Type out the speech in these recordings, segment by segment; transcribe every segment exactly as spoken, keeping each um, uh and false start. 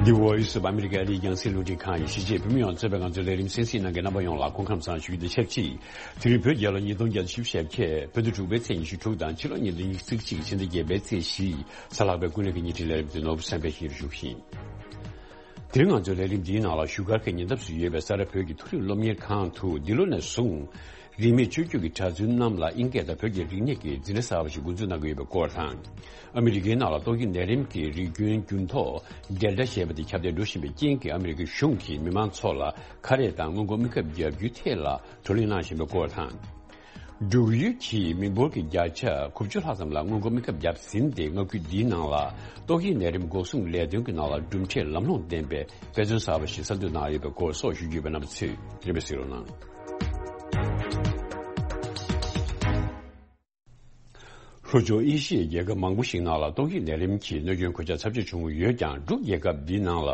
The Voice of America ཨ་རིའི་རྒྱང་སྲིང་རླུང་འཕྲིན་ཁང་ཡིན། གཞིས་བྱེས་བོད་མི་ཡོངས་གཙོས་པའི་ང་ཚོའི་ལས་རིམ་གསན་གཟིགས་གནང་མཁན་རྣམ་པ་ཡོངས་ལ་སྐུ་ཁམས་བཟང་ཞུ་རྒྱུ་དང་ཆབས་ཅིག་དེ་རིང་བོད་རྒྱལ་ལོ་ཉིས་སྟོང་བརྒྱ་དང་བཞི་བཅུ་ཞེ་བརྒྱད། བོད་ཟླ་དྲུག་པའི་ཚེས་ཉི་ཤུ་དྲུག་དང་ཕྱི་ལོ་ཉིས་སྟོང་ཉི་ཤུ་རྩ་གཅིག་ཕྱི་ཟླ་བརྒྱད་པའི་ཚེས་བཞི། གཟའ་ལྷག་པའི་ཀུན་གླེང་གི་བརྙན་འཕྲིན་ལས་རིམ་དེ་ནོར་བུ་བསམ་འཕེལ་གྱིས་ཞུ་གི་ཡིན། དེ་རིང་ང་ཚོའི་ལས་རིམ་འདིའི་ནང་ལ་བཞུགས་སྒར་གྱི་ཉེ་འདབས་སུ་ཡོད་པའི་ས་རཱ་བོད་ཀྱི་མཐོ་རིམ་སློབ་གཉེར་ཁང་དུ་འདི་ལོ་ནས་བཟུང་རིས་མེད་ཆོས་བརྒྱུད་ཀྱི་གྲྭ་བཙུན་རྣམས་ལ་དབྱིན་སྐད་དང་བོད་ཀྱི་རིག་གནས་ཀྱི་འཛིན་གྲྭ་གསར་པ་ཞིག་འགོ་འཛུགས་གནང་གི་ཡོད་པའི་སྐོར་དང་། ཨ་མི་རི་ཀའི་ནང་ལ་ཏོག་དབྱིབས་ནད་རིམས་ཀྱི་རིགས་རྒྱུན་འགྱུར་ལྡོག་ཌེལ་ཊ་ཞེས་པ་དེ་ཁྱབ་གདལ་འགྲོ་བཞིན་པའི་རྐྱེན་གྱིས་ཨ་མི་རི་ཀའི་གཞུང་གིས་མི་མང་ཚོ་ལ་ཁ་རས་དང་སྔོན་འགོག་སྨན་ཁབ་བརྒྱབ་རྒྱུའི་ཐད་ལ་བགྲོ་གླེང་གནང་བཞིན་པའི་སྐོར་དང་། འབྲུག་ཡུལ་གྱིས་མི་འབོར་གྱི་བརྒྱ་ཆ་དགུ་བཅུ་ལྷག་ཙམ་ལ་སྔོན་འགོག་སྨན་ཁབ་བརྒྱབ་ཟིན་ཏེ། མངའ་ཁུལ་འདིའི་ནང་ལ་ཏོག་དབྱིབས་ནད་རིམས་འགོག་སྲུང་ལས་དོན་གྱི་ནང་ལ་གྲུབ་འབྲས་ལམ་ལྷོང་ལྡན་པའི་དཔེ་མཚོན་གསར་པ་ཞིག་གསར་འཛུགས་གནང་ཡོད་པའི་སྐོར་སོགས་ཞུ་རྒྱུ་ཡོད་པས། རྣམ་པ་ཚོས་དེ་རིང་གསན་རོགས་གནང་། ལྷོ་ཕྱོགས་ཨེ་ཤི་ཡའི་རྒྱལ་ཁབ་མང་པོ་ཞིག་ནང་ལ་ཏོག་དབྱིབས་ནད་རིམས་ཀྱི་གནོད་སྐྱོན་གོད་ཆག་ཚབས་ཆེ་བྱུང་ཡོད་ཀྱང་། འབྲུག་རྒྱལ་ཁབ་འདིའི་ནང་ལ་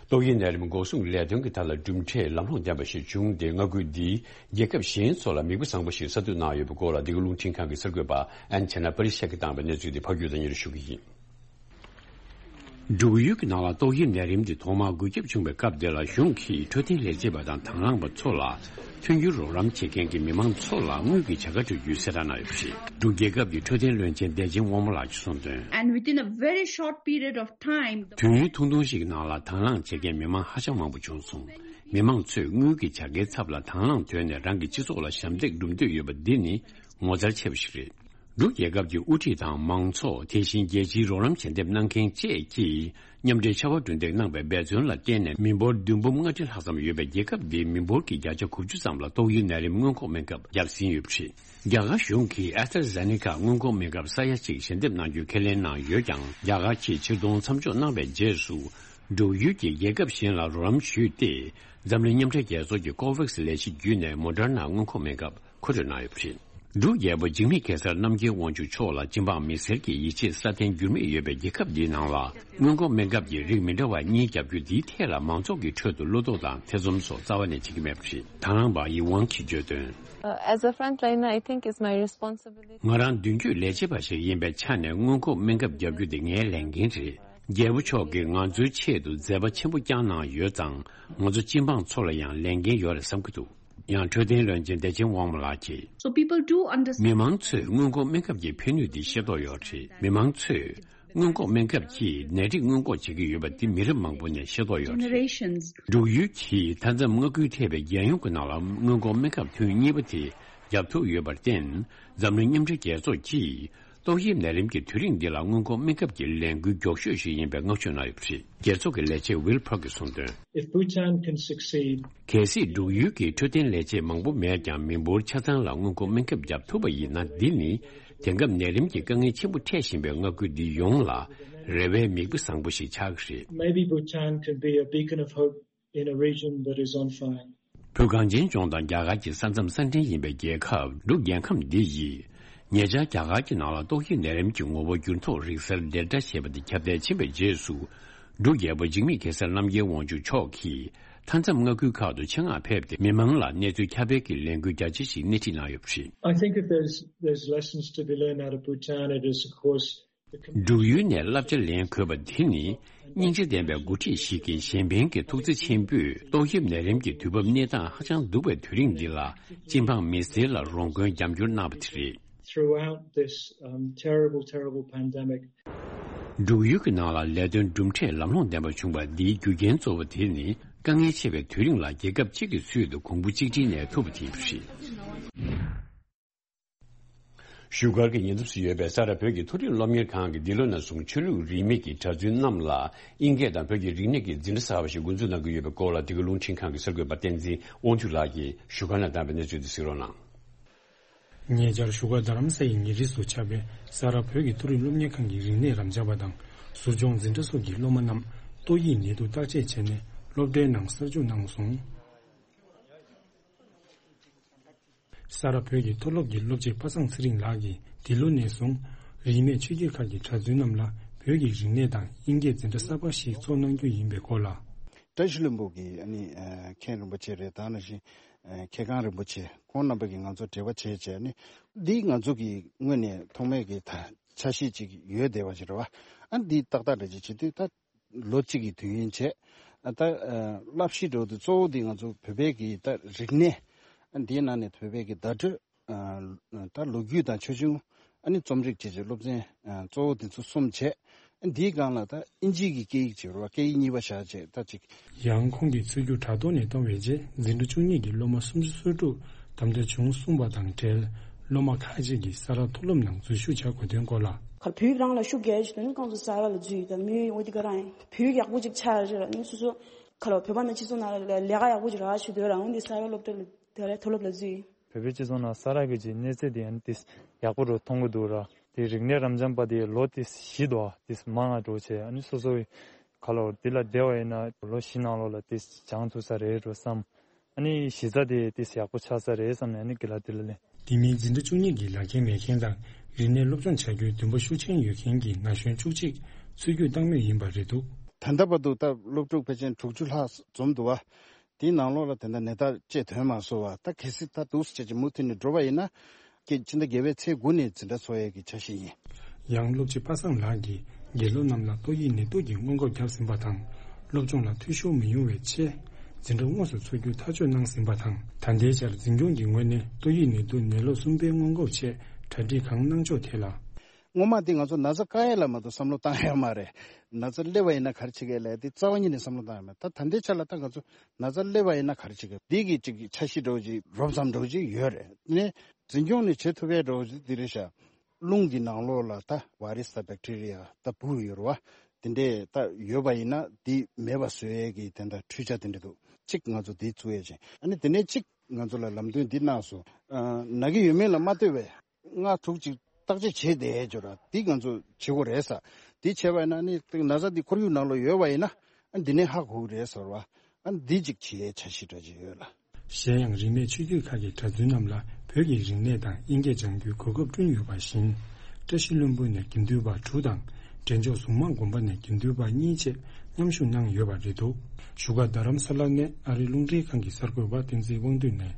ཏོག་དབྱིབས་ནད་རིམས་འགོག་སྲུང་ལས་དོན་གྱི་ཐད་ལ་གྲུབ་འབྲས་ལམ་ལྷོང་ལྡན་པ་ཞིག་བྱུང་སྟེ། མངའ་ཁུལ་འདིའི་རྒྱལ་ཁབ་གཞན་ཚོ་ལ་མིག་དཔེ་བཟང་པོ་ཞིག་གསར་གཏོད་གནང་ཡོད་པའི་སྐོར་ལ། འདི་ག་རླུང་འཕྲིན་ཁང་གི་གསར་འགོད་པ་ཨན་ཆེ་ན་པ་རི་ཤ་གིས་བཏང་བའི་གནས་ཚུལ་དེ་ཕབ་སྒྱུར་དང་སྙན་སྒྲོན་ཞུ་གི་ཡིན། འབྲུག་ཡུལ་གྱི་ནང་ལ་ཏོག་དབྱིབས་ནད་རིམས་དེ་ཐོག་མར་འགོས་ཁྱབ་བྱུང་བའི་སྐབས་དེ་ལ། གཞུང་གིས་འཕྲོད་བསྟེན་ལས་བྱེད་པ་དང་དང་བླངས་པ་ཚོ་ལ་མཐུན་འགྱུར་རོགས་རམ་བྱེད་མཁན་གྱི་མི་མང་ཚོ་ལ་དངུལ་གྱི་བྱ་དགའ་སྤྲོད་རྒྱུའི་གསལ་བསྒྲགས་གནང་ཡོད་པ་རེད། འབྲུག་རྒྱལ་ཁབ་ཀྱི་འཕྲོད་བསྟེན་བློན་ཆེན་བདེ་ཆེན་དབང་མོ་ལགས་ཀྱིས་གསུངས་དོན། And within a very short period of time, the དུས་ཡུན་ཐུང་ཐུང་ཞིག་ནང་ལ་དང་བླངས་བྱེད་མཁན་མི་མང་ཧ་ཅང་མང་པོ་བྱུང་སོང་། མི་མང་ཚོས་དངུལ་གྱི་བྱ་དགའི་ཚབ་ལ་དང་བླངས་ཐོག་ནས་རང་གི་སྤྱི་ཚོགས་ལ་ཞབས་འདེགས་སྒྲུབ་འདོད་ཡོད་པ་འདི་ནི་ངོ་མཚར་ཆེ་བ་ཞིག་རེད། འབྲུག་རྒྱལ་ཁབ་ཀྱི་དབུ་ཁྲིད་དང་མང་ཚོགས། དེ་བཞིན་རྒྱལ་སྤྱིའི་རོགས་རམ་ཞལ་འདེབས་གནང་མཁན་བཅས་ཀྱིས་མཉམ་འབྲེལ་ཕྱར་བ་གྲུ་འདེགས་གནང་བའི་འབད་བརྩོན་ལ་བརྟེན་ནས། མི་འབོར་བདུན་འབུམ་ལྔ་ཁྲི་ལྷག་ཙམ་ཡོད་པའི་རྒྱལ་ཁབ་འདིའི་མི་འབོར་གྱི་བརྒྱ་ཆ་དགུ་བཅུ་ཙམ་ལ་ཏོག་དབྱིབས་ནད་རིམས་སྔོན་འགོག་སྨན་ཁབ་བརྒྱབ་ཟིན་ཡོད་པ་རེད། རྒྱ་གར་གཞུང་གིས་ཨེ་སི་ཊ་ཛེ་ནེ་ཀ་སྔོན་འགོག་སྨན་ཁབ་ས་ཡ་གཅིག་ཞལ་འདེབས་གནང་རྒྱུའི་ཁས་ལེན་གནང་ཡོད་ཀྱང་། རྒྱ་གར་གྱིས་ཕྱིར་གཏོང་མཚམས་འཇོག་གནང་བའི་རྗེས་སུ། འབྲུག་ཡུལ་གྱིས་རྒྱལ་ཁབ་གཞན་ལ་རོགས་རམ་ཞུས་ཏེ། འཛམ་གླིང་མཉམ་འབྲེལ་རྒྱལ་ཚོགས་ཀྱི་ཀོ་ཝེག་སི་ལས་གཞི་བརྒྱུད་ནས་མོ་ཌར་ན་སྔོན་འགོག་སྨན་ཁབ་མཁོ་སྤྲོད་གནང་ཡོད་པ་རེད། འབྲུག་རྒྱལ་པོ་འཇིགས་མེད་གེ་སར་རྣམ་རྒྱལ་དབང་ཕྱུག་མཆོག་ལ་སྤྱི་འབངས་མི་སེར་གྱི་ཡིད་ཆེས་སྲ་བརྟན་འགྱུར་མེད་ཡོད་པའི་རྒྱལ་ཁབ་འདིའི་ནང་ལ། སྔོན་འགོག་སྨན་ཁབ་ཀྱི་རིགས་མི་འདྲ་བ་གཉིས་བརྒྱབ་རྒྱུ་འདིའི་ཐད་ལ་མང་ཚོགས་ཀྱི་ཁྲོད་དུ་བློ་དོགས་དང་ཐེ་ཚོམ་སོགས་རྩ་བ་ནས་བྱེད་ཀྱི་མེད་པ་རེད། དང་བླངས་པ་ཡི་ཝང་གིས་བརྗོད་དོན། Uh, as a frontliner, I think it's my responsibility. ང་རང་མདུན་སྐྱོད་ལས་བྱེད་པ་ཞིག་ཡིན་པའི་ཆ་ནས་སྔོན་འགོག་སྨན་ཁབ་བརྒྱབ་རྒྱུ་དེ་ངའི་ལས་འགན་རེད། རྒྱལ་པོ་མཆོག་གིས་ང་ཚོའི་ཆེད་དུ་མཛད་པ་ཆེན་པོ་བསྐྱངས་གནང་ཡོད་ཙང་། ང་ཚོ་སྤྱི་འབངས་ཚོ་ལ་ཡང་ལས་འགན་ཡོད་རེད་བསམ་གྱི་འདུག་ཡང་འཕྲོད་བསྟེན་བློན་ཆེན་བདེ་ཆེན་དབང་མོ་ལགས་ཀྱིས། So people do understand. མི་མང་ཚོས་སྔོན་འགོག་སྨན་ཁབ་ཀྱི་ཕན་ནུས་འདི་ཤེས་རྟོགས་ཡོད་རེད། མི་མང་ཚོས་སྔོན་འགོག་སྨན་ཁབ་ཀྱིས་ནད་རིགས་སྔོན་འགོག་བྱེད་ཀྱི་ཡོད་པ་འདི་མི་རབས་མང་པོ་ནས་ཤེས་རྟོགས་ཡོད་རེད། Generations. འབྲུག་ཡུལ་གྱིས་མཐའ་མཚམས་མངའ་ཁུལ་ཐེ་བའི་རྒྱལ་ཡོངས་ཀྱི་ནང་ལ་སྔོན་འགོག་སྨན་ཁབ་ཐུན་གཉིས་པ་དེ་བརྒྱབ་ཐུབ་ཡོད་པར་བརྟེན། འཛམ་གླིང་མཉམ་འབྲེལ་རྒྱལ་ཚོགས་ཀྱིས་ཏོག་དབྱིབས་ནད་རིམས་ཀྱི་དུས་རིང་འདི་ལ་སྔོན་འགོག་སྨན་ཁབ་ཀྱི་ལས་འགུལ་མགྱོགས་ཤོས་ཤིག་ཡིན་པའི་བསྔགས་བརྗོད་གནང་ཡོད་པ་རེད། རྒྱལ་ཚོགས་ཀྱི་ལས་བྱེད་ཝིལ་ཕར་གྱིས་གསུངས་དོན། If Bhutan can succeed, གལ་སྲིད་འབྲུག་ཡུལ་གྱིས་འཕྲོད་བསྟེན་ལས་བྱེད་མང་པོ་མེད་ཀྱང་། མི་འབོར་ཆ་ཚང་ལ་སྔོན་འགོག་སྨན་ཁབ་བརྒྱབ་ཐུབ་པ་ཡིན་ན། འདི་ནི་དེང་སྐབས་ནད་རིམས་ཀྱི་དཀའ་ངལ་ཆེན་པོ་འཕྲད་བཞིན་པའི་མངའ་ཁུལ་འདི་ཡོངས་ལ་རེ་བའི་མིག་དཔེ་བཟང་པོ་ཞིག་ཆགས་ཀྱི་རེད། Maybe Bhutan can be a beacon of hope in a region that is on fire. བོད་གངས་ཅན་ལྗོངས་དང་རྒྱ་གར་གྱི་ས་མཚམས་ས་འབྲེལ་ཡིན་པའི་རྒྱལ་ཁབ་འབྲུག་རྒྱལ་ཁམས་འདི་ཡིས། ཉེ་ཆར་རྒྱ་གར་གྱི་ནང་ལ་ཏོག་དབྱིབས་ནད་རིམས་ཀྱི་ངོ་བོ་འགྱུར་ལྡོག་རིག་གསར་ཌེལ་ཊ་ཞེས་པ་དེ་ཁྱབ་གདལ་ཕྱིན་པའི་རྗེས་སུ། འབྲུག་རྒྱལ་པོ་འཇིགས་མེད་གེ་སར་རྣམ་རྒྱལ་དབང་ཕྱུག་མཆོག་གིས་མཐའ་མཚམས་མངའ་ཁུལ་ཁག་ཏུ་ཆེད་མངགས་ཕེབས་ཏེ། མི་མང་ལ་གནས་ཚུལ་ཁྱབ་སྤེལ་གྱི་ལས་འགུལ་རྒྱ་ཆེ་ཞིག་སྣེ་ཁྲིད་གནང་ཡོད་པ་རེད། I think if there's, there's lessons to be learned out of Bhutan, it is, of course, འབྲུག་ཡུལ་ནས་བསླབ་བྱ་ལེན་དགོས་པ་དེ་ནི། སྙིང་རྗེ་ལྡན་པའི་འགོ་ཁྲིད་ཞིག་གིས་གཞན་ཕན་གྱི་ཐུགས་བརྩེ་ཆེན་པོས། ཏོག་དབྱིབས་ནད་རིམས་ཀྱི་དུས་བབ་གནས་སྟངས་ཧ་ཅང་སྡུག་པའི་དུས་རིང་འདི་ལ། སྤྱི་འབངས་མི་སེར་ལ་རོགས་མགོན་རྒྱབ་སྐྱོར་གནང་བ་དེ་རེད། Throughout this, um, terrible, terrible pandemic, འབྲུག་ཡུལ་གྱི་ནང་ལ་ལས་དོན་གྲུབ་འབྲས་ལམ་ལྷོང་ལྡན་པ་བྱུང་བ་འདིའི་རྒྱུ་རྐྱེན་གཙོ་བོ་དེ་ནི། དཀའ་ངལ་ཆེ་བའི་དུས་རིང་ལ་རྒྱལ་ཁབ་གཅིག་གི་ཚུལ་དུ་གོང་བུ་གཅིག་སྒྲིལ་ནས་ཐུབ་པ་དེ་ཡིན་པ་རེད། བཞུགས་སྒར་གྱི་ཉེ་འདབས་སུ་ཡོད་པའི་ས་རཱ་བོད་ཀྱི་མཐོ་རིམ་སློབ་གཉེར་ཁང་གིས་འདི་ལོ་ནས་བཟུང་ཆོས་ལུགས་རིས་མེད་ཀྱི་གྲྭ་བཙུན་རྣམས་ལ་དབྱིན་སྐད་དང་བོད་ཀྱི་རིག་གནས་ཀྱི་འཛིན་གྲྭ་གསར་པ་ཞིག་འགོ་འཛུགས་གནང་གི་ཡོད་པའི་སྐོར་ལ། འདི་ག་རླུང་འཕྲིན་ཁང་གི་གསར་འགོད་པ་བསྟན་འཛིན་དབང་ཕྱུག་ལགས་ཀྱིས་བཞུགས་སྒར་ནས་བཏང་བའི་གནས་ཚུལ་དེ་གཟིགས་རོགས་གནང་། ཉེ་ཆར་བཞུགས་སྒར་རྡ་རམ་ས་ཡི་ཉེ་འཁྲིས་སུ་ཆགས་པའི་ས་རཱ་བོད་ཀྱི་མཐོ་རིམ་སློབ་གཉེར་ཁང་གི་རིག་གནས་རམ་འབྱམས་པ་དང་ཟུར་སྦྱོང་འཛིན་གྲྭ་སོགས་ཀྱི་སློབ་མ་རྣམས་ཏོག་དབྱིབས་ནད་དུག་བརྟག་དཔྱད་བྱས་ནས་སློབ་གྲྭའི་ནང་གསར་འཇུག་གནང་སོང་། ས་རཱ་བོད་ཀྱི་མཐོ་སློབ་ཀྱི་སློབ་སྤྱི་པ་སངས་ཚེ་རིང་ལགས་ཀྱིས་འདི་ལོ་ནས་བཟུང་རིས་མེད་ཆོས་བརྒྱུད་ཁག་གི་གྲྭ་བཙུན་རྣམས་ལ་བོད་ཀྱི་རིག་གནས་དང་དབྱིན་སྐད་འཛིན་གྲྭ་གསར་པ་ཞིག་འཚོགས་གནང་རྒྱུ་ཡིན་པའི་སྐོར་ལ། བཀྲ་ཤིས་ལྷུན་པོ་གི་ཨ་ནི་ཨ་མཁན་རིན་པོ་ཆེ་རེད། ད་ནང་བཞིན་ཨ་མཁས་ཁང་རིན་པོ་ཆེ་ཁོང་རྣམ་པ་གིས་ང་ཚོར་འབྲེལ་བ་བྱས་བྱས་ནས། འདི་ང་ཚོ་གི་ངོས་ནས་ཐོག་མའི་གི་ད་འཆར་གཞི་ཅིག་ཡོད་བསྡད་པ་ཞིག་རེད་བ། ཨ་འདི་ཏག་ཏག་འདྲ་ཅིག་བྱེད་དུས་ད། ལོ་གཅིག་གི་དུས་ཡུན་བྱས། ད་བསླབ་གཞི་འདྲ་བོ་དེ་གཙོ་བོ་དེ་ང་ཚོ་བོད་པའི་གི་ད་རིག་གནས། འདིའི་ནང་ནས་བོད་པའི་གི་བརྡ་སྤྲོད། ད་ལོ་རྒྱུས་དང་ཆོས་འབྱུང་། ཨ་ནི་རྩོམ་རིག་བཅས་ཀྱི་སློབ་ཚན་གཙོ་བོ་དེ་ཚོ་གསུམ་བྱས། འདིའི་སྒང་ལ་ད་ཨིན་ཇིའི་གི་སྐད་ཡིག་བྱས་རོགས། སྐད་ཡིག་གཉིས་པ་བཞག་བྱས་ད་ཅིག་ཡང་ཁོང་གིས་ཚུར་རྒྱུགས་དྲ་ཐོག་ནས་གཏོང་བའི་རྗེས་འཛིན་གྲྭ་བཅུ་གཉིས་ཀྱི་སློབ་མ་སུམ་ཅུ་སོ་དྲུག་དམ་དྲག་བྱུང་གསུངས་པ་དང་འབྲེལ། སློབ་མ་ཁག་ཅིག་གིས་ས་རཱ་མཐོ་སློབ་ནང་འཛུལ་ཞུགས་བྱ་དགོས་དོན་སྐོར་ལ། ཁར་བོད་རང་ལ་ཤུགས་རྒྱག་ཡ་ཞིག་དོན་ནི་ཀང་ཚོ་ས་རཱ་ལ་འཛུལ་ཡོད། ད་མི་འོ་དི་ག་རང་ཡིན། བོད་ཡག་པོ་ཅིག་ཆགས་རེད་ལ་ནི་སོ་སོ་ཁ་ལོ་བོད་པ་ནང་སྤྱི་ཚོགས་ནང་ལ་ལས་ཀ་ཡག་པོ་ཅིག་རག་ཞུ་འདོད་རང་འོ་འདི་ས་རཱ་སློབ་གྲྭ་ལ་དེ་ལ་མཐོ་སློབ་ལ་འཛུལ་ཡིན། བོད་པའི་སྤྱི་ཚོགས་ནང་ས་རཱ་གི་ཅིག་གནས་ཚད་དེ་ཡང་ཏིས་ཡག་པོ་རུ་མཐོང་གི་འདུག་ར། དེ་རིག་གནས་རབ་འབྱམས་པ་དེ་ལོ་ཏིས་བཞི་དོ་ཏིས་མང་ང་འགྲོ་བྱས། ཨ་ནི་སོ་སོ་གི་ཁ་ལོ་དེ་ལ་བསྡད་པ་ཡིན་ན་ལོ་བཞི་ནང་ལོགས་ལ་ཏིས་སྦྱང་ཐུབ་ས་རེད་འགྲོ་བསམ། ཨ་ནི་གཞི་རྩ་དེ་ཏིས་ཡག་པོ་ཆགས་ས་རེད་བསམ་ནས་ཨ་ནི་དགེ་ལགས་དེ་ལ་ལེན། དེ་མིན་འཛིན་གྲྭ་བཅུ་གཉིས་ཀྱི་ལག་འཁྱེར་མེད་མཁན་དང་རིག་གནས་སློབ་སྦྱོང་བྱ་རྒྱུའི་འདུན་པ་ཤུགས་ཆེན་ཡོད་མཁན་གྱི་ན་གཞོན་བཅུ་གཅིག་ཚུར་རྒྱུགས་བཏང་མུས་ཡིན་པ་རེད་འདུག་ད་ལྟ་བར་དུ་ད་སློབ་ཕྲུག་ཕལ་ཆེར་དྲུག་ཅུ་ལྷག་འཛོམས་འདུག་བ། དེའི་ནང་ལོགས་ལ་དེ་འདྲ་ནད་རྟགས་ཅིག་ཐོན་མ་སོང་བ། ད་གལ་སྲིད་ད་འདུག་སེ་བྱས་ཀྱི་མུ་མཐུད་ནས་འགྲོ་བ་ཡིན་ན། ཀྱི་ཕྱི་ཟླ་བརྒྱད་པའི་ཚེས་དགུ་ནས་འཛིན་གྲྭ་ཚོགས་ཡས་ཀྱི་འཆར་གཞི་ཡིན། ཡང་སློབ་སྤྱི་པ་སངས་ལགས་ཀྱིས་དགེ་སློབ་རྣམས་ལ་ཏོག་དབྱིབས་ནད་དུག་གི་སྔོན་འགོག་བརྒྱབ་ཟིན་པ་དང་། སློབ་སྦྱོང་ལ་འཐུས་ཤོར་མི་ཡོང་བའི་ཆེད། འཛིན་གྲྭ་དངོས་སུ་འཚོགས་རྒྱུ་ཐག་གཅོད་གནང་ཟིན་པ་དང་། ད་ལྟའི་ཆར་འཛིན་སྐྱོང་གི་ངོས་ནས་ཏོག་དབྱིབས་ནད་དུག་ནད་ལོ་གསུམ་པའི་སྔོན་འགོག་ཆེད་གྲ་སྒྲིག་གང་གནང་ཕྱོགས་ཐད་ལ། སྔོན་མ་དེ་ང་ཚོ་ན་ཚ་བཀག་ཡ་ལ་མ་གཏོགས་བསམ་བློ་བཏང་ཡ་མ་རེད། ན་ཚ་སླེབས་པ་ཡིན་ན་ག་རེ་བྱེད་ཀྱི་ལས་དེ་རྩ་བ་ཉིད་ནས་བསམ་བློ་བཏང་ཡ་མ་རེད། ད་ད་ལྟའི་ཆ་ལ་ད་ང་ཚོ་ན་ཚ་སླེབས་པ་ཡིན་ན་ག་རེ་བྱེད་ཀྱི་འདི་གི་ཅིག་འཆར་གཞི་འདྲ་བོ་ཅིག་རོབ་ཙམ་འདྲ་བོ་ཅིག་ཡོད་རེད། ནས་འཛིན་སྐྱོང་ནས་བྱེད་ཐུབ་ཡ་འདྲ་བོ་ཅིག་འདི་རེད་ཤག་རླུང་གི་ནང་ལོགས་ལ་ད་virus་དང་bacteria་ད་འབུ་ཡོད་རེད་བ། དེ་འདྲས་ད་ཡོད་པ་ཡིན་ན་དེ་མེད་པ་བཟོ་ཡས་ཀྱི་དེ་འདྲ་འཕྲུལ་ཆ་དེ་འདྲ་འདུག་གཅིག་ང་ཚོ་དེ་བཙུགས་ཡས་བྱས། ཨ་ནི་དེ་ནས་གཅིག་ང་ཚོ་ལ་ལམ་སྟོན་འདི་གནང་སོང་། ཨ། ན་གི་ཡོད་མེད་ལ་མ་ལྟོས་པའི་ལྔ་དྲུག་ཅིག་བརྟག་དཔྱད་བྱས་བསྡད་ཡས་ཅིག་ཡོད་ར། འདི་ང་ཚོ་བྱེད་དགོས་རེད་ས། འདི་བྱས་པ་ཡིན་ན་ནི་ན་ཚ་འདི་ཁོར་ཡུག་ནང་ལ་ཡོད་པ་ཡིན་ན། ཨ། འདི་ནས་ཧ་གོ་གི་རེད་ཟེར་བ། ཨ། འདི་གཅིག་བྱེད་ཡས་འཆར་གཞི་འདྲ་ཅིག་ཡོད་ལ། གཞན་ཡང་རིས་མེད་ཆོས་བརྒྱུད་ཁག་གི་གྲྭ་བཙུན་རྣམས་ལ་བོད་ཀྱི་རིག་གནས་དང་དབྱིན་སྐད་སྦྱང་རྒྱུའི་གོ་སྐབས་བསྐྲུན་ཡོད་པ་བཞིན། བཀྲ་ཤིས་ལྷུན་པོ་ནས་དགེ་འདུན་པ་དྲུག་དང་། འབྲས་ལྗོངས་གཟུངས་མང་དགོན་པ་ནས་དགེ་འདུན་པ་གཉིས་བཅས་མཉམ་ཞུགས་གནང་ཡོད་པ་རེད་འདུག་བཞུགས་སྒར་རྡ་རམ་ས་ལ་ནས་ཨ་རིའི་རླུང་འཕྲིན་ཁང་གི་གསར་འགོད་པ་བསྟན་འཛིན་དབང་འདུས་ནས།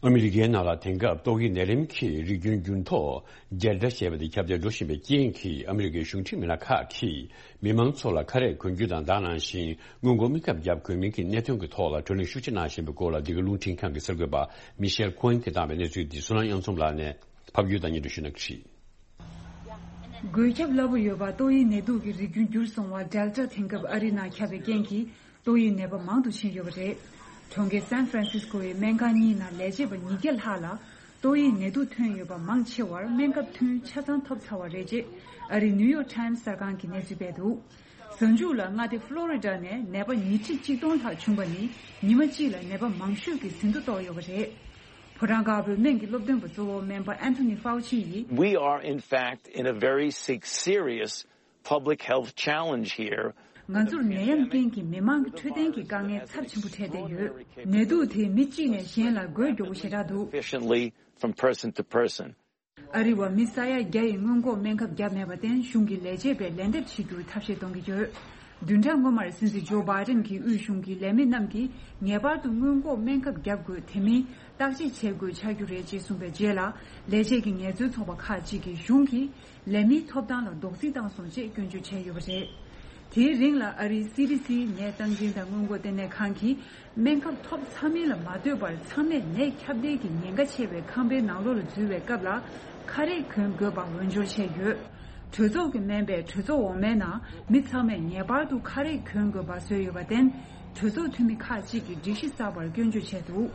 ཨ་མི་རི་ཀའི་ནང་ལ་དེང་སྐབས་ཏོག་དབྱིབས་ནད་རིམས་ཀྱི་རིགས་རྒྱུན་འགྱུར་ལྡོག་Delta་ཞེས་པ་དེ་ཁྱབ་གདལ་འགྲོ་བཞིན་པའི་རྐྱེན་གྱིས། ཨ་མི་རི་ཀའི་གཞུང་འབྲེལ་མི་སྣ་ཁག་གིས་མི་མང་ཚོ་ལ་ཁ་རས་གོན་རྒྱུ་དང་། ད་ག་ནང་བཞིན་སྔོན་འགོག་སྨན་ཁབ་བརྒྱབ་དགོས་མིན་གྱི་གནད་དོན་གྱི་ཐོག་ལ་བགྲོ་གླེང་ཤུགས་ཆེ་གནང་བཞིན་པའི་སྐོར་ལ། འདི་ག་རླུང་འཕྲིན་ཁང་གི་གསར་འགོད་པ་མི་ཤེལ་ཁོ་ཨེན་གྱིས་བཏང་བའི་གནས་ཚུལ་འདི་བསོད་ནམས་དབྱངས་འཛོམས་ལགས་ནས་ཕབ་སྒྱུར་དང་སྙན་སྒྲོན་ཞུ་གནང་གི་རེད། འགོས་ཁྱབ་སླ་པོ་ཡོད་པ་ཏོག་དབྱིབས་ནད་དུག་གི་རིགས་རྒྱུན་འགྱུར་སོང་བ་Delta་དེང་སྐབས་ཨ་རི་ནང་ཁྱབ་པའི་རྐྱེན་གྱིས། ཏོག་དབྱིབས་ནད་པ་མང་དུ་ཕྱིན་ཡོད་པ་རེད། གྲོང་ཁྱེར་San Francisco་ཡི་སྨན་ཁང་གཉིས་ནང་ལས་བྱེད་པ་ཉིས་བརྒྱ་ལྷག་ལ་ཏོག་དབྱིབས་ནད་དུག་ཐོན་ཡོད་པ་མང་ཆེ་བར་སྨན་ཁབ་ཐུན་ཆ་ཚང་ཐོབ་ཚར་བ་རེད་ཅེས་ཨ་རིའི་New York Times་གསར་ཁང་གིས་གནས་ཚུལ་སྤེལ་འདུག་གཟའ་མཇུག་ལ་མངའ་སྡེ་Florida་ནས་ནད་པ་ཉིས་ཁྲི་གཅིག་སྟོང་ལྷག་བྱུང་བ་ནི་ཉི་མ་གཅིག་ལ་ནད་པ་མང་ཤོས་ཀྱི་ཟིན་ཐོ་བཏོག་ཡོད་པ་རེད། ཕོ་བྲང་དཀར་པོའི་སྨན་གྱི་སློབ་སྟོན་པ་གཙོ་བོ་སྨན་པ་Anthony Fauci་ཡིས། We are in fact in a very se- serious public health challenge here. ང་ཚོར་ནད་ཡམས་རྐྱེན་གྱིས་མི་མང་གི་འཕྲོད་བསྟེན་གྱི་དཀའ་ངལ་ཚབས་ཆེན་པོ་འཕྲད་བསྡད་ཡོད། ནད་དུག་དེས་མི་གཅིག་ནས་གཞན་ལ་འགོས་མགྱོགས་པོ་ཞེ་དྲག་འདུག Efficiently from person to person. ཨ་རི་བ་མི་ས་ཡ་བརྒྱ་ཡིས་སྔོན་འགོག་སྨན་ཁབ་བརྒྱབ་མེད་པར་བརྟེན་གཞུང་གི་ལས་བྱེད་པས་ལན་འདེབས་བྱེད་རྒྱུར་ཐབས་ཤེས་གཏོང་གི་ཡོད། བདུན་ཕྲག་སྔོན་མར་སྲིད་འཛིན་ཇོ་བྷའི་ཌེན་གྱིས་དབུས་གཞུང་གི་ལས་མི་རྣམས་ཀྱིས་ངེས་པར་དུ་སྔོན་འགོག་སྨན་ཁབ་བརྒྱབ་དགོས། དེ་མིན་བརྟག་དཔྱད་བྱེད་དགོས་ཆགས་རྒྱུ་རེད་ཅེས་གསུངས་པའི་རྗེས་ལ། ལས་བྱེད་ཀྱི་ངལ་རྩོལ་ཚོགས་པ་ཁག་ཅིག་གིས་གཞུང་གིས་ལས་མིའི་ཐོབ་ཐང་ལ་རྡོག་རྫིས་བཏང་སོང་ཅེས་སྐྱོན་བརྗོད་བྱས་ཡོད་པ་རེད། དེའི་རིང་ལ་ཨ་རིའི་སི་ཌི་སི་ནད་སྟངས་འཛིན་དང་སྔོན་འགོག་ལྟེ་གནས་ཁང་གིས་སྨན་ཁབ་ཐོབ་ཚར་མིན་ལ་མ་ལྟོས་པར་ཚང་མས་ནད་ཁྱབ་གདལ་གྱི་ཉེན་ཁ་ཆེ་བའི་ཁང་པའི་ནང་ལོགས་ལ་འཛུལ་བའི་སྐབས་ལ་ཁ་རས་གོན་དགོས་པ་འོས་སྦྱོར་བྱས་ཡོད། གྲོས་ཚོགས་ཀྱི་སྨན་པས་གྲོས་ཚོགས་འོག་མའི་ནང་མི་ཚང་མས་ངེས་པར་དུ་ཁ་རས་གོན་དགོས་པ་བཟོས་ཡོད་པར་བརྟེན། གྲོས་ཚོགས་འཐུས་མི་ཁག་ཅིག་གིས་སྒྲིག་གཞི་གསར་པར་སྐྱོན་བརྗོད་བྱས་འདུག་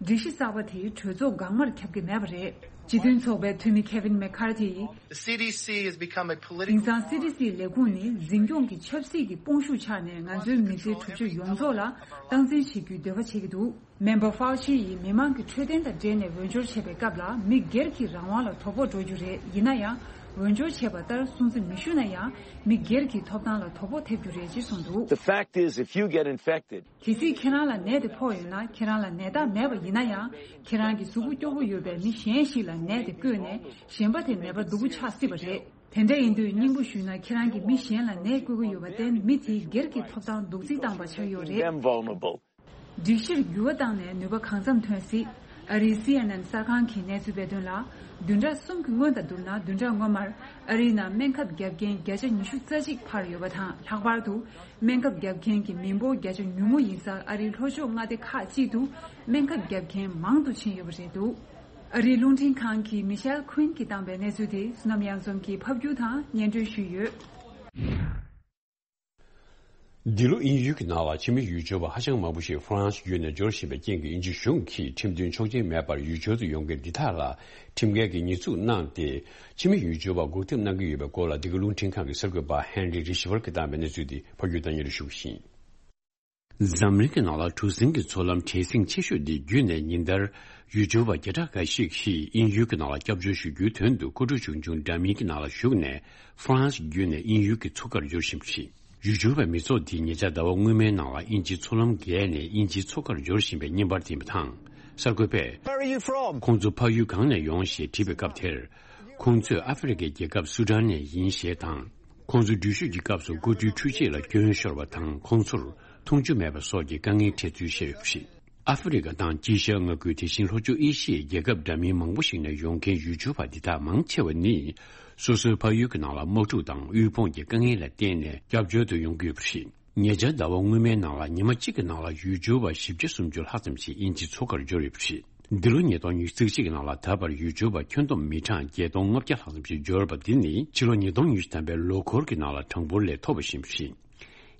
སྒྲིག་གཞི་གསར་པ་དེས་གྲོས་ཚོགས་འགག་མར་ཁྱབ་ཀྱི་མེད་པ་རེད། སྤྱི་མཐུན་ཚོགས་པའི་འཐུས་མི་Kevin McCarthy་ཡིས། The C D C has become a political དེང་སང་སི་ཌི་སི་ལས་ཁུངས་ནི་འཛིན་སྐྱོང་གི་ཆབ་སྲིད་ཀྱི་དཔུང་ཤུགས་ཆགས་ནས་ང་ཚོའི་མི་སེར་གྲུབ་ཆ་ཡོངས་རྫོགས་ལ་སྟངས་འཛིན་བྱེད་རྒྱུའི་འདོད་པ་བྱེད་ཀྱི་འདུག་སྨན་པ་Fauci་ཡིས་མི་མང་གི་འཕྲོད་བསྟེན་དང་འབྲེལ་ནས་འོས་སྦྱོར་བྱས་པའི་སྐབས་ལ་མི་སྒེར་གྱི་རང་དབང་ལ་དོ་ཕོག་འགྲོ་རྒྱུ་རེད། ཡིན་ན་ཡང་འོས་སྦྱོར་བྱས་པ་ལྟར་སྲུང་བརྩི་མི་ཞུ་ན་ཡང་མི་སྒེར་གྱི་ཐོབ་ཐང་ལ་དོ་ཕོག་ཐེབས་རྒྱུ་རེད་ཅེས་གསུངས་འདུག The fact is, if you get infected, གལ་སྲིད་ཁྱེད་རང་ལ་ནད་དེ་ཕོག་ཡོད་ན། ཁྱེད་རང་ལ་ནད་རྟགས་མེད་པ་ཡིན་ན་ཡང་། ཁྱེད་རང་གི་གཟུགས་པོ་སྐྱོ་པོ་ཡོད་པའི་མི་གཞན་ཞིག་ལ་ནད་དེ་བཀོལ་ནས་གཞན་པ་དེ་ནད་པ་སྡུག་པོ་ཆགས་སྲིད་པ་རེད། དེ་འདྲ་ཡིན་དུས་སྙིང་པོ་ཞུས་ན་ཁྱེད་རང་གིས་མི་གཞན་ལ་ནད་བཀོལ་གྱི་ཡོད་པར་བརྟེན་མི་དེའི་སྒེར་གྱི་ཐོབ་ཐང་རྡོག་རྫིས་བཏང་པ་ཆགས་ཡོད་རེད། Them vulnerable. སྒྲིག་གཞིར་འགྱུར་བ་བཏང་ནས་ནུས་པ་གང་འཚམ་ཐོན་སྲིད། ཨ་རིའི་སི་ཨེན་ཨེན་གསར་ཁང་གིས་གནས་ཚུལ་སྤེལ་དོན་ལ། བདུན་ཕྲག་གསུམ་གྱི་སྔོན་དང་བསྡུར་ན། བདུན་ཕྲག་སྔོན་མར་ཨ་རིའི་ནང་སྨན་ཁབ་བརྒྱབ་མཁན་བརྒྱ་ཆ་ཉི་ཤུ་རྩ་གཅིག་འཕར་ཡོད་པ་དང་། ལྷག་པར་དུ་སྨན་ཁབ་བརྒྱབ་མཁན་གྱི་མི་འབོར་བརྒྱ་ཆ་ཉུང་ངུ་ཡིན་སར། ཨ་རིའི་ལྷོ་ཕྱོགས་མངའ་སྡེ་ཁག་ཅིག་ཏུ་སྨན་ཁབ་བརྒྱབ་མཁན་མང་དུ་ཕྱིན་ཡོད་པ་རེད་འདུག་ཨ་རིའི་རླུང་འཕྲིན་ཁང་གི་མི་ཤེལ་ཁུན་གྱིས་བཏང་པའི་གནས་ཚུལ་དེ་བསོད་ནམས་གཡང་འཛོམས་ཀྱིས་ཕབ་སྒྱུར་དང་སྙན་སྒྲོན་ཞུས་ཡོད། འདི་ལོ་དབྱིན་ཡུལ་གྱི་ནང་ལ་ཕྱི་མི་ཡུལ་སྐྱོར་བ་ཧ་ཅང་མང་པོ་ཞིག་ཧྥ་རན་སི་བརྒྱུད་ནས་འབྱོར་བཞིན་པའི་རྐྱེན་གྱིས། དབྱིན་ཇི་གཞུང་གིས་ཁྲིམས་མཐུན་ཆོག་མཆན་མེད་པར་ཡུལ་སྐྱོར་དུ་ཡོང་མཁན་འདི་དག་ལ་ཁྲིམས་འགལ་གྱི་ཉེས་འཛུགས་གནང་སྟེ། ཕྱི་མི་ཡུལ་སྐྱོར་བ་འགོག་ཐབས་གནང་གི་ཡོད་པའི་སྐོར་ལ། འདི་ག་རླུང་འཕྲིན་ཁང་གི་གསར་འགོད་པ་ཧན་རི་རི་ཤི་བར་གྱིས་བཏང་པའི་གནས་ཚུལ་དེ་ཕབ་སྒྱུར་དང་སྙན་སྒྲོན་ཞུ་གི་ཡིན། འཛམ་གླིང་གི་ནང་ལ་གྲུ་གཟིངས་ཀྱི་མཚོ་ལམ་བྲེལ་ཟིང་ཆེ་ཤོས་འདི་བརྒྱུད་ནས། ཉིན་ལྟར་ཡུལ་སྐྱོར་བ་བརྒྱ་ཕྲག་འགའ་ཞིག་གིས་དབྱིན་ཡུལ་གྱི་ནང་ལ་སྐྱབས་བཅོལ་ཞུ་རྒྱུའི་དོན་དུ། མཁའ་འགྲོ་ཆུང་ཆུང་འདྲ་མིན་གྱི་ནང་ལ་ཞུགས་ནས། ཧྥ་རན་སི་བརྒྱུད་ནས་དབྱིན་ཡུལ་གྱི་མཚོ་ཁར་འབྱོར་བཞིན་པ་རེད། ཡུལ་སྐྱོར་བའི་མི་ཚོགས་འདི་ཉེ་ཆར་ཟླ་བ་སྔོན་མའི་ནང་ལ་དབྱིན་ཇིའི་མཚོ་ལམ་བརྒལ་ནས་དབྱིན་ཇིའི་མཚོ་ཁར་འབྱོར་བཞིན་པའི་བརྙན་པར་དེ་ཡིན་པ་དང་། གསར་འགོད་པས། Where are you from? ཁོང་ཚོ་ཕ་ཡུལ་གང་ནས་ཡོང་ཞེས་དྲིས་པའི་སྐབས་དེར། ཁོང་ཚོས་ཨ་ཧྥེ་རི་ཁའི་རྒྱལ་ཁབ་སུ་ཌན་ནས་ཡིན་ཞེས་དང་། ཁོང་ཚོ་འགྲུལ་བཞུད་ཀྱི་སྐབས་སུ་སྐུ་དུས་འཕྲུལ་ཆས་ལ་སྐྱོན་ཤོར་བ་དང་། ཁོང་ཚོར་འཐུང་ཆུ་མེད་པ་སོགས་ཀྱི་དཀའ་ངལ་འཕྲད་ཚུལ་བཤད་ཡོད་པ་རེད། ཨ་ཧྥེ་རི་ཁ་དང་དཀྱིལ་ཤར་མངའ་ཁུལ། དེ་བཞིན་ལྷོ་ཕྱོགས་ཨེ་ཤི་ཡའི་རྒྱལ་ཁབ་འདྲ་མིན་མང་པོ་ཞིག་ནས་ཡོང་མཁན་ཡུལ་སྐྱོར་བ་འདི་དག་མང་ཆེ་བ་ནི། སོ་སོའི་ཕ་ཡུལ་གྱི་ནང་ལ་དམག་འཁྲུག་དང་དབུལ་ཕོངས་ཀྱི་དཀའ་ངལ་ལ་བརྟེན་ནས་སྐྱབས་བཅོལ་དུ་ཡོང་གི་ཡོད་པ་རེད། ཉེ་ཆར་ཟླ་བ་སྔོན་མའི་ནང་ལ་ཉི་མ་གཅིག་གི་ནང་ལ་ཡུལ་སྐྱོར་བ་བཞི་བརྒྱ་སུམ་ཅུ་ལྷག་ཙམ་ཞིག་དབྱིན་ཇིའི་མཚོ་ཁར་འབྱོར་ཡོད་པ་རེད། འདི་ལོ་ཉིས་སྟོང་ཉི་ཤུ་རྩ་གཅིག་གི་ནང་ལ་ད་བར་ཡུལ་སྐྱོར་བ་ཁྱོན་བསྡོམས་མི་གྲངས་བརྒྱད་སྟོང་ལྔ་བརྒྱ་ལྷག་ཙམ་ཞིག་འབྱོར་བ་འདི་ནི། ཕྱི་ལོ་ཉིས་སྟོང་ཉི་ཤུ་ཐམ་པའི་ལོ་འཁོར་གྱི་ནང་ལ་གྲངས་འབོར་ལས་མཐོ་བ་ཞིག་ཡིན་པ་རེད།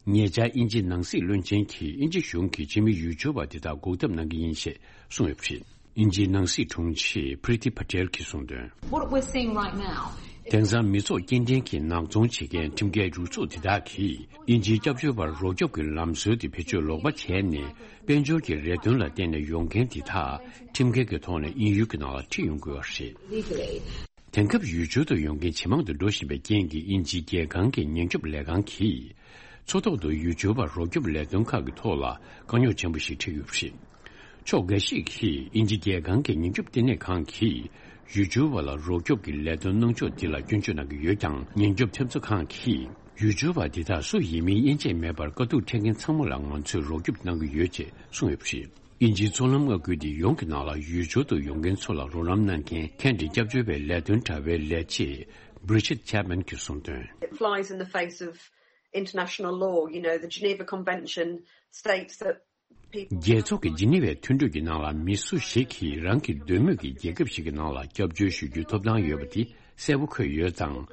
ཉེ་ཆར་དབྱིན་ཇིའི་ནང་སྲིད་བློན་ཆེན་གྱིས་དབྱིན་ཇི་གཞུང་གིས་ཕྱི་མི་ཡུལ་སྐྱོར་བ་འདི་དག་འགོག་ཐབས་གནང་གི་ཡིན་ཞེས་གསུངས་ཡོད་པ་རེད། དབྱིན་ཇིའི་ནང་སྲིད་དྲུང་ཆེ་Priti Patel་གྱིས་གསུངས་དོན། What we're seeing right now. དེང་སང་མི་ཚོགས་སྐྱེལ་འདྲེན་གྱིས་ནག་ཚོང་བྱེད་མཁན་ཁྲིམས་འགལ་རུ་ཚོགས་དེ་དག་གིས་དབྱིན་ཇིའི་སྐྱབས་བཅོལ་བར་རོགས་སྐྱོབ་ཀྱི་ལམ་སྲོལ་དེ་བེད་སྤྱོད་ལོག་པ་བྱས་ནས། དཔལ་འབྱོར་གྱི་རེ་འདུན་ལ་བརྟེན་ནས་ཡོང་མཁན་དེ་དག་ཁྲིམས་འགལ་གྱི་ཐོག་ནས་དབྱིན་ཡུལ་གྱི་ནང་ལ་ཁྲིད་ཡོང་དགོས་པ་རེད། Legally. དེང་སྐབས་ཡུལ་སྐྱོར་དུ་ཡོང་མཁན་ཇེ་མང་དུ་འགྲོ་བཞིན་པའི་རྐྱེན་གྱིས། དབྱིན་ཇིའི་རྒྱལ་ཁང་གི་ཉེན་སྐྱོབ་ལས་ཁང་གིས། མཚོ་ཐོག་ཏུ་ཡུལ་སྐྱོར་བར་རོགས་སྐྱོབ་ལས་དོན་ཁག་གི་ཐོག་ལ་དཀའ་རྙོག་ཆེན་པོ་ཞིག་འཕྲད་ཡོད་པ་རེད། ཕྱོགས་འགའ་ཞིག་གིས་དབྱིན་ཇི་རྒྱལ་ཁང་གི་ཉེན་སྐྱོབ་ལྟེ་གནས་ཁང་གིས་ཡུལ་སྐྱོར་བ་ལ་རོགས་སྐྱོབ་ཀྱི་ལས་དོན་གནང་ཕྱོགས་འདི་ལ་སྐྱོན་བརྗོད་གནང་གི་ཡོད་ཀྱང་། ཉེན་སྐྱོབ་ཐེབས་རྩ་ཁང་གིས་ཡུལ་སྐྱོར་བ་འདི་དག་སུ་ཡིན་མིན་དབྱེ་འབྱེད་མེད་པར་དཀའ་སྡུག་འཕྲད་མཁན་ཚང་མ་ལ་ང་ཚོས་རོགས་སྐྱོབ་གནང་གི་ཡོད་ཅེས་གསུངས་ཡོད་པ་རེད། དབྱིན་ཇིའི་མཚོ་ལམ་མངའ་ཁུལ་འདི་ཡོངས་ཀྱི་ནང་ལ་ཡུལ་སྐྱོར་དུ་ཡོང་མཁན་ཚོ་ལ་རོགས་རམ་གནང་མཁན་ཁེ་འབྲེལ་སྐྱབས་བཅོལ་བའི་ལས་དོན་དྲ་བའི་ལས་བྱེད་Bridget Chapman་གྱིས་གསུངས་དོན། It flies in the face of international law, you know, the Geneva Convention states that people རྒྱལ་ཚོགས་ཀྱི་ཇི་ནི་ཝའི་མཐུན་གྲོས་ཀྱི་ནང་ལ་མི་སུ་ཞིག་གིས་རང་གི་འདོད་མོས་ཀྱི་རྒྱལ་ཁབ་ཞིག་གི་ནང་ལ་སྐྱབས་བཅོལ་ཞུ་རྒྱུའི་ཐོབ་ཐང་ཡོད་པ་དེ་གསལ་པོ་འཁོད་ཡོད་ཙང་།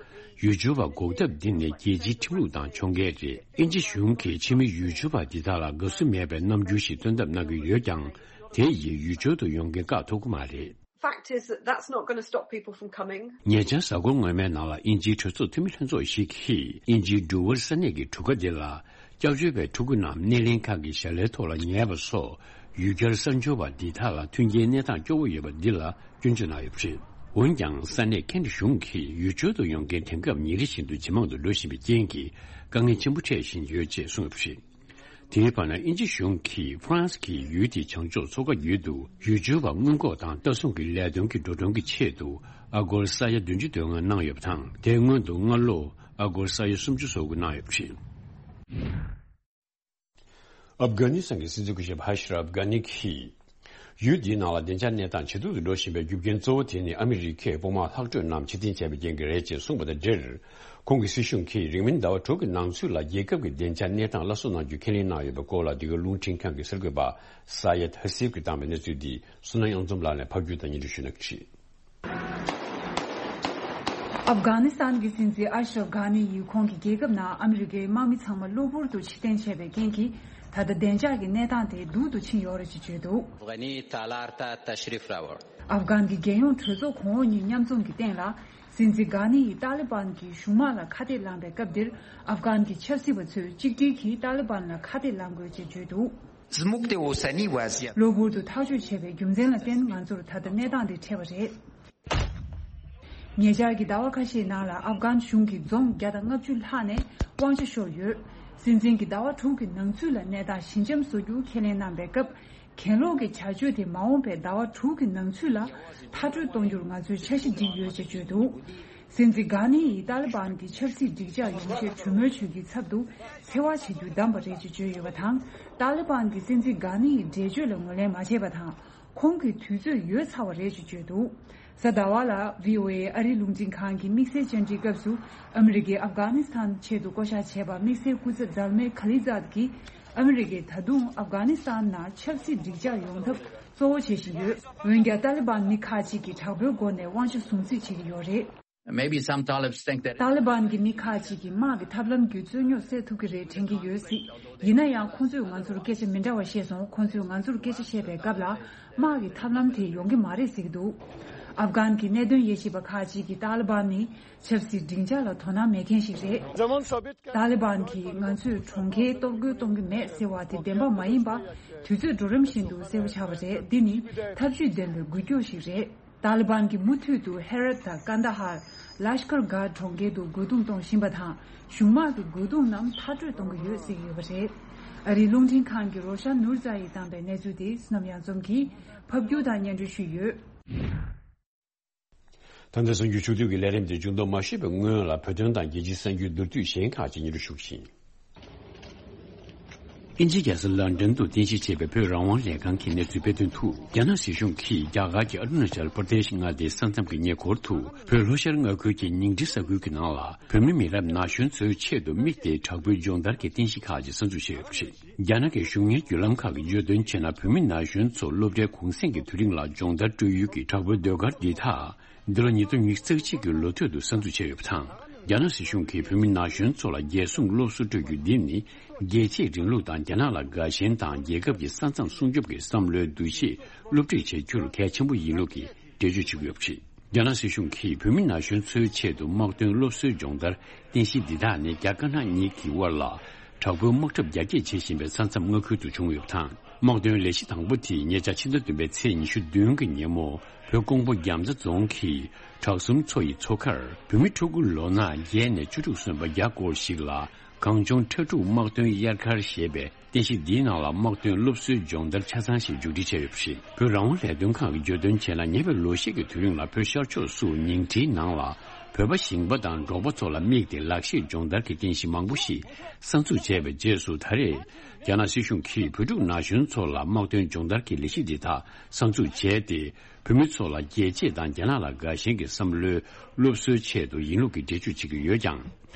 ཡུལ་སྐྱོར་བ་འགོག་ཐབས་འདི་ནི་རྒྱལ་སྤྱིའི་ཁྲིམས་ལུགས་དང་ཕྱོགས་འགལ་རེད། དབྱིན་ཇི་གཞུང་གིས་ཕྱི་མི་ཡུལ་སྐྱོར་བ་འདི་དག་ལ་དགའ་བསུ་མེད་པའི་རྣམ་འགྱུར་ཞིག་སྟོན་ཐབས་གནང་གི་ཡོད་ཀྱང་། དེ་ཡིས་ཡུལ་སྐྱོར་དུ་ཡོང་མཁན་བཀག་ཐུབ་ཀྱི་མ་རེད། Fact is that that's not going to stop people from coming. ཉེ་ཆར་གཟའ་འཁོར་སྔོན་མའི་ནང་ལ་དབྱིན་ཇིའི་གྲོས་ཚོགས་འཐུས་མི་ལྷན་ཚོགས་ཤིག་གིས་དབྱིན་ཇིའི་ཌུ་ཝར་ས་གནས་ཀྱི་གྲུ་ཁ་འདི་ལ་སྐྱབས་བཅོལ་བའི་ཕྲུ་གུ་རྣམས་སྣེ་ལེན་ཁང་གི་ཞལ་ལས་ཐོག་ལ་ཉལ་བ་སོགས་ཡུལ་གྱར་གསར་འབྱོར་བ་འདི་དག་ལ་མཐུན་རྐྱེན་གནས་སྟངས་སྐྱོ་བོ་ཡོད་པ་འདི་ལ་སྐྱོན་བརྗོད་གནང་ཡོད་པ་རེད། འོན་ཀྱང་ས་གནས་ཁེ་འབྲེལ་གཞུང་གིས་ཡུལ་སྐྱོར་དུ་ཡོང་མཁན་དེང་སྐབས་ཉིན་རེ་བཞིན་དུ་ཇེ་མང་དུ་འགྲོ་བཞིན་པའི་རྐྱེན་གྱིས་དཀའ་ངལ་ཆེན་པོ་འཕྲད་བཞིན་ཡོད་ཅེས་གསུངས་ཡོད་པ་རེད། དེའི་བར་ན་དབྱིན་ཇི་གཞུང་གིས་ཧྥ་རན་སི་གི་ཡུལ་དེའི་བྱང་ཕྱོགས་མཚོ་ཁ་བརྒྱུད་དུ་ཡུལ་སྐྱོར་བ་སྔོན་འགོག་དང་ལྟ་སྲུང་གི་ལས་དོན་གྱི་འགྲོ་གྲོན་གྱི་ཆེད་དུ་ཨ་སྒོར་ས་ཡ་བདུན་ཅུ་དོན་ལྔ་གནང་ཡོད་པ་དང་། དེའི་སྔོན་དུ་སྔ་ལོ་ཨ་སྒོར་ས་ཡ་སུམ་ཅུ་སོ་དགུ་གནང་ཡོད་པ་རེད། ཨབ་གྷ་ནི་སི་ཐན་གྱི་སྲིད་འཛིན་སྐུ་ཞབས་ཧ་ཤི་རབ་གྷ་ནི་གིས། ཡུལ་འདིའི་ནང་ལ་བདེ་འཇགས་གནས་སྟངས་ཇེ་སྡུག་ཏུ་འགྲོ་བཞིན་པའི་རྒྱུ་རྐྱེན་གཙོ་བོ་དེ་ནི་ཨ་མི་རི་ཀས་དཔུང་དམག་ལྷག་འཕྲོས་རྣམས་ཕྱིར་འཐེན་བྱས་པའི་རྐྱེན་གྱིས་རེད་ཅེས་གསུངས་པ་དང་འབྲེལ། ཁོང་གི་སྲིད་གཞུང་གིས་རིང་མིན་ཟླ་བ་དྲུག་གི་ནང་ཚུད་ལ་རྒྱལ་ཁབ་ཀྱི་བདེ་འཇགས་གནས་སྟངས་སླར་གསོ་གནང་རྒྱུ་ཁས་ལེན་གནང་ཡོད་པའི་སྐོར་ལ། འདི་ག་རླུང་འཕྲིན་ཁང་གི་གསར་འགོད་པ་ས་ཡད་ཧ་སིབ་ཀྱིས་བཏང་བའི་གནས་ཚུལ་འདི་བསོད་ནམས་གཡང་འཛོམས་ལགས་ནས་ཕབ་སྒྱུར་དང་སྙན་སྒྲོན་ཞུ་གནང་གི་རེད། ཨབ་གྷ་ནི་སི་ཐན་གྱི་སྲིད་འཛིན་ཨ་ཤ་རབ་གྷ་ནི་ཡིས་ཁོང་གི་རྒྱལ་ཁབ་ནང་ཨ་མི་རི་ཀའི་དམག་མི་ཚང་མ་གློ་བུར་དུ་ཕྱིར་འཐེན་བྱས་པའི་རྐྱེན་གྱིས། ད་ལྟ་བདེ་འཇགས་ཀྱི་གནས་སྟངས་དེ་སྡུག་ཏུ་ཕྱིན་ཡོད་རེད་ཅེས་བརྗོད་འདུག་ཨབ་གྷ་ནི་ཡི་ཏཱ་ལི་པཱན་གྱི་རྒྱལ་ཡོངས་གྲོས་ཚོགས་གོང་འོག་གཉིས་མཉམ་འཛོམས་ཀྱི་སྟེང་ལ། སྲིད་འཛིན་གྷ་ནི་ཡིས་ཏཱ་ལི་པཱན་གྱི་གཞུང་དམག་ལ་ཁ་གཏད་ལངས་པའི་སྐབས་འདིར། ཨབ་གྷན་གྱི་ཆབ་སྲིད་པ་ཚོས་གཅིག་སྒྲིལ་གྱིས་ཏཱ་ལི་པཱན་ལ་ཁ་གཏད་ལངས་དགོས་ཅེས་བརྗོད་འདུག زموږ د اوسني وضعیت གློ་བུར་དུ་ཐག་གཅོད་བྱས་པའི་རྒྱུ་མཚན་ལ་བརྟེན་ང་ཚོར་ད་ལྟ་གནས་སྟངས་འདི་འཕྲད་པ་རེད། ཉེ་ཆར་གྱི་ཟླ་བ་ཁ་ཤས་ནང་ལ་ཨབ་གྷན་གཞུང་གིས་རྫོང་བརྒྱ་དང་ལྔ་བཅུ་ལྷག་ནས་དབང་ཆ་ཤོར་ཡོད། སྲིད་འཛིན་གྱིས་ཟླ་བ་དྲུག་གི་ནང་ཚུད་ལ་གནས་སྟངས་ཞི་འཇམ་བཟོ་རྒྱུ་ཁས་ལེན་གནང་པའི་སྐབས། གྱེན་ལོག་གི་བྱ་སྤྱོད་དེ་མ་འོངས་པའི་ཟླ་བ་དྲུག་གི་ནང་ཚུད་ལ་མཐར་སྐྲོད་གཏོང་རྒྱུར་ང་ཚོས་འཆར་གཞི་བསྒྲིགས་ཡོད་ཅེས་བརྗོད་འདུག་སྲིད་འཛིན་གྷ་ནི་ཡིས་ཏཱ་ལི་པཱན་གྱི་ཆབ་སྲིད་སྒྲིག་འཇགས་ཡོང་ཆེད་གྲོས་མོལ་བྱེད་རྒྱུའི་ཚབ་ཏུ་འཚེ་བ་བྱེད་རྒྱུ་བདམས་པ་རེད་ཅེས་བརྗོད་ཡོད་པ་དང་། ཏཱ་ལི་པཱན་གྱིས་སྲིད་འཛིན་གྷ་ནི་ཡི་འགྲེལ་བརྗོད་ལ་ངོས་ལེན་མ་བྱས་པ་དང་། ཁོང་གི་དུས་ཚོད་ཡོལ་ཚར་བ་རེད་ཅེས་བརྗོད་འདུག་གཟའ་ཟླ་བ་ལ་བྷི་ཨོ་ཨེ་ཨ་རིའི་རླུང་འཕྲིན་ཁང་གི་དམིགས་བསལ་བཅར་འདྲིའི་སྐབས་སུ་ཨ་མི་རི་ཀས་ཨབ་གྷ་ནི་སི་ཐན་ཆེད་དུ་བསྐོ་བཞག་བྱས་པ་དམིགས་བསལ་སྐུ་ཚབ་ཛལ་མེ་ཁ་ལི་ཛཱད་ཀྱིས། ཨ་མི་རི་ཀས་ད་དུང་ཨབ་གྷ་ནི་སི་ཐན་ནང་ཆབ་སྲིད་འགྲིག་འཇགས་ཡོང་ཐབས་གཙོ་བོ་བྱེད་བཞིན་ཡོད། འོན་ཀྱང་ཏཱ་ལི་བན་མི་ཁག་ཅིག་གིས་དྲག་པོའི་སྒོ་ནས་དབང་ཆ་སྲུང་བརྩི་བྱེད་ཀྱི་ཡོད་རེད། Maybe some Talibs think that ཏཱ་ལི་བན་གྱི་མི་ཁག་ཅིག་གིས་དམག་གི་ཐབས་ལམ་བརྒྱུད་རྩོད་རྙོག་སེལ་ཐུབ་ཀྱི་རེད་དྲན་གྱི་ཡོད་སྲིད། ཡིན་ན་ཡང་ཁོང་ཚོས་ང་ཚོར་སྐད་ཆ་མི་འདྲ་བ་བཤད་སོང་། ཁོང་ཚོས་ང་ཚོར་སྐད་ཆ་བཤད་པའི་སྐབས་ལ་དམག་གི་ཐབས་ལམ་དེ་ཡོང་གི་མ་རེད་ཟེར་གྱི་འདུག་ཨབ་གྷན་གྱི་གནད་དོན་དབྱེ་ཞིབ་པ་ཁག་ཅིག་གིས་ཏཱ་ལི་བན་ནི་ཆབ་སྲིད་སྒྲིག་འཇགས་ལ་དོ་སྣང་མེད་མཁན་ཞིག་རེད། ཏཱ་ལི་བན་གྱིས་ང་ཚོས་གྲོང་ཁྱེར་གཏོར་རྒོལ་གཏོང་གི་མེད་ཟེར་བ་དེ་བདེན་པ་མ་ཡིན་པ། དུས་ཚོད་འགྲོ་རིམ་བཞིན་དུ་གསལ་པོ་ཆགས་པ་རེད། འདི་ནི་ཐབས་ཇུས་ལྡན་པའི་འགུལ་སྐྱོད་ཞིག་རེད། ཏཱ་ལི་བན་གྱིས་མུ་མཐུད་དུ་ཧེ་རད་དང་ཀན་ད་ཧར། ལ་ཤ་ཀར་གྷ་གྲོང་ཁྱེར་དུ་རྒོལ་རྡུང་གཏོང་བཞིན་པ་དང་། གཞུང་དམག་གི་རྒོལ་རྡུང་རྣམས་མཐར་སྐྲོད་གཏོང་གི་ཡོད་ཟེར་གྱི་ཡོད་པ་རེད། ཨ་རིའི་རླུང་འཕྲིན་ཁང་གི་རོ་ཤན་ནུར་ཛ་ཡིས་བཏང་པའི་གནས་ཚུལ་དེ་བསོད་ནམས་གཡང་འཛོམས་ཀྱིས་ཕབ་སྒྱུར་དང་སྙན་སྒྲོན་ཞུས་ཡོད། ད་ལྟ་གསར་འགྱུར་ཕྱོགས་བསྡུས་ཀྱི་ལས་རིམ་དེ་མཇུག་བསྡོམས་མ་ཞུས་པའི་སྔོན་ལ་བོད་དོན་དང་རྒྱལ་སྤྱིའི་གསར་འགྱུར་མདོར་བསྡུས་གཞན་ཁག་ཅིག་སྙན་སྒྲོན་ཞུ་གི་ཡིན། དབྱིན་ཇིའི་རྒྱལ་ས་ལོན་ཌོན་དུ་རྟེན་གཞི་བྱས་པའི་བོད་རང་དབང་ལས་ཁང་གིས་གནས་ཚུལ་སྤེལ་དོན་དུ། རྒྱ་ནག་སྲིད་གཞུང་གིས་རྒྱ་གར་གྱི་ཨ་རུ་ན་ཅལ་པར་དེཤ་མངའ་སྡེའི་ས་མཚམས་ཀྱི་ཉེ་འཁོར་དུ་བོད་ལྷོ་ཤར་མངའ་ཁུལ་གྱི་ཉིང་ཁྲི་ས་ཁུལ་གྱི་ནང་ལ་བོད་མི་མི་རབས་ན་གཞོན་ཚོའི་ཆེད་དུ་དམིགས་ཏེ་དྲག་པོའི་སྦྱོང་བརྡར་གྱི་རྟེན་གཞི་ཁག་ཅིག་གསར་འཛུགས་བྱས་ཡོད་པ་རེད། རྒྱ་ནག་གི་གཞུང་གཉེར་བརྒྱུད་ལམ་ཁག་གིས་བརྗོད་དོན་བྱས་ན། བོད་མི་ན་གཞོན་ཚོ་སློབ་གྲྭའི་གུང་སེང་གི་དུས་རིང་ལ་སྦྱོང་བརྡར་སྤྲོད་ཡུལ་གྱི་དྲག་པོའི་ཟློས་གར་འདི་དག་འདི་ལོ་ཉིས་སྟོང་ཉི་ཤུ་རྩ་གཅིག་གི་ལོ་སྟོད་དུ་གསར་འཛུགས་བྱས་ཡོད་པ་དང་། རྒྱ་ནག་སྲིད་གཞུང་གིས་བོད་མི་ན་གཞོན་ཚོ་ལ་རྒྱལ་སྲུང་སློབ་གསོ་སྤྲོད་རྒྱུ་འདི་ནི་རྒྱལ་གཅེས་རིང་ལུགས་དང་། རྒྱ་ནག་ལ་དགའ་ཞེན་དང་། རྒྱལ་ཁབ་ཀྱི་ས་མཚམས་སྲུང་སྐྱོབ་ཀྱི་བསམ་བློའི་འདུ་ཤེས་སློབ་ཁྲིད་བྱེད་རྒྱུར་གལ་ཆེན་པོ་ཡིན་ལུགས་ཀྱི་འགྲེལ་བརྗོད་བྱེད་ཀྱི་ཡོད་པ་རེད། རྒྱ་ནག་སྲིད་གཞུང་གིས་བོད་མི་ན་གཞོན་ཚོའི་ཆེད་དུ་དམག་དོན་སློབ་གསོའི་སྦྱོང་བརྡར་རྟེན་གཞི་འདི་དག་ནི་རྒྱ་དཀར་ནག་གཉིས་ཀྱི་དབར་ལ་དྲག་པོའི་དམག་འཁྲབ་རྒྱ་སྐྱེད་བྱེད་བཞིན་པའི་ས་མཚམས་མངའ་ཁུལ་དུ་བྱུང་ཡོད་པ་དང་། དམག་དོན་ལས་གཞི་དང་པོ་དེ་ཉེ་ཆར་ཕྱི་ཟླ་བདུན་པའི་ཚེས་ཉི་ཤུ་བདུན་གྱི་ཉིན་མོ་བོད་ཀོང་པོ་རྒྱ་མཚོ་རྫོང་གི་བྲག་གསུམ་མཚོ་ཡི་མཚོ་ཁར་བོད་མི་ཕྲུ་གུ་ལོ་ན་བརྒྱད་ནས་བཅུ་དྲུག་སོན་པ་བརྒྱ་སྐོར་ཞིག་ལ་གངས་ལྗོངས་ཁྲ་འབྲུག་དམག་དོན་དབྱར་ཁར་ཞེས་པའི་རྟེན་གཞི་འདིའི་ནང་ལ་དམག་དོན་སློབ་གསོའི་སྦྱོང་བརྡར་ཆ་ཚང་ཞིག་མཇུག་སྒྲིལ་བྱས་ཡོད་པ་རེད། བོད་རང་དབང་ལས་དོན་ཁང་གིས་བརྗོད་དོན་བྱས་ན། ཉེ་བའི་ལོ་ཤས་ཀྱི་དུས་རིང་ལ་བོད་ཤར་ཕྱོགས་སུ་ཉིང་ཁྲིའི་ནང་ལ་བོད་པ་ཞིང་པ་དང་འབྲོག་པ་ཚོ་ལ་དམིགས་ཏེ་ལག་ཤེས་སྦྱོང་བརྡར་གྱི་རྟེན་གཞི་མང་པོ་ཞིག་གསར་འཛུགས་བྱས་པའི་རྗེས་སུ། ད་རེས་རྒྱ་ནག་སྲིད་གཞུང་གིས་བོད་ཕྲུག་ན་གཞོན་ཚོ་ལ་དམག་དོན་སྦྱོང་བརྡར་གྱི་ལས་གཞི་འདི་དག་གསར་འཛུགས་བྱས་ཏེ། བོད་མི་ཚོ་ལ་རྒྱལ་གཅེས་དང་རྒྱ་ནག་ལ་དགའ་ཞེན་གྱི་བསམ་བློའི་སློབ་གསོའི་ཆེད་དུ་ཡིན་ལུགས་ཀྱི་འགྲེལ་བརྗོད་བྱེད་ཀྱི་ཡོད་ཀྱང་།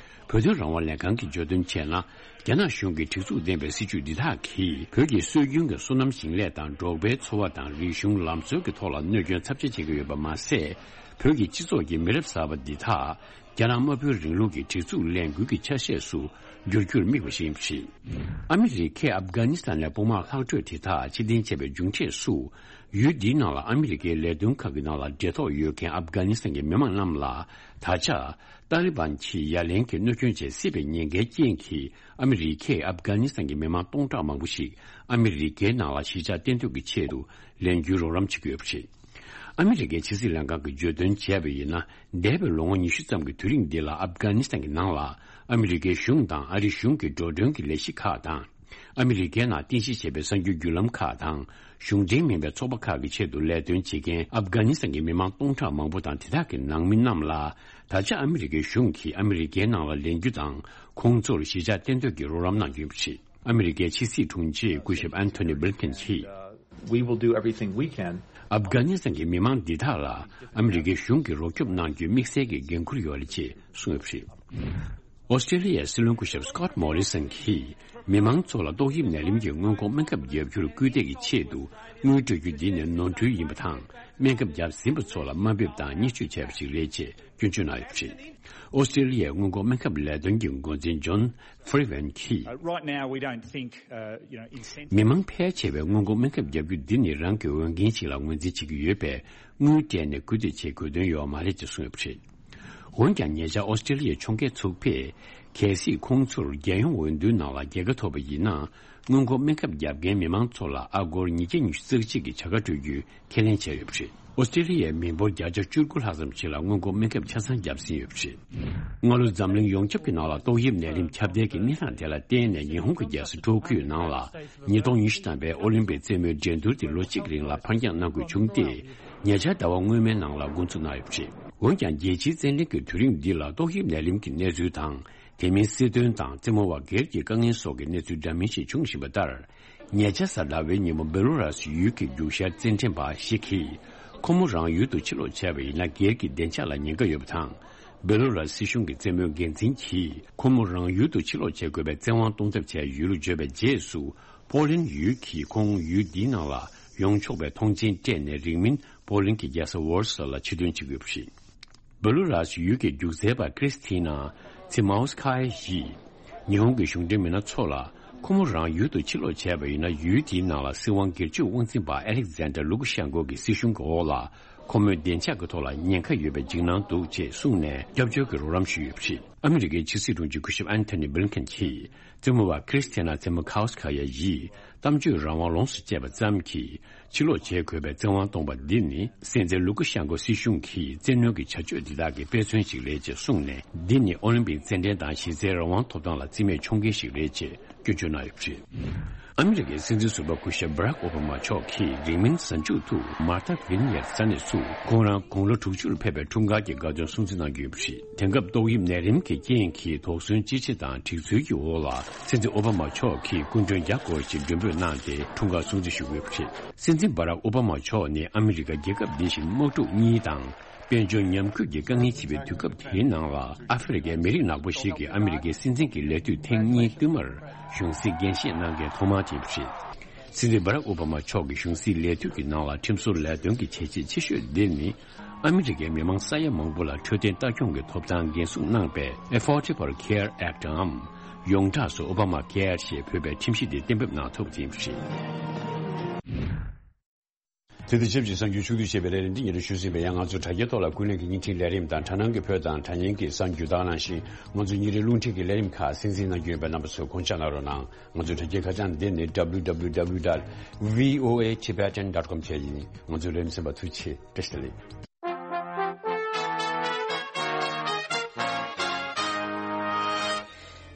བོད་དོན་རང་དབང་ལས་ཁང་གིས་བརྗོད་དོན་བྱས་ན། རྒྱ་ནག་གཞུང་གི་སྒྲིག་འཛུགས་ལྡན་པའི་སྲིད་བྱུས་འདི་དག་གིས་བོད་ཀྱི་སྲོལ་རྒྱུན་གྱི་སོ་ནམ་ཞིང་ལས་དང་འབྲོག་པའི་འཚོ་བ་དང་རིག་གཞུང་ལམ་སྲོལ་གྱི་ཐོག་ལ་གནོད་སྐྱོན་ཚབས་ཆེ་བྱེད་ཀྱི་ཡོད་པ་མ་ཟད། བོད་ཀྱི་སྤྱི་ཚོགས་ཀྱི་མི་རབས་གསར་པ་འདི་དག་རྒྱ་ནག་དམར་པོའི་རིང་ལུགས་ཀྱི་སྒྲིག་འཛུགས་ལས་འགུལ་གྱི་ཆ་ཤས་སུ་འགྱུར་རྒྱུར་དམིགས་པ་ཞིག་ཡིན་པ་རེད། ཨ་མི་རི་ཀས་ཨབ་གྷ་ནི་སི་ཐན་ནས་དཔུང་དམག་ལྷག་འཕྲོས་དེ་དག་ཕྱིར་འཐེན་བྱས་པའི་མཇུག་འབྲས་སུ། ཡུལ་འདིའི་ནང་ལ་ཨ་མི་རི་ཀའི་ལས་དོན་ཁག་གི་ནང་ལ་འབྲེལ་ཐོགས་ཡོད་མཁན་ཨབ་གྷ་ནི་སི་ཐན་གྱི་མི་མང་རྣམས་ལ། ད་ཆ་ཏཱ་ལི་བན་གྱིས་ཡ་ལན་གྱི་གནོད་སྐྱོན་བྱེད་སྲིད་པའི་ཉེན་ཁའི་རྐྱེན་གྱིས། ཨ་མི་རི་ཀས་ཨབ་གྷ་ནི་སི་ཐན་གྱི་མི་མང་སྟོང་ཕྲག་མང་པོ་ཞིག་ཨ་མི་རི་ཀའི་ནང་ལ་གཞིས་ཆགས་གཏན་སྡོད་ཀྱི་ཆེད་དུ་ལེན་རྒྱུའི་རོགས་རམ་བྱེད་ཀྱི་ཡོད་པ་རེད། ཨ་མི་རི་ཀའི་ཕྱི་སྲིད་ལྷན་ཁང་གིས་བརྗོད་དོན་བྱས་པ་ཡིན་ན། འདས་པའི་ལོ་ངོ་ཉི་ཤུ་ཙམ་གྱི་དུས་རིང་འདི་ལ་ཨབ་གྷ་ནི་སི་ཐན་གྱི་ནང་ལ་ཨ་མི་རི་ཀའི་གཞུང་དང་ཨ་རིའི་གཞུང་གི་འགྲོ་གྲོན་གྱི་ལས་གཞི་ཁག་དང་། ཨ་མི་རི་ཀའི་ནང་རྟེན་གཞི་བྱས་པའི་གསར་འགྱུར་བརྒྱུད་ལམ་ཁག་དང་། གཞུང་འབྲེལ་མིན་པའི་ཚོགས་པ་ཁག་གི་ཆེད་དུ་ལས་དོན་བྱེད་མཁན་ཨབ་གྷ་ནི་སི་ཐན་གྱི་མི་མང་སྟོང་ཕྲག་མང་པོ་དང་། དེ་དག་གི་ནང་མི་རྣམས་ལ་ད་ཆ་ཨ་མི་རི་ཀའི་གཞུང་གིས་ཨ་མི་རི་ཀའི་ནང་ལ་ལེན་རྒྱུ་དང་། ཁོང་ཚོར་གཞིས་ཆགས་གཏན་སྡོད་ཀྱི་རོགས་རམ་གནང་རྒྱུ་ཡིན་པ་རེད། ཨ་མི་རི་ཀའི་ཕྱི་སྲིད་དྲུང་ཆེ་སྐུ་ཞབས་ཨན་ཐོ་ནི་བྷིལ་ཁིན་གྱིས། We will do everything we can. ཨབ་གྷ་ནི་སི་ཐན་གྱི་མི་མང་འདི་དག་ལ་ཨ་མི་རི་ཀའི་གཞུང་གིས་རོགས་སྐྱོབ་གནང་རྒྱུའི་དམིགས་བསལ་གྱི་འགན་འཁུར་ཡོད་རེད་ཅེས་གསུངས་ཡོད་པ་རེད། ཨོ་སི་ཀྲེ་ལི་ཡའི་སྲིད་བློན་སྐུ་ཞབས་སི་ཀོད་མོ་རི་སན་གྱིས་མི་མང་ཚོ་ལ་ཏོག་དབྱིབས་ནད་རིམས་ཀྱི་སྔོན་འགོག་སྨན་ཁབ་བརྒྱབ་རྒྱུར་སྐུལ་འདེད་ཀྱི་ཆེད་དུ་དངུལ་སྤྲོད་རྒྱུ་འདི་ནི་ནོར་འཁྲུལ་ཡིན་པ་དང་། སྨན་ཁབ་བརྒྱབ་ཟིན་པ་ཚོ་ལ་དམའ་འབེབས་དང་བརྙས་བཅོས་བྱས་པ་ཞིག་རེད་ཅེས་སྐྱོན་བརྗོད་གནང་ཡོད་པ་རེད། ཨོ་སི་ཀྲེ་ལི་ཡའི་སྔོན་འགོག་སྨན་ཁབ་ལས་དོན་གྱི་འགོ་འཛིན་ཇོན་ཧྥི་རི་ཝན་གྱིས། Uh, right now, we don't think, uh, you know, incentive. མི་མང་ཕལ་ཆེ་བས་སྔོན་འགོག་སྨན་ཁབ་བརྒྱབ་རྒྱུ་འདི་ནི་རང་གི་འོས་འགན་ཞིག་ལ་ངོས་འཛིན་བྱེད་ཀྱི་ཡོད་པས། དངུལ་སྤྲད་ནས་སྐུལ་འདེད་བྱེད་དགོས་དོན་ཡོད་པ་མ་རེད་ཅེས་གསུངས་ཡོད་པ་རེད། འོན་ཀྱང་། ཉེ་ཆར་ཨོ་སི་ཀྲེ་ལི་ཡའི་ཕྱོགས་འགལ་ཚོགས་པས། གལ་སྲིད་ཁོང་ཚོར་རྒྱལ་ཡོངས་འོས་བསྡུའི་ནང་ལ་རྒྱལ་ཁ་ཐོབ་པ་ཡིན་ན། སྔོན་འགོག་སྨན་ཁབ་བརྒྱབ་མཁན་མི་མང་ཚོ་ལ་ཨ་སྒོར་ཉིས་བརྒྱ་ཉི་ཤུ་རྩ་གཅིག་གི་བྱ་དགའ་སྤྲོད་རྒྱུའི་ཁས་ལེན་བྱས་ཡོད་པ་རེད། ཨོ་སི་ཀྲེ་ལི་ཡའི་མི་འབོར་བརྒྱ་ཆ་བཅུ་དགུ་ལྷག་ཙམ་ཞིག་ལ་སྔོན་འགོག་སྨན་ཁབ་ཆ་ཚང་བརྒྱབ་ཟིན་ཡོད་པ་རེད། སྔ་ལོ་འཛམ་གླིང་ཡོངས་ཁྱབ་ཀྱི་ནང་ལ་ཏོག་དབྱིབས་ནད་རིམས་ཁྱབ་གདལ་གྱི་གནས་སྟངས་དེ་ལ་བརྟེན་ནས། ཉི་ཧོང་གི་རྒྱལ་ས་ཊོ་ཀིའོ་ནང་ལ་ཉིས་སྟོང་ཉི་ཤུ་ཐམ་པའི་ཨོ་ལིམ་པིག་རྩེད་མོའི་འགྲན་བསྡུར་དེ་ལོ་གཅིག་རིང་ལ་ཕར་འགྱངས་གནང་དགོས་བྱུང་སྟེ། ཉེ་ཆར་ཟླ་བ་སྔོན་མའི་ནང་ལ་འགོ་འཛུགས་གནང་ཡོད་པ་རེད། འོན་ཀྱང་། རྒྱལ་སྤྱིའི་རྩེད་འགྲན་གྱི་དུས་རིང་འདི་ལ་ཏོག་དབྱིབས་ནད་རིམས་ཀྱི་གནས་ཚུལ་དང་། དེ་མིན་སྲིད་དོན་དང་རྩེད་མོ་བ་སྒེར་གྱི་དཀའ་ངལ་སོགས་ཀྱི་གནས་ཚུལ་འདྲ་མིན་ཞིག་འབྱུང་བཞིན་པ་ལྟར། ཉེ་ཆར་གཟའ་ཟླ་བའི་ཉིན་མོ་སྦེ་ལོ་ར་སི་ཡུལ་གྱི་རྒྱུག་ཤར་རྩེད་འགྲན་པ་ཞིག་གིས་ཁོ་མོ་རང་ཡུལ་དུ་ཕྱིར་ལོག་བྱས་པ་ཡིན་ན་སྒེར་གྱི་བདེ་འཇགས་ལ་ཉེན་ཁ་ཡོད་པ་དང་། སྦེ་ལོ་ར་སི་སྲིད་གཞུང་གི་རྩེད་མོའི་འགན་འཛིན་གྱིས་ཁོ་མོ་རང་ཡུལ་དུ་ཕྱིར་ལོག་བྱེད་དགོས་པའི་བཙན་དབང་གཏོང་ཐབས་བྱས་ཡོད་ལུགས་བརྗོད་པའི་རྗེས་སུ། པོ་ལན་ཡུལ་གྱིས་ཁོང་ཡུལ་འདིའི་ནང་ལ་ཡོང་ཆོག་པའི་ཐོངས་མཆན་སྤྲད་ནས། རིང་མིན་པོ་ལན་གྱི་རྒྱལ་ས་ཝོར་སོ་ལ་ཕྱིར་ཐོན་བྱེད་དགོས་པ་རེད། སྦེ་ལོ་ར་སི་ཡུལ་གྱི་རྒྱུག་རྩལ་པ་ཀྲིས་ཐི་ན་ཚི་མའོ་སི་ཁ་ཡི་ཡིས། ཉི་ཧོང་གི་གཞུང་འབྲེལ་མི་སྣ་ཚོ་ལ། ཁོ་མོ་རང་ཡུལ་དུ་ཕྱིར་ལོག་བྱས་པ་ཡིན་ན། ཡུལ་དེའི་ནང་ལ་སྲིད་དབང་སྒེར་གཅོད་དབང་འཛིན་པ་ཨེ་ལེག་ཛན་ཌར་ལུ་ཀ་ཤན་ཀོ་གི་སྲིད་གཞུང་གི་འོག་ལ། ཁོ་མོའི་བདེ་འཇགས་ཀྱི་ཐོག་ལ་ཉེན་ཁ་ཡོད་པའི་འཇིགས་སྣང་འདུག་ཅེས་གསུངས་ནས། སྐྱབས་བཅོལ་གྱི་རོགས་རམ་ཞུས་ཡོད་པ་རེད། ཨ་མི་རི་ཀའི་ཕྱི་སྲིད་དྲུང་ཆེ་སྐུ་ཞབས་ཨན་ཐོ་ནི་བྷི་ལིན་ཁན་གྱིས། རྩེད་མོ་བ་ཁྲིས་ཐི་ན་ཚེ་མོ་ཁའོ་སི་ཁ་ཡ་ཡིས་གཏམ་བརྗོད་རང་དབང་ལོངས་སུ་སྤྱད་པ་ཙམ་གྱིས་ཕྱིར་ལོག་བྱེད་དགོས་པའི་བཙན་དབང་གཏོང་པ་འདི་ནི། སྲིད་འཛིན་ལུ་ཀ་ཤན་ཀོ་སྲིད་གཞུང་གི་བཙན་གནོན་གྱི་བྱ་སྤྱོད་འདི་དག་གི་དཔེ་མཚོན་ཞིག་རེད་ཅེས་གསུངས་ནས། འདི་ནི་ཨོ་ལིམ་པིག་རྩེད་འགྲན་དང་གཞི་རྩའི་རང་དབང་ཐོབ་ཐང་ལ་བརྩི་མེད་མཆོང་མཁན་ཞིག་རེད་ཅེས་སྐྱོན་བརྗོད་གནང་ཡོད་པ་རེད། ཨ་མི་རི་ཀའི་སྲིད་འཛིན་ཟུར་པ་སྐུ་ཞབས་བྷ་རག་ཨོ་བྷ་མ་མཆོག་གིས་རིང་མིན་གཟའ་མཇུག་ཏུ་མར་ཐ་ཝིན་ཡར་ས་གནས་སུ་ཁོང་རང་དགུང་ལོ་དྲུག་ཅུ་ལ་ཕེབས་པའི་འཁྲུངས་སྐར་གྱི་དགའ་སྟོན་སྲུང་བརྩི་གནང་རྒྱུ་ཡོད་པ་རེད། དེང་སྐབས་ཏོག་དབྱིབས་ནད་རིམས་ཀྱི་རྐྱེན་གྱིས་དོགས་ཟོན་ཅི་ཆེ་དང་སྒྲིག་འཛུལ་གྱི་འོག་ལ། སྲིད་འཛིན་ཨོ་བྷ་མ་མཆོག་གིས་སྐུ་མགྲོན་བརྒྱ་སྐོར་ཞིག་མགྲོན་འབོད་གནང་སྟེ་འཁྲུངས་སྐར་སྲུང་བརྩི་ཞུ་གི་ཡོད་པ་རེད། སྲིད་འཛིན་བྷ་རག་ཨོ་བྷ་མ་མཆོག་ནི་ཨ་མི་རི་ཀ་རྒྱལ་ཁབ་འདི་བཞིན་དམག་འཁྲུག་གཉིས་དང་། དཔལ་འབྱོར་ཉམས་རྒུད་ཀྱི་དཀའ་ངལ་ཆེ་བའི་དུས་སྐབས་དེའི་ནང་ལ། ཨ་ཧྥེ་རི་ཁའི་མི་རིགས་ནག་པོ་ཞིག་གིས་ཨ་མི་རི་ཀའི་སྲིད་འཛིན་གྱི་ལས་དུས་ཐེངས་གཉིས་བསྟུད་མར་གཞུང་སྲིད་འགན་བཞེས་གནང་མཁན་ཐོག་མ་དེ་རེད། སྲིད་འཛིན་བྷ་རག་ཨོ་བྷ་མ་མཆོག་གི་གཞུང་སྲིད་ལས་དུས་ཀྱི་ནང་ལ་ཁྲིམས་བཟོ་ལས་དོན་གྱི་བྱས་རྗེས་ཆེ་ཤོས་འདི་ནི། ཨ་མི་རི་ཀའི་མི་མང་ས་ཡ་མང་པོ་ལ་འཕྲོད་བསྟེན་ལྟ་སྐྱོང་གི་ཐོབ་ཐང་འགན་སྲུང་གནང་པའི་Affordable Care Act འམ། ཡོངས་གྲགས་སུ་ཨོ་བྷ་མ་ཀེར་ཞེས་འབོད་པའི་ཁྲིམས་གཞི་དེ་གཏན་འབེབས་གནང་ཐུབ་པ་དེ་ཡིན་པ་རེད། དེ་དང་ཆབས་ཅིག་གསར་འགྱུར་ཕྱོགས་བསྡུས་བྱས་པའི་ལས་རིམ་འདི་ཉིན་རེ་ཞུ་ཟིན་པའི། ཡང་ང་ཚོ་དྲ་རྒྱའི་ཐོག་ལ་ཀུན་གླེང་གི་བརྙན་འཕྲིན་ལས་རིམ་དང་། དྲ་སྣང་གི་བོད་དང་དྲ་བརྙན་གྱི་གསར་འགྱུར་དག་ནང་བཞིན། ང་ཚོ་ཉིན་རེའི་རླུང་འཕྲིན་གྱི་ལས་རིམ་ཁག་གསན་གཟིགས་གནང་རྒྱུ་ཡིན་པས། རྣམ་པ་ཚོས་དགོངས་འཇགས་གནང་རོགས་གནང་། ང་ཚོའི་དྲ་རྒྱའི་ཁ་བྱང་འདི་ནི་W W W dot V O A Tibetan dot com བཅས་ཡིན། ང་ཚོའི་ལས་རིམ་གསན་པར་ཐུགས་རྗེ་ཆེ། བཀྲ་ཤིས་བདེ་ལེགས།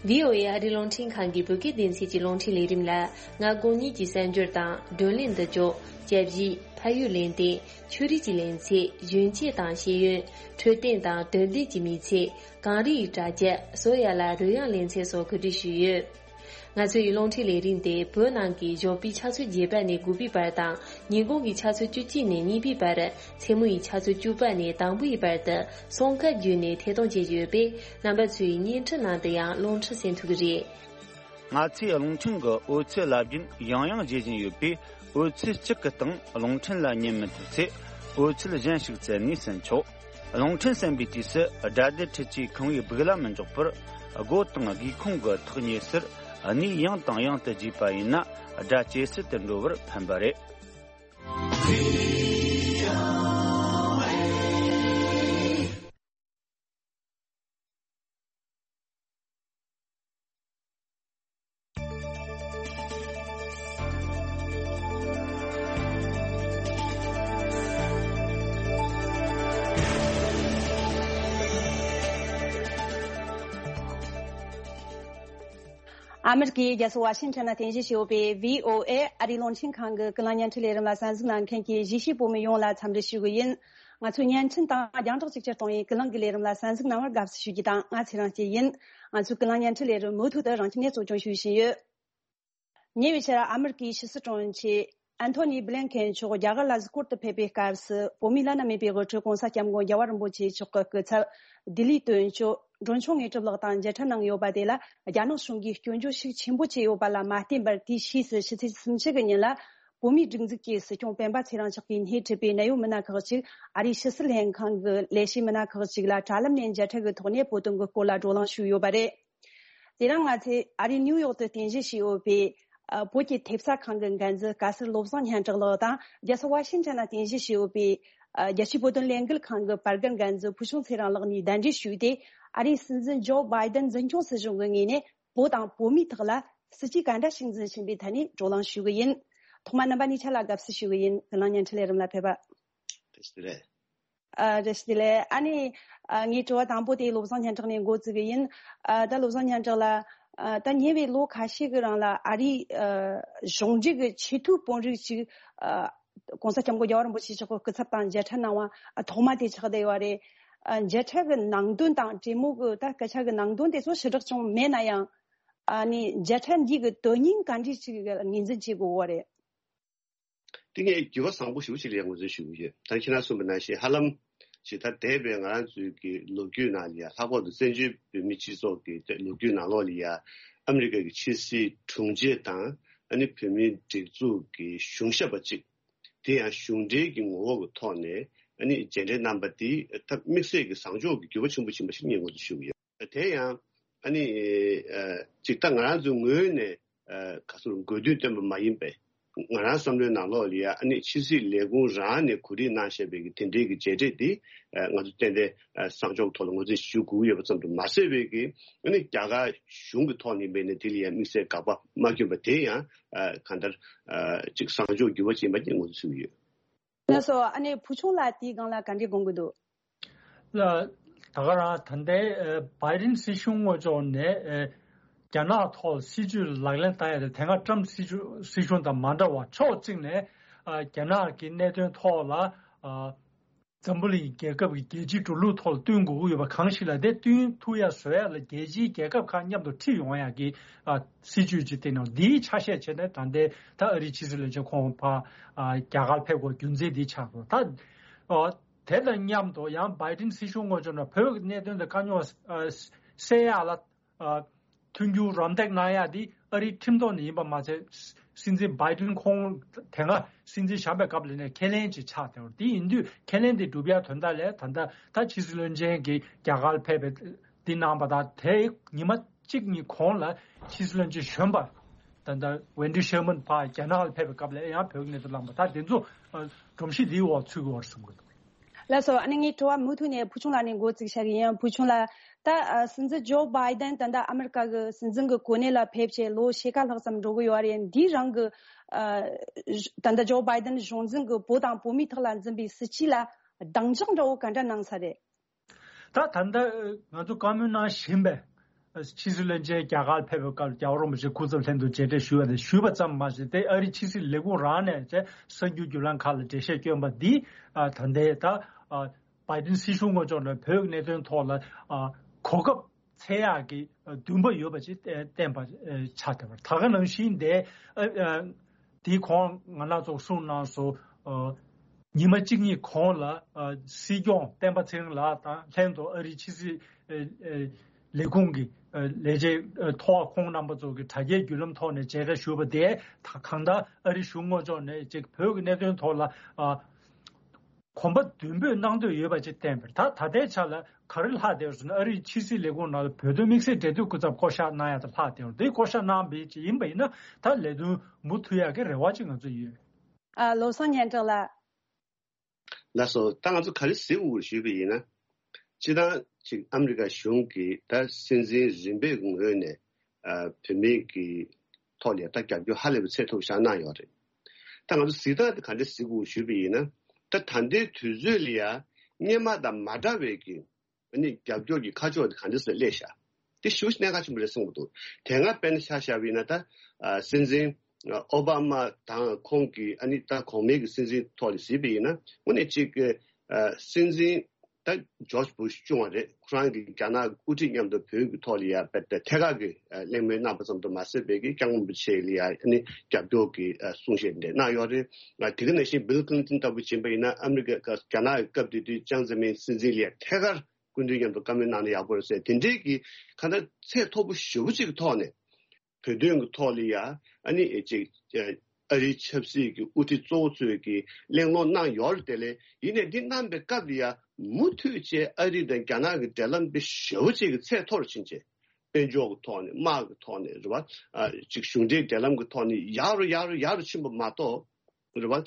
བྷི་ཨོ་ཨེ་ཨ་རིའི་རླུང་འཕྲིན་ཁང་གི་བོད་སྐད་སྡེ་ཚན་གྱི་རླུང་འཕྲིན་ལས་རིམ་ལ། ང་དགོང་ཉིན་གྱི་གསར་འགྱུར་དང་། བགྲོ་གླེང་འདི་ལྗོགས། དཔྱད་ཞིབ། ཕ་ཡུལ་ལེ་ཚན། ཆོས་རིག་གི་ལེ་ཚན། གཞོན་སྐྱེས་དང་ཤེས་ཡོན། འཕྲོད་བསྟེན་དང་དོན་ལྡན་གྱི་མི་ཚེ། གངས་རི་ཡི་གྲ་རྒྱས། བཟོ་ཡ་ལ་རོལ་དབྱངས་ལེ་ཚན་སོགས་གོ་སྒྲིག་ཞུས་ཡོད། ང་ཚོའི་རླུང་འཕྲིན་ལས་རིམ་དེ་བོད་ནང་གི་ཞོགས་པའི་ཆུ་ཚོད་བརྒྱད་པ་ནས་དགུ་པའི་བར་དང་། ཉིན་གུང་གི་ཆུ་ཚོད་བཅུ་གཅིག་ནས་གཉིས་པའི་བར། མཚན་མོ་ཡི་ཆུ་ཚོད་བཅུ་པ་ནས་དང་པོའི་བར་དུ་སང་ཁ་བརྒྱུད་ནས་ཐད་གཏོང་བྱེད་ཀྱི་ཡོད་པས། རྣམ་པ་ཚོས་བརྙན་འཕྲིན་ནང་དུ་ཡང་རླུང་འཕྲིན་གསན་ཐུབ་ཀྱི་རེད། ང་ཚོས་རླུང་འཕྲིན་གྱི་འོད་ཚད་རླབས་རྒྱུན་ཡང་ཡང་བརྗེ་བཞིན་ཡོད་པས། འོད་ཚད་གཅིག་གི་སྟེང་རླུང་འཕྲིན་ལ་ཉན་མི་ཐུབ་ཚེ། འོད་ཚད་གཞན་ཞིག་བཙལ་ནས་གསན་ཆོག་རླུང་འཕྲིན་གསན་པའི་དུས་སུ། སྒྲ་སྡུད་འཕྲུལ་ཆས་ཁང་བའི་སྦུག་ལ་མི་འཇོག་པར། སྒོ་དང་སྒེའུ་ཁུང་གི་ཐག་ཉེ་སར་གནས་ཡང་དང་ཡང་དུ་བརྗེས་པ་ཡིན་ན། སྒྲ་ཇེ་གསལ་དུ་འགྲོ་བར་ཕན་པ་རེད། ཨ་མེ་རི་ཀའི་རྒྱལ་ས་ཝ་ཤིང་ཊོན་ན་རྟེན་གཞི་བྱས་ཡོད་པའི་བྷི་ཨོ་ཨེ་ཨ་རིའི་རླུང་འཕྲིན་ཁང་གི་ཀུན་གླེང་བརྙན་འཕྲིན་ལས་རིམ་ལ་གསན་གཟིགས་གནང་མཁན་གྱི་གཞིས་བྱེས་བོད་མི་ཡོངས་ལ་འཚམས་འདྲི་ཞུ་གི་ཡིན། ང་ཚོའི་བརྙན་འཕྲིན་དང་རྒྱང་བསྒྲགས་གཅིག་གྱུར་གཏོང་བའི་ཀུན་གླེང་གི་ལས་རིམ་ལ་གསན་གཟིགས་གནང་བར་དགའ་བསུ་ཞུ་རྒྱུ་དང་། ང་ཚེ་རིང་སྐྱིད་ཡིན། ང་ཚོའི་ཀུན་གླེང་བརྙན་འཕྲིན་ལས་རིམ་མུ་མཐུད་དུ་རང་ཁྱིམ་ནས་གཙོ་སྐྱོང་ཞུ་བཞིན་ཡོད། ཉེ་བའི་ཆར་ཨ་མེ་རི་ཀའི་ཕྱི་སྲིད་དྲུང་ཆེ་ཨན་ཐོ་ནི་བྷི་ལིན་ཁེན་མཆོག་རྒྱ་གར་ལ་གཟིགས་སྐོར་དུ་ཕེབས་པའི་སྐབས་སུ། བོད་མིའི་བླ་ན་མེད་པའི་དབུ་ཁྲིད་༸གོང་ས་༸སྐྱབས་མགོན་རྒྱལ་བ་རིན་པོ་ཆེ་མཆོག་གི་སྐུ་ཚབ་ལྡི་ལིའི་དོན་གཅོད་འབྲོང་ཆུང་དངོས་གྲུབ་ལགས་དང་མཇལ་འཕྲད་གནང་ཡོད་པ་དེ་ལ། རྒྱ་ནག་གཞུང་གིས་སྐྱོན་བརྗོད་ཤུགས་ཆེན་པོ་བྱས་ཡོད་པ་ལ་མ་བརྟེན་པར། དེའི་ཕྱིས་སུ་ཕྱི་ཚེས་སུམ་ཅུ་གི་ཉིན་ལ། བོད་མིའི་སྒྲིག་འཛུགས་ཀྱི་སྲིད་སྐྱོང་སྤེན་པ་ཚེ་རིང་མཆོག་གིས་སྣེ་ཁྲིད་པའི་གནད་ཡོད་མི་སྣ་ཁག་ཅིག་ཨ་རིའི་ཕྱི་སྲིད་ལྷན་ཁང་གི་ལས་བྱེད་མི་སྣ་ཁག་ཅིག་ལ་དྲ་ལམ་ནས་མཇལ་འཕྲད་ཀྱི་ཐོག་ནས་བོད་དོན་གྱི་སྐོར་ལ་བགྲོ་གླེང་ཞུས་ཡོད་པ་རེད། དེ་རིང་ང་ཚོས་ཨ་རིའི་ནིའུ་ཡོག་ཏུ་རྟེན་གཞི་བྱས་ཡོད་པའི། ཨ། བོད་ཀྱི་ཐེབས་རྩ་ཁང་གི་འགན་འཛིན་སྐལ་སྲས་བློ་བཟང་སྙན་གྲགས་ལགས་དང་། རྒྱལ་ས་ཝ་ཤིང་ཊོན་ལ་རྟེན་གཞི་བྱས་ཡོད་པའི། ཨ། རྒྱལ་སྤྱིའི་བོད་དོན་ལས་འགུལ་ཁང་གི་པར་སྐྲུན་འགན་འཛིན་ཕུལ་བྱུང་ཚེ་རིང་ལགས་གཉིས་གདན་འདྲེན་ཞུས་ཏེ། ཨ་རིའི་སྲིད་འཛིན་ཇོ་བྷའི་ཏན་འཛིན་སྐྱོང་སྲིད་གཞུང་གི་ངོས་ནས་བོད་དང་བོད་མིའི་ཐོག་ལ་སྲིད་ཇུས་ག་འདྲ་ཞིག་འཛིན་བཞིན་པའི་ཐད་ནས་བགྲོ་གླེང་ཞུ་གི་ཡིན། ཐོག་མར་རྣམ་པ་གཉིས་ཆ་ལ་དགའ་བསུ་ཞུ་གི་ཡིན། ཀུན་གླེང་བརྙན་འཕྲིན་ལས་རིམ་ལ་ཕེབས་པ། བཀྲ་ཤིས་བདེ་ལེགས། ཨ། བཀྲ་ཤིས་བདེ་ལེགས། ཨ་ནི། ཨ། ངའི་དྲི་བ་དང་པོ་དེ་བློ་བཟང་སྙན་གྲགས་ནས་འགོ་བཙུགས་གི་ཡིན། ཨ། ད་བློ་བཟང་སྙན་གྲགས་ལགས། ཨ། ད་ཉེ་བའི་ལོ་ཁ་ཤས་ཀྱི་རིང་ལ་ཨ་རིའི། ཨ། གཞུང་འབྲེལ་གྱི་ཆེས་མཐོའི་དཔོན་རིགས་ཅིག་ཨ། ༸གོང་ས་༸སྐྱབས་མགོན་རྒྱལ་བ་རིན་པོ་ཆེ་མཆོག་གི་སྐུ་ཚབ་དང་མཇལ་འཕྲད་གནང་བ་ཐོག་མ་དེ་ཆགས་བསྡད་ཡོད་རེད། ཨ། མཇལ་འཕྲད་ཀྱི་ནང་དོན་དང་གྲོས་མོལ་གྱི་ད་སྐད་ཆ་གི་ནང་དོན་དེ་ཚོ་ཞེ་དྲག་ཅུང་མེད་ན་ཡང་། ཨ་ནི་མཇལ་འཕྲད་འདི་གི་དོན་སྙིང་ག་འདྲ་ཞིག་ངོས་འཛིན་བྱེད་དགོས་པ་རེད། དེ་ངས་འགྱུར་བ་བཟང་པོ་ཞེ་པོ་ཅིག་རེད་ངོས་འཛིན་ཞུ་གི་ཡོད། ད་ཁྱེད་རང་གསུངས་པ་ནང་བཞིན་ཧ་ལམ་ཇི་ལྟར་འདས་པའི་ང་རང་ཚོའི་གི་ལོ་རྒྱུས་ནང་ལ་ཡ། ལྷག་པར་དུ་བཙན་བྱོལ་བོད་མིའི་སྤྱི་ཚོགས་ཀྱི་ལོ་རྒྱུས་ནང་ལོགས་ལ་ཡ། ཨ་མི་རི་ཀ་གི་ཕྱི་སྲིད་དྲུང་ཆེ་དང་ཨ་ནི་བོད་མིའི་སྒྲིག་འཛུགས་ཀྱི་གཞུང་ཞབས་པ་གཅིག་དེ་ཡང་གཞུང་འབྲེལ་གྱི་ངོ་བོ་གི་ཐོག་ནས་ཨ་ནི་མཇལ་འཕྲད་གནང་པ་འདི་ད་དམིགས་བསལ་གྱི་བཟང་ཕྱོགས་ཀྱི་འགྱུར་བ་ཆེན་པོ་ཕྱིན་པ་ཞིག་ངས་ངོས་འཛིན་ཞུ་གི་ཡོད། དེ་ཡང་ཨ་ནི་ཨ་ཅིག་ད་ང་རང་ཚོའི་ངོས་ནས་ཨ་ག་ཚོད་དགོས་འདུན་བཏོན་པ་མ་ཡིན་པས། ང་རང་བསམ་བློའི་ནང་ལོགས་ལ་ཡ་ཨ་ནི་ཕྱི་སྲིད་ལས་ཁུངས་རང་ནས་གོ་སྒྲིག་གནང་བཞག་པའི་གི་དེ་འབྲེལ་གྱི་མཇལ་འཕྲད་འདི་ཨ་ང་ཚོ་ཏན་ཏན་ཨ་བཟང་ཕྱོགས་ཐོག་ལ་ངོས་འཛིན་ཞུ་དགོས་ཡོད་པ་ཙམ་དུ་མ་ཟད་པའི་གི་ཨ་ནི་རྒྱ་གར་གཞུང་གི་ཐོག་ནས་ཡིན་པས་ན་དེ་ལ་ཡ་དམིགས་བསལ་དགག་པ་མ་བསྐྱོན་པ་དེ་ཡང་ཨ་གང་ལྟར་ཨ་ཅིག་བཟང་ཕྱོགས་འགྱུར་བ་ཅིག་ཡིན་པ་ངོས་འཛིན་ཞུ་གི་ཡོད། ལགས་སོ། ཨ་ནི་བུ་ཆུང་ལགས་དེའི་སྒང་ལ་ག་འདྲའི་དགོངས་ཀྱི་འདུག་ལ། ད་ག་རང་ད་ལྟའི་ཨ་བྷའི་ཌེན་སྲིད་གཞུང་ངོས་ཕྱོགས་ནས་ཨ་རྒྱ་ནག་ཐོག་སྲིད་ཇུས་ལག་ལེན་བསྟར་ཡ་དེ་དེ་སྔ་ཊམ་སྲིད་གཞུང་སྲིད་གཞུང་དང་མ་འདྲ་བར་ཕྱོགས་གཅིག་ནས་ཨ་རྒྱ་ནག་གི་གནད་དོན་ཐོག་ལ་ཨ་འཛམ་བུ་གླིང་རྒྱལ་ཁབ་ཀྱི་རྒྱལ་སྤྱིའི་འགྲོ་ལུགས་ཐོག་ལ་བསྟུན་དགོས་ཀྱི་ཡོད་པ་གང་ཞིག་ལ་དེ་བསྟུན་ཐུབ་ཡ་བཟོ་ཡ་ལ་རྒྱལ་སྤྱིའི་རྒྱལ་ཁབ་ཁག་མཉམ་དུ་ཁྲིད་ཡོང་ཡ་གི་ཨ་སྲིད་ཇུས་ཅིག་བཏིང་ནས་འདིའི་ཆ་ཤས་བྱས་ནས་ད་ལྟའི་ད་ཨ་རིའི་ཕྱི་སྲིད་བློན་ཆེན་ཁོང་ཕར་ཨ་རྒྱ་གར་ཕེབས་དགོས་རྒྱུ་མཚན་འདི་ཆགས་འདུག་ད་ཨ་དེ་དང་མཉམ་དུ་ཡང་བྷའི་ཌེན་སྲིད་གཞུང་ངོས་ཕྱོགས་ནས་བོད་ཀྱི་གནད་དོན་དང་དཀའ་རྙོག་ཨ་སེལ་ཡ་ལ་ཨ་མཐུན་འགྱུར་རམ་འདེགས་གནང་ཡ་འདི་ཨ་རིའི་ཁྲིམས་ཐོག་ནས་ཡིན་པ་མ་ཚད། སྲིད་འཛིན་བྷའི་ཌེན་ཁོང་དེ་སྔ་སྲིད་འཛིན་བཞག་པའི་སྐབས་ལ་ནས་ཁས་ལེན་ཅིག་ཆགས་བསྡད་པ་རེད། དེ་ཡིན་དུས་ཁས་ལེན་དེ་སྒྲུབ་ཡ་དོན་དག་ལ་ད་ལྟ་ད་ཕྱི་སྲིད་བློན་ཆེན་གྱིས་རྒྱ་གར་ཕེབས་པའི་འདི་གནང་པ་དང་། དེའི་ཉི་མ་གཅིག་གཉིས་གོང་ལ་ཕྱི་སྲིད་བློན་ཆེན་གཞོན་པ་ད་ལྟ་ཝེན་ཌི་ཤེར་མན་ཕར་རྒྱ་ནག་ལ་ཕེབས་པའི་སྐབས་ལ་ཡང་བོད་ཀྱི་གནད་དོན་གླེང་པ་ད་དེ་ཚོ་ཨ་སྒྲོམ་གཞི་འདིའི་འོག་ཚུད་ཀྱི་ཡོད་རེད་བསམ་གྱི་འདུག་ལགས་སོ། ཨ་ནི་ངའི་དྲི་བ་མུ་མཐུད་ནས་བུ་ཆུང་ལགས་ནས་འགོ་བཙུགས་བྱ་གི་ཡིན། བུ་ཆུང་ལགས། ད་ཨ་སྲིད་འཛིན་ཇོ་བྷའི་ཌེན་ད་ལྟ་ཨ་མི་རི་ཀ་གི་སྲིད་འཛིན་གྱི་གོ་གནས་ལ་ཕེབས་བྱས་ལོ་ཕྱེད་ཀ་ལྷག་ཙམ་འགྲོ་གི་ཡོད་རེད། འདིའི་རིང་གི་ཨ་ད་ལྟ་ཇོ་བྷའི་ཌེན་གཞུང་འཛིན་གྱི་བོད་དང་བོད་མིའི་ཐོག་ལ་འཛིན་པའི་སྲིད་བྱུས་ལ་གདེང་འཇོག་འདྲ་བོ་ག་འདྲ་གནང་ས་རེད། ད་ད་ལྟ་ང་ཚོ་བཀའ་མོལ་གནང་བཞིན་པའི་ཕྱི་སྲིད་བློན་ཆེན་རྒྱ་གར་ཕེབས་པའི་སྐབས་རྒྱལ་བ་རིན་པོ་ཆེ་སྐུ་ཚབ་ལྷན་དུ་མཇལ་འཕྲད་ཞུས་པ་དང་ཞུས་པ་ཙམ་མ་ཟད་དེ་ཨ་རི་ཕྱི་སྲིད་ལས་ཁུངས་རང་ནས་ཀྱི་གསར་འགྱུར་བརྒྱུད་ལམ་ཁག་ལ་འགྲེལ་བཤད་བསྐྱོན་པ་འདི་ད་ལྟའི་ད་བྷའི་ཌེན་སྲིད་གཞུང་ངོས་ཕྱོགས་ནས་བོད་ཀྱི་གནད་དོན་ཐོག་ལ་གོ་སྐབས་འཚོལ་ཡག་གི་འདུན་པ་ཡོད་པ་ཅིག་བསྟན་པ་ཆགས་བསྡད་པ་ད་ག་ནང་བཞིན་དེ། དེའི་གོང་ང་རང་ཚོ་གསུངས་གནང་སོང་། ཨ་ཉི་མ་གཅིག་གཉིས་གོང་ལ་ཨ་སྲིད་སྐྱོང་སྤེན་པ་ཚེ་རིང་ལགས་དང་ལྷན་དུ་ཨ་རིའི་ཕྱི་སྲིད་ཨ་ཨ་ལས་ཁུངས་ཀྱི་ཨ་ལས་བྱེད་ཨ་ཐོག་ཁོང་རྣམ་པ་ཚོ་གི་དྲ་རྒྱའི་བརྒྱུད་ལམ་ཐོག་ནས་མཇལ་ཁ་ཞུས་པ་དེ་ད་གང་ལྟར་ཨ་རི་གཞུང་ངོས་ཕྱོགས་ནས་ཅིག་བོད་ཀྱི་གནད་དོན་ཐོག་ལ་ཨ་གོམ་པ་མདུན་སྤོས་གནང་འདོད་ཡོད་པ་ཅིག་བསྟན་པ་རེད། ད་ད་ལྟའི་ཆ་ལ་ག་རེ་ལྷག་བསྡད་ཡོད་ཟེར་ན་ཨ་རིའི་ཕྱི་སྲིད་ལས་ཁུངས་ནང་ལ་བོད་དོན་དམིགས་བསལ་འབྲེལ་མཐུད་སྐུ་ཚབ་བསྐོ་གཞག་གནང་ཡ་དང་ལྷག་བསྡད་ཡོད་རེད། དེ་བསྐོ་གཞག་གནང་བ་ཅིག་ཡིན་པ་ཡིན་ན་ད་ལས་དོན་མུ་མཐུད་ཡག་གི་རེ་བ་ཅིག་ང་ཚོ་ཡོད། ཨ་བློ་བཟང་སྙན་གྲགས་ལགས། ལགས་སོ། ད་ང་ཚོ་ག་རེ་གཟིགས་དགོས་ཞུས་པ་ཡིན་ན། སྤྱིར་བཏང་ཅིག་ཨ་མི་རི་ཀ་གཞུང་གིས་ད་སྲིད་འཛིན་རིམ་པའི་ངོས་ནས་ཨ་བོད་མིའི་གི་ཐོག་ལ་ད་རྒྱབ་སྐྱོར་ཧ་ལས་པའི་ཚད་མཐོ་པོ་ཞིག་གནང་ཡོད་རེད། ད་ང་ཚོ་གཟིགས་སྟངས་དེ་ག་འདྲ་གཟིགས་དགོས་ཞུས་པ་ཡིན་ན། ད་ད་ལྟའི་དུས་ཚོད་ལ་ཡ་སྔོན་མ་དང་མ་འདྲ་བའི་གི་ཨ་ནི་རྒྱབ་སྐྱོར་གྱི་ཁ་ཕྱོགས་དེ་ག་འདྲ་ཞིག་སླེབས་ཤག་དེ་ཞེ་པོ་ཞིག་གནད་འགག་ཆེན་པོ་རེད་བསམ་གྱི་འདུག་དེ་སྔ་དཔེར་ན་ཆ་བཞག་པ་ཡིན་ན་ད་ཨ་སྲིད་འཛིན་ཨ་ཨོ་བྷ་མ་དང་ཁོང་གི་ཨ་ནི་ད་གོང་མའི་གི་སྲིད་འཛིན་ཐོག་ནས་གཟིགས་པ་ཡིན་ན་དངོས་གནས་ཅིག་ཨ་སྲིད་འཛིན་ད་ཇོརྗ་བུ་ཤ་བཅུ་བ་རེད། ཁོ་རང་གིས་རྒྱ་ནག་དབུ་ཁྲིད་མཉམ་དུ་བོད་ཀྱི་ཐོག་ལ་ཡ་དཔེ་ཐད་ཀར་གྱི་ཨ་གླེང་མོལ་གནང་པ་ཙམ་དུ་མ་ཟད་པའི་གི་སྐྱབས་མགོན་རིན་པོ་ཆེ་ལ་ཡ་ཨ་ནི་རྒྱབ་སྐྱོར་གྱི་ཨ་གསུང་བཤད་འདི་གནང་ཡོད་རེད། ང་དེ་ག་ནང་བཞིན་བིལ་ཀི་ལིན་ཊོན་ལྟ་བུ་ཡིན་པ་ཡིན་ན་ཨ་མི་རི་ཀ་རྒྱ་ནག་གི་སྐབས་དེ་དུས་ཅང་ཙེ་མིན་སྲིད་འཛིན་ལ་ཡ་ཐད་ཀར་སྐུ་མདུན་མཉམ་དུ་བཀའ་མོལ་གནང་ན་ཡག་པོ་རེད་ཟེར་དེ་འདྲའི་གི་གང་ལྟར་ཚད་མཐོ་པོ་ཞེ་པོ་ཅིག་གི་ཐོག་ནས་བོད་དོན་གྱི་ཐོག་ལ་ཡ་ཨ་ནི་ཅིག་ཨ་རིའི་ཆབ་སྲིད་ཀྱི་དབུ་ཁྲིད་གཙོ་བོ་ཚོས་ཀྱི་གླེང་སློང་གནང་ཡོད་རེད། དེ་ལས་ཡིན་ནའི་འདི་གནང་པའི་སྐབས་ལ་ཡ་མུ་མཐུད་བྱས་ཨ་རི་དང་རྒྱ་ནག་གི་འབྲེལ་ལམ་དེ་ཞེ་པོ་ཅིག་གི་ཚད་མཐོ་རུ་ཕྱིན་བྱས་དཔལ་འབྱོར་གྱི་ཐོག་ནས་དམག་གི་ཐོག་ནས་རེད་བ། ཨ་ཅིག་གཞུང་འབྲེལ་འབྲེལ་ལམ་གྱི་ཐོག་ནས་ཡག་རུ་ཡག་རུ་ཡག་རུ་ཕྱིན་པ་མ་གཏོགས། རེད་བ།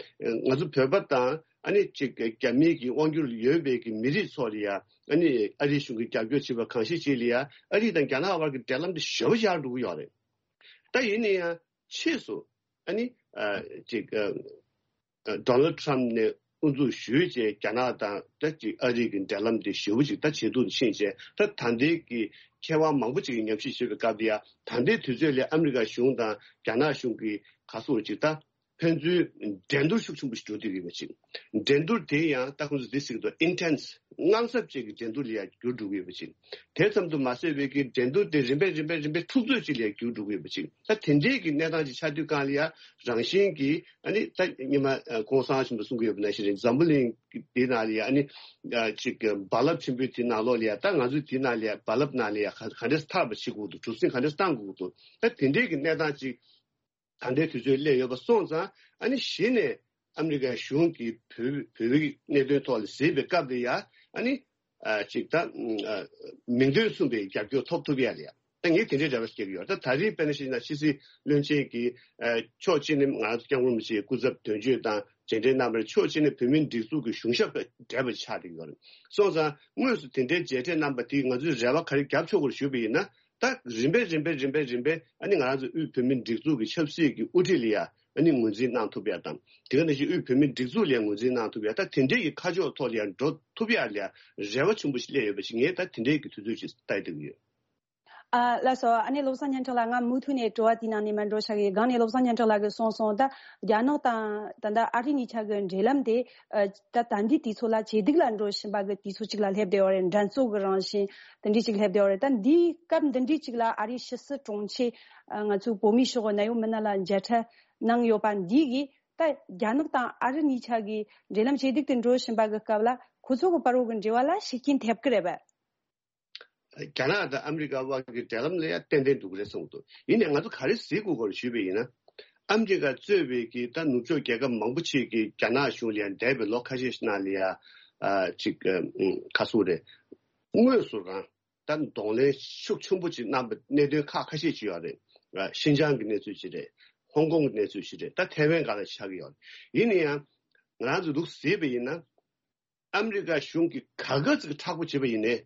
ང་ཚོ་བོད་པ་དང་ཨ་ནི་ཅིག་རྒྱ་མིའི་གི་དབང་སྒྱུར་ཡོད་པའི་གི་མི་རིགས་ཚོ་ལ་ཡ་ཨ་ནི་ཨ་རིའི་གཞུང་གིས་རྒྱབ་སྐྱོར་བྱེད་པ་གང་ཞིག་ཅིག་ལ་ཡ་ཨ་རི་དང་རྒྱ་ནག་བར་གྱི་འབྲེལ་ལམ་དེ་ཞེ་པོ་ཡག་འགྲོ་གི་ཡོད་རེད། ད་ཡིན་ན་ཡང་ཕྱིས་སུ་ཨ་ནི་ཨ་ཅིག་ཨ་ཨ་ཌོ་ནལ་ཌི་ཊརམ་ཕ་ནས་དབུ་འཛུགས་ཞུས་བྱས་རྒྱ་ནག་དང་ད་ཅིག་ཨ་རི་གི་འབྲེལ་ལམ་དེ་ཞེ་པོ་ཅིག་ད་ཇེ་སྡུག་ཏུ་ཕྱིན་བྱས་ད་ད་ལྟའི་གི་མཁས་དབང་མང་པོ་ཅིག་གིས་ཉམས་ཞིབ་བྱེད་པའི་སྐབས་དེ་ཡ་ད་ལྟའི་དུས་ཚོད་ལ་ཨ་མི་རི་ཀ་གཞུང་དང་རྒྱ་ནག་གཞུང་གི་ག་ཚོད་ཅིག་ད། ཕན་ཚུན་འགྲན་བསྡུར་ཤུགས་ཆེན་པོ་ཞིག་འགྲོ་བསྡད་ཡོད་པ་ཅིག་འགྲན་བསྡུར་དེ་ཡང་ད་ཁོང་ཚོས་འདི་ཟེར་གྱི་འདུག་ཨིན་ཊེན་སི་ དངངས་འཚབ་ཅན་གྱི་འགྲན་བསྡུར་ལ་ཡང་འགྱུར་འགྲོ་གི་ཡོད་པ་ཅིག་དེ་ཙམ་དུ་མ་ཟད་པའི་གི་འགྲན་བསྡུར་དེ་རིམ་པས་རིམ་པས་རིམ་པས་འཁྲུག་རྩོད་ཅིག་ལ་ཡང་འགྱུར་འགྲོ་གི་ཡོད་པ་ཅིག་ད་དེ་འདྲའི་གི་གནས་སྟངས་ཅིག་ཆགས་དུས་སྒང་ལ་ཡང་རང་བཞིན་གྱིས་ཨ་ནི་ད་ཉི་མ་ཨ་ྋགོང་ས་ཆེན་པོས་གསུང་གི་ཡོད་པ་ནང་བཞིན་རེད། འཛམ་བུ་གླིང་གི་དེ་ནང་ལ་ཡང་ཨ་ནི་ཨ་ཅིག་རྦ་རླབས་ཆེན་པོའི་དེ་ནང་ལོགས་ལ་ཡང་ད་ང་ཚོའི་དེ་ནང་ལ་ཡང་རྦ་རླབས་ནང་ལ་ཡང་ག་ག་འདྲས་ཐར་བ་བྱེད་དགོས་འདུག་གྲུ་གཟིངས་ག་འདྲས་བཏང་དགོས་འདུག་ད་དེ་འདྲའི་གི་གནས་སྟངས་ཅིག་ད་ལྟའི་དུས་ཚོད་སླེབས་ཡོད་པ་སོང་ཙང་ཨ་ནི་གཞི་ནས་ཨ་མི་རི་ཀའི་གཞུང་གིས་བོད་བོད་པའི་གནད་དོན་ཐོག་ལ་གཟིགས་པའི་སྐབས་དེ་ཡ་ཨ་ནི་ཨ་ཅིག་ད་ཨ་མིང་དོན་མཚུངས་པའི་རྒྱབ་སྐྱོར་ཐོབ་ཐུབ་ཡ་ལ་ཡ་ད་ངས་དེ་འདྲའི་འབྲེལ་བ་སྐྱེ་གི་ཡོད། ད་ད་རེས་དཔེར་ན་བཤད་ན་ཕྱི་སྲིད་བློན་ཆེན་གྱིས་ཨ་ཕྱོགས་གཅིག་ནས་ང་ཚོ་སྐྱབས་མགོན་རིན་པོ་ཆེའི་སྐུ་ཚབ་དོན་གཅོད་དང་མཇལ་འཕྲད་གནང་བར་ཕྱོགས་གཅིག་ནས་བོད་མིའི་སྒྲིག་འཛུགས་ཀྱི་གཞུང་ཞབས་དང་འབྲེལ་བ་ཆགས་བསྡད་ཡོད་རེད། སོང་ཙང་དངོས་སུ་དེ་འདྲའི་མཇལ་འཕྲད་གནང་པ་དེས་ང་ཚོའི་རེ་བ་ག་རེ་རྒྱབ་ཆོག་གི་རེད་ཞུས་པ་ཡིན་ན། ད་རིམ་པས་རིམ་པས་རིམ་པས་རིམ་པས་ཨ་ནི་ང་རང་ཚོ་དབུས་བོད་མིའི་སྒྲིག་འཛུགས་ཀྱི་ཆབ་སྲིད་ཀྱི་དབུ་ཁྲིད་ལ་ཡ་ཨ་ནི་ངོས་འཛིན་གནང་ཐུབ་ཡ་དང་དེ་ག་ནང་བཞིན་དབུས་བོད་མིའི་སྒྲིག་འཛུགས་ལ་ཡ་ངོས་འཛིན་གནང་ཐུབ་ཡ་ད་དེ་འདྲའི་གི་ཁ་ཕྱོགས་ཐོག་ལ་ཡ་འགྲོ་ཐུབ་ཡ་ལ་ཡ་རེ་བ་ཆེན་པོ་ཞིག་སླེབས་ཡོད་པ་ཞིག་ངས་ད་དེ་འདྲའི་གི་དུས་ཚོད་ཅིག་ལྟ་ཡི་འདུག་ཡོད། ཨ་ལགས་སོ། ཨ་ནི་བློ་བཟང་སྙན་གྲགས་ལགས་ང་མུ་མཐུད་ནས་དྲི་བ་དེའི་ནང་ནས་མར་འགྲོ་བྱ་གི་ཡིན། སྒང་ནས་བློ་བཟང་སྙན་གྲགས་ལགས་ཀྱིས་གསུངས་སོང་། ད་རྒྱ་ནག་དང་ད་ལྟ་ཨ་རི་གཉིས་ཆ་གི་འབྲེལ་ལམ་དེ་ཨ་ད་ད་འདི་དུས་ཚོད་ལ་ཇེ་སྡུག་ལ་འགྲོ་བཞིན་པ་གི་དུས་ཚོད་ཅིག་ལ་སླེབས་བསྡད་ཡོད་རེད། འགྲན་རྩོད་ཀྱི་རང་བཞིན་དེ་འདྲ་ཅིག་སླེབས་བསྡད་ཡོད་རེད། ད་འདིའི་སྐབས་འདི་འདྲ་ཅིག་ལ་ཨ་རིའི་ཕྱི་སྲིད་དྲུང་ཆེ་ཨ་ང་ཚོའི་བོད་མིའི་ཤོག་གི་ནད་ཡོད་མི་སྣ་ལ་མཇལ་འཕྲད་གནང་ཡོད་པ་འདི་གིས་ད་རྒྱ་ནག་དང་ཨ་རི་གཉིས་ཆ་གི་འབྲེལ་ལམ་ཇེ་སྡུག་ཏུ་འགྲོ་བཞིན་པ་གི་སྐབས་ལ་ཁོ་ཚོ་གི་བར་བར་གི་འབྲེལ་བ་ལ་ཤུགས་རྐྱེན་ཐེབས་ཀྱི་རེད་པས། རྒྱ་ནག་དང་ཨ་མི་རི་ཀ་དབར་གྱི་འབྲེལ་ལམ་ལ་ཡང་ཏན་ཏན་འདུག་རེད་གསུངས་འདུག་ཡིན་ནའི་ང་ཚོ་ག་རེ་གཟིགས་དགོས་སྐོར་ཞུས་པ་ཡིན་ན། ཨ་མི་རི་ཀ་གཙོས་པའི་གི་ད་ནུབ་ཕྱོགས་རྒྱལ་ཁབ་མང་པོ་ཅིག་གིས་རྒྱ་ནག་གཞུང་ལ་ཡང་འདས་པའི་ལོ་ཁ་ཤས་ཤིག་ནང་ལ་ཡང་ཨ་ཅིག་ཨ་ཁ་སུ་རེད། དངོས་སུ་རང་ད་གདོང་ལེན་ཤུགས་ཆེན་པོ་ཅིག་གནང་པ་གནད་དོན་ཁག་ཁ་ཤས་ཅིག་ཡོད་རེད། ཨ་ཤིན་ཅང་གི་གནས་ཚུལ་ཅིག་རེད། ཧོང་ཀོང་གི་གནས་ཚུལ་ཅིག་རེད། ད་ཐའེ་ཝན་སྒང་ལ་ཆགས་ཀྱི་ཡོད་རེད། ཡིན་ན་ཡང་ང་རང་ཚོ་འདུག་གཟིགས་པ་ཡིན་ན། ཨ་མི་རི་ཀ་གཞུང་གིས་ག་ག་ཙིག་མཁྲེགས་པོ་བྱེད་པ་ཡིན་ནའི།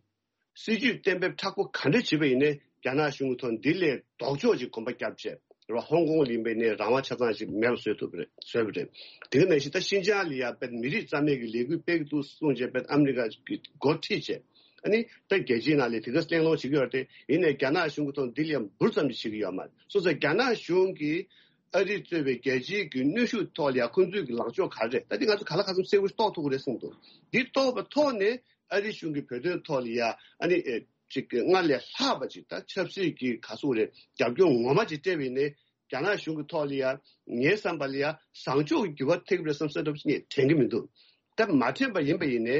སྲིད་ཇུས་གཏན་འབེབས་མཁྲེགས་པོ་ག་འདྲ་བྱེད་པ་ཡིན་ནའི་རྒྱ་ནག་གཞུང་གི་ཐོག་འདི་ལས་ལྡོག་ཕྱོགས་ཅིག་གོམ་པ་བརྒྱབ་བྱས་རེད་བ། ཧོང་ཀོང་ཡིན་པ་ཡིན་ནའི་རང་དབང་ཆ་ཚང་ཞིག་མེད་པ་བཟོས་ཐུབ་པ་རེད་བཟོས་པ་རེད། དེ་ག་ནང་བཞིན་ད་ཤིན་ཅང་ལ་ཡ་དཔེ་མི་རིགས་རྩ་མེད་ཀྱི་ལས་འགུལ་སྤེལ་གྱི་འདུག་གསུངས་བྱས་དཔེ་ཨ་མི་རི་ཀ་གི་འགོ་ཁྲིད་བྱས་ཨ་ནི་ད་རྒྱལ་སྤྱིའི་ནང་ལ་དེ་ག་གླེང་སློང་བྱེད་ཀྱི་ཡོད་རེད། དེ་ཡིན་ནའི་རྒྱ་ནག་གཞུང་གི་ཐོག་འདི་ལ་ཡ་འབུར་ཙམ་ཞིག་བྱེད་ཀྱི་ཡོད་མ་རེད། སོང་ཙང་རྒྱ་ནག་གཞུང་གིས་ཨ་རི་གཙོས་པའི་རྒྱལ་སྤྱིའི་གི་གནོན་ཤུགས་ཐོག་ལ་ཡང་ཁོང་ཚོའི་གི་ལངས་ཕྱོགས་ག་རེ་རེད། ད་འདི་ང་ཚོ་ག་ལ་ག་ཚོད་གསལ་པོ་ཞིག་རྟོགས་ཐུབ་ཀྱི་རེད་གསུངས་འདུག་འདི་རྟོགས་པ་ཐོག་ནས་ཨ་རི་གཞུང་གིས་བོད་དོན་ཐོག་ལ་ཡ་ཨ་ནི་ཨེ་ཅིག་སྔར་ལས་ལྷག་པ་ཅིག་ད་ཆབ་སྲིད་ཀྱི་ག་ཟེར་དགོས་རེད། རྒྱབ་སྐྱོར་ངོ་མ་ཅིག་སྤྲད་པ་ཡིན་ནའི་རྒྱ་ནག་གཞུང་གི་ཐོག་ལ་ཡ་ངའི་བསམ་པ་ལ་ཡ་བཟང་ཕྱོགས་ཀྱི་འགྱུར་བ་ཐེབས་ཀྱི་རེད་བསམ་བསམ་འདྲ་པོ་ཞིག་ངས་དྲན་གྱི་མི་འདུག་ད་མ་དྲན་པ་ཡིན་པ་ཡིན་ནའི་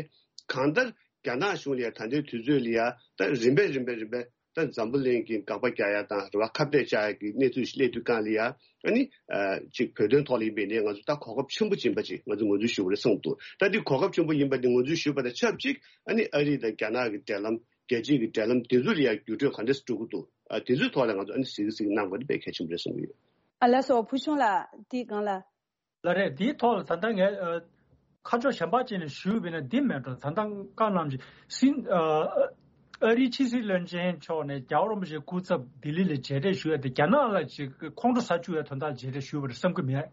གང་ལྟར་རྒྱ་ནག་གཞུང་ལ་ཡ་ད་ལྟའི་དུས་ཚོད་ལ་ཡ་ད་རིམ་པས་རིམ་པས་རིམ་པས། ད་འཛམ་བུ་གླིང་གི་དགག་པ་རྒྱག་ཡ་དང་རེད་བ། ཁ་གཏད་བཅག་ཡ་གི་གནས་ཚུལ་ཞིག་སླེབས་དུས་སྒང་ལ་ཡ་ཨ་ནི་ཨ་ཅིག་བོད་དོན་ཐོག་ལ་ཡིན་པའི་ནས་ང་ཚོ་ད་གོ་སྐབས་ཆེན་པོ་ཡིན་པ་ཅིག་ང་ཚོ་ངོས་འཛིན་ཞུ་དགོས་རེད་གསུངས་འདུག་ད་འདི་གོ་སྐབས་ཆེན་པོ་ཡིན་པ་འདི་ངོས་འཛིན་ཞུས་པ་དང་ཆབས་ཅིག་ཨ་ནི་ཨ་རི་དང་རྒྱ་ནག་གི་འབྲེལ་ལམ་རྒྱལ་སྤྱིའི་གི་འབྲེལ་ལམ་དེ་ཚོ་ལ་ཡ་འགྱུར་འགྲོས་ག་འདྲས་སེ་འགྲོ་གི་འདུག་ཨ་དེ་ཚོའི་ཐོག་ལ་ང་ཚོ་ཨ་ནི་གཟིགས་གཟིགས་གནང་དགོས་འདི་དཔེ་གལ་ཆེན་པོ་རེད་བསམ་གྱི་ཡོད། ཨ་ལགས་སོ། ཕུལ་བྱུང་ལགས་འདི་སྒང་ལ། ལགས་རེད། འདིའི་ཐོག་ལ་ད་ལྟ་ངས་ཨ་ཁ་ཕྱོགས་གཞན་པ་ཅིག་ནས་ཞུས་པ་ཡིན་ན་འདི་མེད་འགྲོ། ད་ལྟ་བཀའ་གནང་ཅིག་སྲིད་ཨ་ཨ་རིའི་ཕྱི་སྲིད་བློན་ཆེན་མཆོག་ནས་རྒྱལ་བ་རིན་པོ་ཆེའི་སྐུ་ཚབ་ལྡི་ལི་ལ་མཇལ་འཕྲད་ཞུ་ཡ་དེ་རྒྱ་ནག་ལ་ཅིག་ཁོང་ཁྲོ་ཟ་བཅུག་ཡ་དོན་དག་ལ་མཇལ་འཕྲད་ཞུས་པ་རེད་བསམ་གྱི་མེད།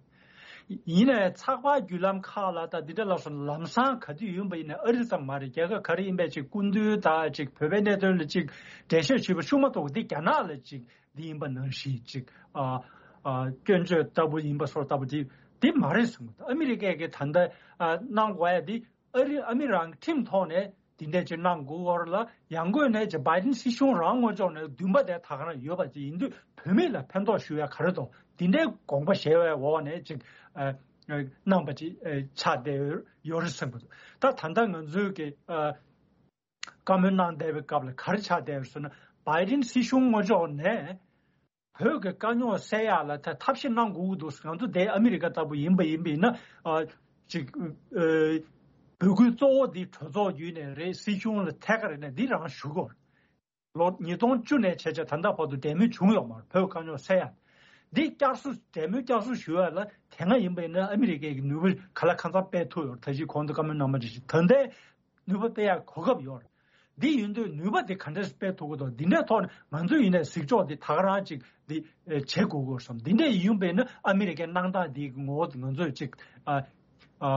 ཡིན་ནའི་ཚགས་པར་བརྒྱུད་ལམ་ཁག་ལ་ད་འདི་འདྲ་ལབ་སོང་ན་ལམ་སང་ག་དུས་ཡིན་པ་ཡིན་ནའི་ཨ་རི་ཙམ་མ་རེད། རྒྱལ་ཁབ་ག་རེ་ཡིན་པའི་ཅིག་སྐུ་མདུན་དང་ཅིག་བོད་པའི་གནད་དོན་ལ་ཅིག་འགྲེལ་བཤད་ཞུས་པ་ཤུགས་མ་གཏོགས་འདི་རྒྱ་ནག་ལ་ཅིག་འདི་ཡིན་པ་ནང་བཞིན་ཅིག་ཨ་ཨ་སྐྱོན་བརྗོད་ལྟ་བུ་ཡིན་པ་སོགས་ལྟ་བུ་དེ་དེ་མ་རེད་གསུངས། ཨ་མི་རི་ཀས་ཀྱི་ད་ལྟ་ཨ་གནང་དགོས་ཡ་དེ་ཨ་རི་ཨ་མི་རང་གི་ཁྲིམས་ཐོག་ནས་དེ་འདྲས་ཅིག་གནང་དགོས་སྐོར་ལ་ཡང་སྒོས་ནས་ཅིག་བྷའི་ཌེན་སྲིད་གཞུང་རང་ངོས་ཕྱོགས་ནས་འདུན་པ་དེ་ད་ག་རང་ཡོད་པ་ཅིག་ཡིན་དུས་བོད་མི་ལ་ཕན་ཐོགས་ཞུ་ཡ་ག་རེ་འདུག་དེ་འདྲའི་དགོངས་པ་བཞེས་པའི་འོག་ནས་ཅིག་ཨ་ཨ་གནང་པ་ཅིག་ཨ་ཆགས་བསྡད་ཡོད་རེད་གསུངས་པ་འདུག་ད་ད་ལྟ་ང་ཚོའི་གི་ཨ། བཀའ་མོལ་གནང་བསྡད་པའི་སྐབས་ལ་ག་རེ་ཆགས་བསྡད་ཡོད་ཟེར་ན། བྷའི་ཌེན་སྲིད་གཞུང་ངོས་ཕྱོགས་ནས་བོད་ཀྱི་དཀའ་རྙོག་སེལ་ཡག་ལ་ད་ཐབས་ཤེས་གནང་དགོས་ཀྱི་འདུག་ང་ཚོ་དེ་ཨ་མི་རི་ཀ་ལྟ་བུ་ཡིན་པ་ཡིན་པ་ཡིན་ན་ཨ་ཅིག་ཨ་འབོད་སྐུལ་གཙོ་བོ་འདི་གྲོས་ཚོགས་བརྒྱུད་ནས་རེད། སྲིད་གཞུང་ལ་ཐད་ཀར་རེད་ནས་འདི་རང་ཞུ་དགོས། ལོ་ཉིས་སྟོང་བཅུ་ནས་བྱས་བྱས་ད་ལྟ་བར་དུ་འབྲེལ་མོལ་བྱུང་ཡོད་མ་རེད། བོད་དཀའ་རྙོག་སེལ་ཡག་འདི་བསྐྱར་གསོ་འབྲེལ་མོལ་བསྐྱར་གསོ་ཞུ་ཡག་ལ་དེ་སྔ་ཡིན་པ་ཡིན་ན་ཨ་མི་རི་ཀའི་ནུས་པ་ག་ལ་གང་འཚམ་སྤེལ་ཐུབ་ཡོད་རེད། ད་གཞི་གོང་དུ་བཀའ་མོལ་གནང་བ་ནང་བཞིན་ད་ལྟའི་ནུས་པ་སྤེལ་ཡག་གོ་སྐབས་ཡོད་རེད། འདི་ཡིན་དུས་ནུས་པ་འདི་ག་འདྲས་སྤེལ་ཐུབ་ཀྱི་འདུག་འདི་འདྲའི་ཐོག་ནས་ང་ཚོ་ཡིན་ནའི་གཟིགས་ཕྱོགས་འདི་ད་ག་རང་ཅིག་འདི་བྱེད་དགོས་ཀྱི་ཡོད་བསམ། འདི་འདྲས་ཡིན་པས་ན་ཨ་མི་རི་ཀའི་གནང་སྟངས་འདི་གི་ངོ་བོ་ང་ཚོས་ཅིག་ཨ་ཨ་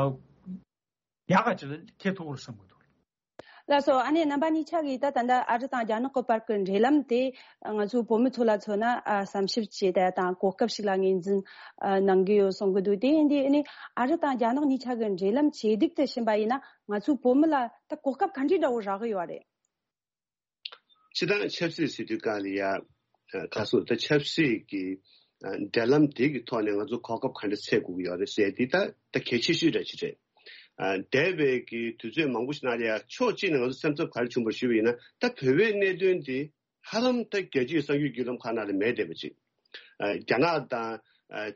ཡག་ག་ཅིག་ལ་འཁྱེར་ཐུབ་ཀྱི་རེད་བསམ་གྱི་འདུག་ལགས་སོ། ཨ་ནེ་རྣམ་པ་གཉིས་ཆ་གིས་ད་ད་ལྟ་ཨ་རི་དང་རྒྱ་ནག་གི་བར་གྱི་འབྲེལ་ལམ་དེ་ང་ཚོའི་བོད་མི་ཚོ་ལ་མཚོན་ན་ཨ་བསམ་ཞིབ་བྱས་ཏེ་དང་གོ་སྐབས་ཤིག་ལ་ངོས་འཛིན་ཨ་གནང་གི་ཡོད་གསུང་གི་འདུག་དེ་ཡིན་དུས་ཨ་ནེ་ཨ་རི་དང་རྒྱ་ནག་གཉིས་ཆ་གི་འབྲེལ་ལམ་ཇེ་སྡུག་ཏུ་ཕྱིན་པ་ཡིན་ན་ང་ཚོའི་བོད་མི་ལ་ད་གོ་སྐབས་ག་འདྲའི་འདྲ་བོ་རག་གི་ཡོད་རེད། སྤྱིར་བཏང་ཆབ་སྲིད་ཟེར་དུས་སྒང་ལ་ཡ། ཁ་སོ་ད་ཆབ་སྲིད་ཀྱི་འབྲེལ་ལམ་དེ་གི་ཐོག་ནས་ང་ཚོ་གོ་སྐབས་ག་འདྲ་འཚོལ་དགོས་ཀྱི་ཡོད་རེད་ཟེར་དེ་ད་ད་གལ་ཆེ་ཤོས་འདྲ་ཅིག་རེད། འདས་པའི་གི་དུས་ཚོད་མང་པོ་ཞིག་ནང་ལ་ཡ་ཕྱོགས་གཅིག་ནས་ང་ཚོ་སེམས་འཚབ་ག་རེ་བྱུང་བ་ཞུས་པ་ཡིན་ན། ད་བོད་པའི་གནད་དོན་དེ་ཧ་ལམ་ད་རྒྱལ་སྤྱིའི་གསར་འགྱུར་བརྒྱུད་ལམ་ཁག་ནང་ལ་མེད་བསྡད་པ་ཅིག་རྒྱ་ནག་དང་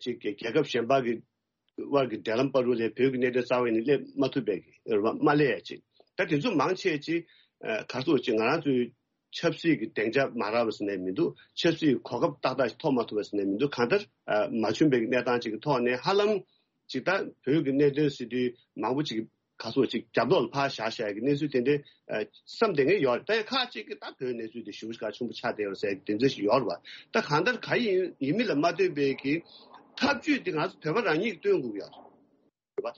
ཅིག་རྒྱལ་ཁབ་གཞན་པ་གི་དབར་གྱི་འབྲེལ་ལམ་བར་དུ་ལས་བོད་ཀྱི་གནད་དོན་རྩ་བ་ནས་སླེབས་མ་ཐུབ་པའི་རེད་བ། མ་སླེབས་ཡ་ཅིག་ད་དེ་ཚོ་མང་ཆེ་ཅིག་ག་རེ་ཟེར་ཅིག་ང་རང་ཚོའི་ཆབ་སྲིད་ཀྱི་སྡིངས་ཆ་མ་རག་པ་ཟེར་ནའི་མི་འདུག་ཆབ་སྲིད་ཀྱི་གོ་སྐབས་ཏག་ཏག་ཞིག་ཐོབ་མ་ཐུབ་པ་ཟེར་ནའི་མི་འདུག་གང་ལྟར་མ་བྱུང་བའི་གནས་སྟངས་ཅིག་གི་ཐོག་ནས་ཧ་ལམ་ཅིག་ད་བོད་ཀྱི་གནད་དོན་ཟེར་དུས་མང་པོ་ཅིག་ག་རེ་ཟེར་ཅིག་རྒྱབ་ལོགས་ལ་ཕར་བཞག་བཞག་གི་གནས་ཚུལ་དེ་འདྲའི་བསམ་བསྡད་མཁན་ཡོད་རེད། ད་ཡང་ཁག་ཅིག་གིས་ད་བོད་གནས་ཚུལ་དེ་ཞེ་པོ་ཅིག་གལ་ཆེན་པོ་ཆགས་བསྡད་ཡོད་རེད་ཟེར་གི་དེ་འདྲ་ཞིག་ཡོད་རེད་བ། ད་གང་ལྟར་ག་ཡིན་ཡིན་མིན་ལ་མ་ལྟོས་པའི་གི་ཐབས་ཇུས་དེ་ང་ཚོ་བོད་པ་རང་ཉིད་ཀྱིས་སྟོན་དགོས་ཀྱི་ཡོད་རེད་བ།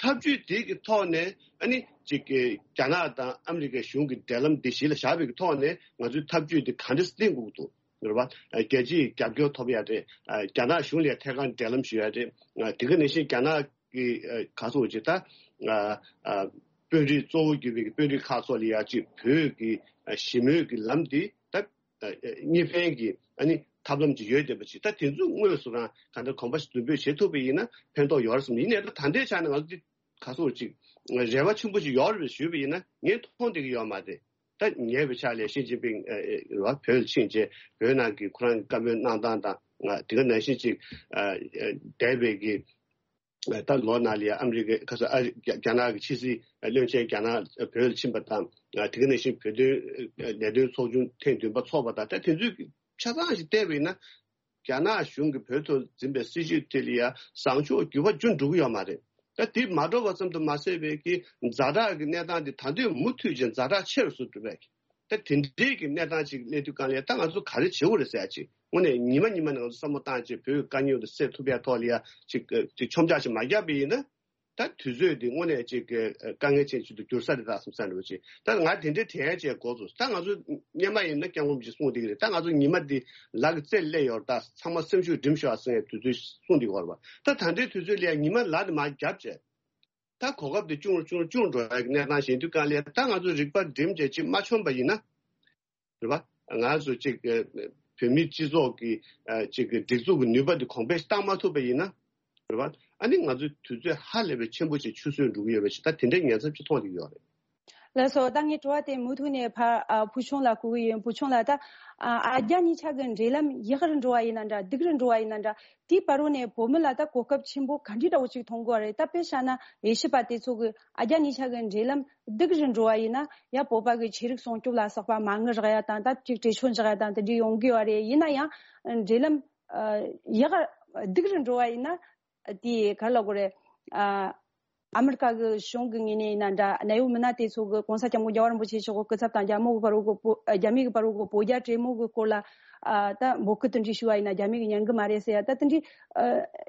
ཐབས་ཇུས་དེ་གི་ཐོག་ནས་ཨ་ནི་ཅིག་གི་རྒྱ་ནག་དང་ཨ་མི་རི་ཀའི་གཞུང་གི་འབྲེལ་ལམ་འདི་གཞི་ལ་བཞག་པའི་གི་ཐོག་ནས་ང་ཚོའི་ཐབས་ཇུས་དེ་ག་འདྲ་བསྟན་དགོས་ཀྱི་འདུག་རེད་བ། རྒྱལ་སྤྱིའི་རྒྱབ་སྐྱོར་ཐོབ་ཡ་རེད། རྒྱ་ནག་གཞུང་ལ་ཐད་ཀར་འབྲེལ་ལམ་ཞུ་ཡ་རེད། དེ་ག་ནང་བཞིན་རྒྱ་ནག་གི་ག་རེ་ཟེར་ཅིག་ད་དཔོན་རིགས་གཙོ་བོ་གྱུར་པའི་དཔོན་རིགས་ཁག་ཚོ་ལ་ཡ་ཅིག་བོད་ཀྱི་ཞི་མོལ་གྱི་ལམ་འདི་ད་གཉིས་ཕན་གྱི་ཨ་ནི་ཐབས་ལམ་ཅིག་ཡོད་བསྡད་པ་ཅིག་ད་དེ་ཚོ་དངོས་སུ་རང་ག་འདྲ་གོམ་པ་ཞིག་མདུན་སྤོས་བྱེད་ཐུབ་པ་ཡིན་ན་ཕན་ཐོགས་ཡོད་རེད་བསམ། ཡིན་ནའི་ད་ད་ལྟའི་ཆ་ནས་ང་ཚོ་འདི་ག་རེ་ཟེར་ཅིག་རེ་བ་ཆེན་པོ་ཅིག་ཡོད་རེད་ཞུས་པ་ཡིན་ན་ངས་མཐོང་བསྡད་ཀྱི་ཡོད་མ་རེད། ད་ཉེ་བའི་ཆར་ལ་ཞི་ཅིན་ཕིང་ཨ་ཨ་བོད་ལ་ཕྱིན་རྗེས་བོད་ནང་གི་ཁོ་རང་གི་བཀའ་མོལ་གནང་སྟངས་དང་དེ་ག་ནང་བཞིན་ཅིག་ཨ་ཨ་འདས་པའི་གི་ད་ལོ་ནང་ལ་ཡ་ཨ་མི་རི་ཀའི་ཁ་ས་ཨ་རི་རྒྱ་རྒྱ་ནག་གི་ཕྱི་སྲིད་བློན་ཆེན་རྒྱ་ནག་བོད་ལ་ཕྱིན་པ་དང་དེ་ག་ནང་བཞིན་བོད་དོན་ལས་དོན་ཚོགས་ཆུང་ཐེངས་བདུན་པ་ཚོགས་པ་དང་ད་དེ་ཚོའི་ཆ་ཚང་ཞིག་བལྟས་པ་ཡིན་ན། རྒྱ་ནག་གཞུང་གིས་བོད་ཐོག་འཛིན་པའི་སྲིད་བྱུས་དེ་ལ་ཡ་བཟང་ཕྱོགས་འགྱུར་བ་ཅུང་འགྲོ་གི་ཡོད་མ་རེད། ད་དེ་མ་འགྲོ་བ་ཙམ་དུ་མ་ཟད་པའི་གི་ཛ་དྲག་གི་གནས་སྟངས་དེ་ད་དུང་མུ་མཐུད་ཅིང་ཛ་དྲག་ཆེ་རུ་སོང་འགྲོ་བས། ད་དེ་འདྲའི་གི་གནས་སྟངས་ཅིག་སླེབས་དུས་གང་ལ་ད་ང་ཚོ་ག་རེ་བྱེད་དགོས་རེད་ཟེར་ཡ་ཅིག་དངོས་གནས་ཉི་མ་ཉི་མ་ནས་ང་ཚོ་བསམ་བློ་བཏང་བྱས་བོད་ཀྱི་དཀའ་རྙོག་དེ་སེལ་ཐུབ་ཡ་ཐོག་ལ་ཡ་ཅིག་ཅིག་མཆོང་རྒྱག་ཅིག་མ་བརྒྱབ་པ་ཡིན་ན། ད་དུས་ཚོད་འདི་དངོས་གནས་ཅིག་གི་དཀའ་ངལ་ཅན་ཞིག་ཏུ་འགྱུར་ས་རེད་ད་བསམ་ས་འདྲ་བོ་ཅིག་ད་ང་དེ་འདྲའི་དྲན་ཡ་ཅིག་འགོ་ཚུགས། ད་ང་ཚོ་སྔོན་མ་ཡིན་ན་སྐྱབས་མགོན་རིན་པོ་ཆེས་གསུངས་བསྡད་ཀྱི་རེད། ད་ང་ཚོ་ཉི་མ་འདི་ལག་གི་རྩེར་སླེབས་ཡོད་རེད། ད་ཚང་མ་སེམས་ཤུགས་སྒྲིམ་ཤོག་ཟེར་ནས་དུས་ཚོད་གསུངས་བསྡད་ཀྱི་ཡོད་རེད་པ། ད་ད་ལྟའི་དུས་ཚོད་ལ་ཡ་ཉི་མ་ལག་འདི་མར་བརྒྱབ་བྱས། ད་གོ་སྐབས་འདི་ཅུང་ཅུང་ཅུང་འགྲོ་ཡ་གི་གནས་སྟངས་ཞིག་ཡིན་དུས་གང་ལ་ཡ་ད་ང་ཚོ་རིག་པ་སྒྲིམ་བྱས་ཅིག་མ་མཆོངས་པ་ཡིན་ན། རེད་པ། ང་ཚོ་གཅིག་བོད་མིའི་སྤྱི་ཚོགས་ཀྱི་གཅིག་སྒྲིག་འཛུགས་ཀྱི་ནུས་པ་འདི་གོང་འཕེལ་བཏང་མ་ཐུབ་པ་ཡིན་ན། རེད་པ། ཨ་ནི་ང་ཚོའི་དུས་ཚོད་ཧ་ལས་པའི་ཆེན་པོ་ཅིག་ཆུད་ཟོས་འགྲོ་གི་ཡོད་པ་ཞིག་ད་དེ་འདྲའི་ཉེན་ཚབས་ཅིག་མཐོང་བསྡད་ཀྱི་ཡོད་རེད། ལགས་སོ། ད་ངའི་དྲི་བ་དེ་མུ་མཐུད་ནས་ཕ་ཨ་བུ་ཆུང་ལ་བསྐུར་གི་ཡིན། བུ་ཆུང་ལགས། ད་ཨ་རྒྱ་གཉིས་ཆ་གི་འབྲེལ་ལམ་ཡག་རུ་འགྲོ་བ་ཡིན་ན་འདྲ་སྡུག་རུ་འགྲོ་བ་ཡིན་ན་འདྲ། དེའི་བར་རུ་ནས་བོད་མི་ལ་ད་གོ་སྐབས་ཆེན་པོ་ག་འདྲའི་འདྲ་བོ་ཅིག་མཐོང་གི་ཡོད་རེད། ད་དཔེ་བཞག་ན་དབྱེ་ཞིབ་པ་དེ་ཚོ་གིས་ཨ་རྒྱ་གཉིས་ཆ་གི་འབྲེལ་ལམ་སྡུག་རུ་འགྲོ་བ་ཡིན་ན་ཡ་བོད་པ་གི་ཆོས་རིག་སྲུང་སྐྱོབ་ལ་སོགས་པ་མ་དངུལ་རག་ཡ་དང་ད་ཅིག་བྲེལ་ཆོད་འཇགས་ཡ་དང་དེ་འདྲའི་ཡོང་གི་ཡོད་རེད། ཡིན་ན་ཡང་འབྲེལ་ལམ་ཡག་སྡུག་རུ་འགྲོ་བ་ཡིན་ན་དེ་ག་རེ་ལབ་དགོས་རེད། ཨ་ཨ་མི་རི་ཀ་གི་གཞུང་གི་ངོས་ནས་ཡིན་ན་འདྲ་གནད་ཡོད་མི་སྣ་དེ་ཚོ་གི་༸གོང་ས་༸སྐྱབས་མགོན་རྒྱལ་བ་རིན་པོ་ཆེ་མཆོག་གི་སྐུ་ཚབ་དང་རྒྱ་མོ་གི་བར་རུ་གི་བོད་རྒྱ་མི་གི་བར་རུ་གི་བོད་རྒྱ་གྲོས་མོལ་གི་སྐོར་ལ་ཨ་ད་འབོད་སྐུལ་དེ་འདྲའི་ཞུ་བ་ཡིན་ན་རྒྱ་མི་གི་ཉན་གི་མ་རེད་ཟེར་ཡ་ད་དེ་འདྲའི་ཨ་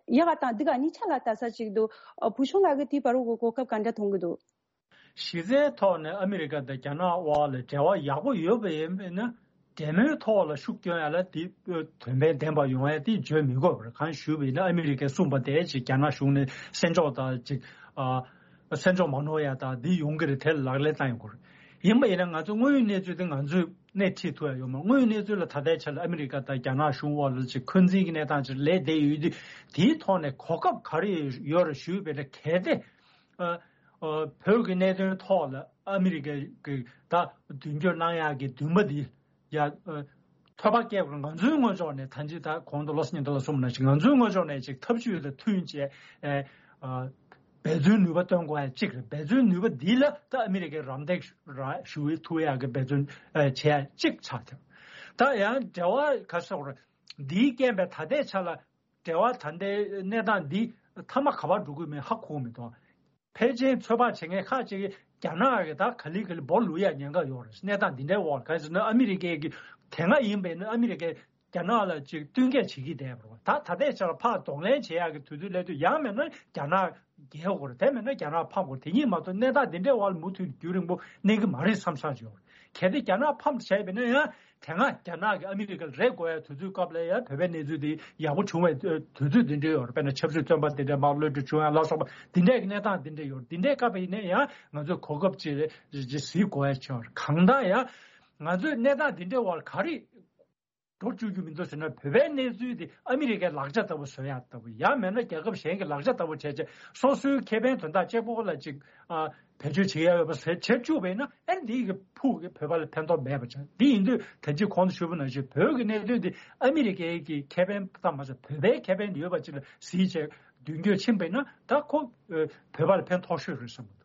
ཡག་དང་སྡུག་གཉིས་ཆ་ལ་ལྟ་ས་ཅིག་འདུག་ཨ་བུ་ཆུང་ལགས་ཀྱིས་དེའི་བར་རུ་གི་གོ་སྐབས་ག་འདྲ་མཐོང་གི་འདུག་གཞི་རྩའི་ཐོག་ནས་ཨ་མི་རི་ཀ་དང་རྒྱ་ནག་དབར་ལ་འབྲེལ་བ་ཡག་པོ་ཡོད་པ་ཡིན་ན་འབྲེལ་མོལ་ཐོག་ལ་ཤུགས་སྐྱོན་ཡ་ལ་དེ་དོན་ཕན་ལྡན་པ་ཡོང་ཡ་དེ་བརྗོད་མི་དགོས་པར་གང་ཞུས་པ་ཡིན་ན་ཨ་མི་རི་ཀས་གསུངས་པ་དེ་ཅིག་རྒྱ་ནག་གཞུང་ནས་སེམས་ཕྱོགས་དང་ཅིག་ཨ་སེམས་ཕྱོགས་མ་ནོར་ཡ་དང་འདི་ཡོང་གི་རེད། དེ་ལ་ལག་ལེན་བསྟར་ཡོང་དགོས་རེད། ཡིན་པ་ཡིན་ན་ང་ཚོ་དངོས་ཡོད་གནས་ཚུལ་དེ་ང་ཚོས་སྣེ་ཁྲིད་ཐུབ་ཡ་ཡོད་མ་རེད། དངོས་ཡོད་གནས་ཚུལ་ལ་ད་ལྟའི་ཆ་ལ་ཨ་མི་རི་ཀ་དང་རྒྱ་ནག་གཞུང་དབར་ལ་ཅིག་འཁོན་འཛིན་གྱི་གནས་སྟངས་ཅིག་སླེབས་བསྡད་ཡོད་དུས་དེའི་ཐོག་ནས་གོ་སྐབས་ག་རེ་ཡོད་རེད་ཞུས་པ་ཡིན་ན་གལ་ཏེ། ཨ་ཨ་བོད་ཀྱི་གནད་དོན་ཐོག་ལ་ཨ་མི་རི་ཀའི་གི་ད་མདུན་སྐྱོད་གནང་ཡག་གི་འདུན་པ་འདི་ཡ་ཨ་ཐོབ་པ་སྐྱེ་དགོས། ང་ཚོའི་ངོས་ཕྱོགས་ནས་ད་ཅི་ད་གོང་དུ་བློ་བཟང་སྙན་ལྟར་ལ་གསུངས་པ་ནང་བཞིན་ང་ཚོའི་ངོས་ཕྱོགས་ནས་ཅིག་ཐབས་ཇུས་ལ་མཐུན་བྱས་ཨ་ཨ་འབད་བརྩོན་ནུས་པ་བཏོན་དགོས་ཡ་གཅིག་རེད། འབད་བརྩོན་ནུས་པ་འདི་ལ་ད་ཨ་མི་རི་ཀའི་རམ་འདེགས་ར་ཞུ་ཐུབ་ཡག་གི་འབད་བརྩོན་ཨ་བྱེད་ཡ་གཅིག་ཆགས་ཐལ། ད་ཡང་འབྲེལ་བ་ག་ཟེར་དགོས་རེད། འདིའི་རྐྱེན་པས་ད་ལྟའི་ཆ་ལ་འབྲེལ་བ་ད་ལྟའི་གནས་སྟངས་འདི་མཐའ་མ་ག་པར་འགྲོ་གི་མིན་ཧ་གོ་མི་འདུག་ཕལ་ཆེར་ཚོད་དཔག་བྱེད་མཁན་ཁག་ཅིག་གིས་རྒྱ་ནག་གིས་ད་ག་ལེ་ག་ལེ་འབོ་ལུག་ཡ་ཉེན་ཁ་ཡོད་རེད། གནས་སྟངས་འདི་འདྲའི་འོག་ག་རེ་ཟེར་ན་ཨ་མི་རི་ཀའི་གི་དེ་སྔ་ཡིན་པས་ན་ཨ་མི་རི་ཀའི་ རྒྱ་ནག་ལ་ཅིག་བསྟུན་མཁས་བྱེད་ཀྱི་བསྡད་པ་རེད་བ། ད་ད་ལྟའི་ཆར་ཕར་གདོང་ལེན་བྱེད་ཡག་གི་དུས་ཚོད་སླེབས་དུས་ཡང་མིན་ན་རྒྱ་ནག་རྒྱལ་དགོས་རེད། དེ་མིན་ན་རྒྱ་ནག་ཕམ་དགོས་རེད། དེ་གཉིས་མ་གཏོགས་གནས་སྟངས་འདི་འདྲའི་དབར་མུ་མཐུད་རྒྱུན་རིང་པོ་གནས་ཀྱི་མ་རེད་བསམ་བསམ་ཅིག་ཡོད་རེད། གལ་ཏེ་རྒྱ་ནག་ཕམ་བྱས་པ་ཡིན་ན་ཡང་དེ་སྔ་རྒྱ་ནག་གིས་ཨ་མི་རི་ཀ་ལ་རེ་དགོས་ཡ་དུས་ཚོད་སྐབས་ལ་ཡང་བོད་པའི་གནས་ཚུལ་དེ་ཡག་པོ་བྱུང་བའི་དུས་ཚོད་འདི་འདྲ་ཡོད་རེད། དཔེར་ན་ཆབ་སྲིད་བཙོན་པ་འདི་འདྲ་མར་གློད་གྲོལ་བྱུང་ཡ་ལ་སོགས་པ་འདི་འདྲའི་གནས་སྟངས་འདི་འདྲ་ཡོད་རེད། འདི་འདྲའི་སྐབས་ཡིན་ན་ཡང་ང་ཚོས་གོ་སྐབས་ཅིག་རེད་ཅིག་གཟིགས་དགོས་ཡ་ཆགས་ཡོད་རེད། གང་ལྟར་ཡང་ང་ཚོས་གནས་སྟངས་འདི་འདྲའི་དབར་ག་རེ་འགྲོ་བཅུག་རྒྱུ་མི་འདུག་ཟེར་ན། བོད་པའི་གནས་ཚུལ་དེ་ཨ་མི་རི་ཀའི་ལག་ཆ་ལྟ་བུ་བཟོ་ཡག་ལྟ་བུ། ཡང་མིན་ན་རྒྱལ་ཁབ་གཞན་གྱི་ལག་ཆ་ལྟ་བུ་བྱས་བྱས་སོ་སོའི་ཁེ་ཕན་དོན་དག་གཅིག་པོ་ལ་ཅིག་ཨ་བེད་སྤྱོད་བྱེད་ཡག་ཡོད་པ་བཟོས་བྱེད་བཅུག་པ་ཡིན་ན། ཨ་ནི་འདི་གི་ཕུགས་ཀྱི་བོད་པ་ལ་ཕན་ཐོགས་མེད་པ་ཆགས། འདི་ཡིན་དུས་ད་ཅི་གོང་དུ་ཞུས་པ་ནང་བཞིན་བོད་ཀྱི་གནད་དོན་འདི་ཨ་མི་རི་ཀའི་གི་ཁེ་ཕན་ཙམ་མ་ཟད་བོད་པའི་ཁེ་ཕན་ཡོད་པ་ཅིག་ལ་གཟིགས་བྱས་མདུན་སྐྱོད་ཕྱིན་པ་ཡིན་ན་ད་ཁོ་ཨ་བོད་པ་ལ་ཕན་ཐོགས་ཤོས་རེད་བསམ་གྱི་འདུག།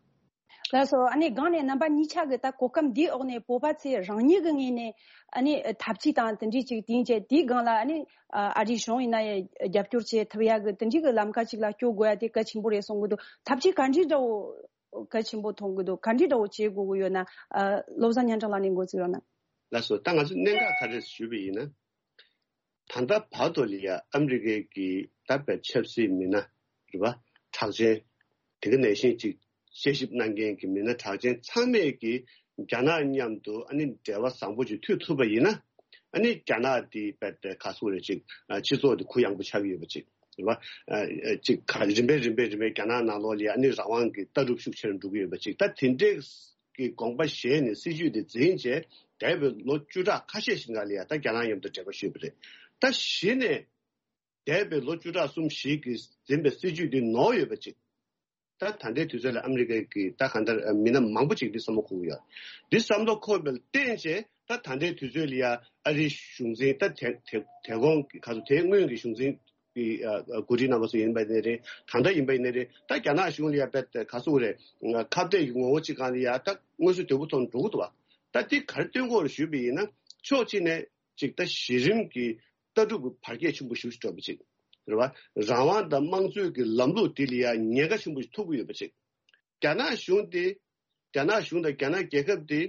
ལགས་སོ། ཨ་ནི་སྒང་ནས་རྣམ་པ་གཉིས་ཆ་གི་ད་གོ་སྐབས་འདིའི་འོག་ནས་བོད་པ་ཚོས་རང་ཉིད་ཀྱི་ངོས་ནས་ཨ་ནི་ཐབས་ཇུས་དང་དེ་འདྲའི་ཅིག་དེང་ཅིག་དེའི་སྒང་ལ་ཨ་ནི་ཨ་རིའི་གཞུང་ཡིན་ན་ཡང་རྒྱབ་སྐྱོར་བྱེད་ཐུབ་ཡག་གི་དེ་འདྲའི་གི་ལམ་ཁ་ཅིག་ལ་སྐྱོད་དགོས་ཡ་དེ་གལ་ཆེན་པོ་རེད་གསུང་གི་འདུག། ཐབས་ཇུས་ག་འདྲའི་འདྲ་བོ་གལ་ཆེན་པོ་མཐོང་གི་འདུག། ག་འདྲའི་འདྲ་བོ་བྱེད་དགོས་ཀྱི་ཡོད་ན། ཨ་བློ་བཟང་སྙན་གྲགས་ལགས་ནས་འགོ་འཛུགས་རོགས་གནང་། ལགས་སོ། ད་ང་ཚོ་གནད་འགག་ག་རེ་ཞུས་པ་ཡིན་ན། ད་ལྟ་བར་དུ་ལ་ཡ་ཨ་མི་རི་ཀའི་གི་ད་བའི་ཆབ་སྲིད་མི་སྣ་རེད་བ། གྲགས་ཅན། དེ་ག་ནང་བཞིན་ཅིག་དཔྱད་ཞིབ་གནང་མཁན་གྱི་མི་སྣ་གྲགས་ཅན་ཚང་མས་ཀྱི་རྒྱ་ནག་མཉམ་དུ་ཨ་ནི་འབྲེལ་བ་བཟང་པོ་ཅིག་མཐུད་ཐུབ་པ་ཡིན་ན། ཨ་ནི་རྒྱ་ནག་དེ་བའི་ག་སུ་རེད་ཅིག་སྤྱི་ཚོགས་དེ་གུ་ཡངས་པོ་ཆགས་ཀྱི་ཡོད་པ་ཅིག་རེད་བ། ཅིག་ག་རིམ་པས་རིམ་པས་རིམ་པས་རྒྱ་ནག་ནང་ལོགས་ལ་ཡ་ཨ་ནི་རང་དབང་གི་ལྟ་གྲུབ་ཤུགས་ཆེ་རུ་འགྲོ་གི་ཡོད་པ་ཅིག། ད་དེ་འདྲའི་གི་དགོངས་པ་བཞེས་ནས་སྲིད་ཇུས་དེ་འཛིན་བྱས་འདས་པའི་ལོ་བཅུ་ཕྲག་ཁ་ཤས་ཤིག་ནང་ལ་ཡ་ད་རྒྱ་ནག་མཉམ་དུ་འབྲེལ་བ་ཞུས་པ་རེད། ད་གཞི་ནས་འདས་པའི་ལོ་བཅུ་ཕྲག་གསུམ་བཞི་གི་འཛིན་པའི་སྲིད་ཇུས་དེ་ནོར་ཡོད་པ་ཅིག། ད་ད་ལྟའི་དུས་ཚོད་ལ་ཨ་མི་རི་ཀའི་གི་ད་གང་ལྟར་མི་སྣ་མང་པོ་ཅིག་འདི་བསམ་བློ་འཁོར་གི་ཡོད། འདི་བསམ་བློ་འཁོར་བའི་བརྟེན་བྱས་ད་ད་ལྟའི་དུས་ཚོད་ལ་ཡ་ཨ་རིའི་གཞུང་འཛིན་ད་དེ་དེ་དེ་གོང་གི་ག་ཚོད་དེ་སྔོན་གྱི་གཞུང་འཛིན་གི་ཨ་ཨ་འགོ་ཁྲིད་རྣམ་པ་ཚོ་ཡིན་པ་ཡིན་ནའི་རེད། ད་ལྟ་ཡིན་པ་ཡིན་ནའི་རེད། ད་རྒྱ་ནག་གཞུང་ལ་ཡ་དཔེ་ག་ཚོད་རེད། ཁ་གཏད་ཀྱི་ངོ་བོ་གཅིག་སྒང་ལ་ཡ་ད་དངོས་སུ་དོད་པོ་ཐོག་ནས་འགྲོ་གི་འདུག་བ། ད་འདི་ག་རེ་སྟོན་གྱི་ཡོད་རེད་ཞུས་པ་ཡིན་ན། ཕྱོགས་གཅིག་ནས་གཅིག་ད་གཞི་རིམ་གྱི་ལྟ་གྲུབ་ཀྱི་བར་ཁྱད་ཆེན་པོ་ཞེ་པོ་ཅིག་འགྲོ་བ་ཅིག་རེད་བ། རང་དབང་དང་དམངས་གཙོའི་གི་ལམ་ལུགས་འདི་ལ་ཡ་ཉེན་ཁ་ཆེན་པོ་ཞིག་ཐུག་གི་ཡོད་པ་ཅིག། རྒྱ་ནག་གཞུང་དེ། རྒྱ་ནག་གཞུང་དང་རྒྱ་ནག་རྒྱལ་ཁབ་དེ།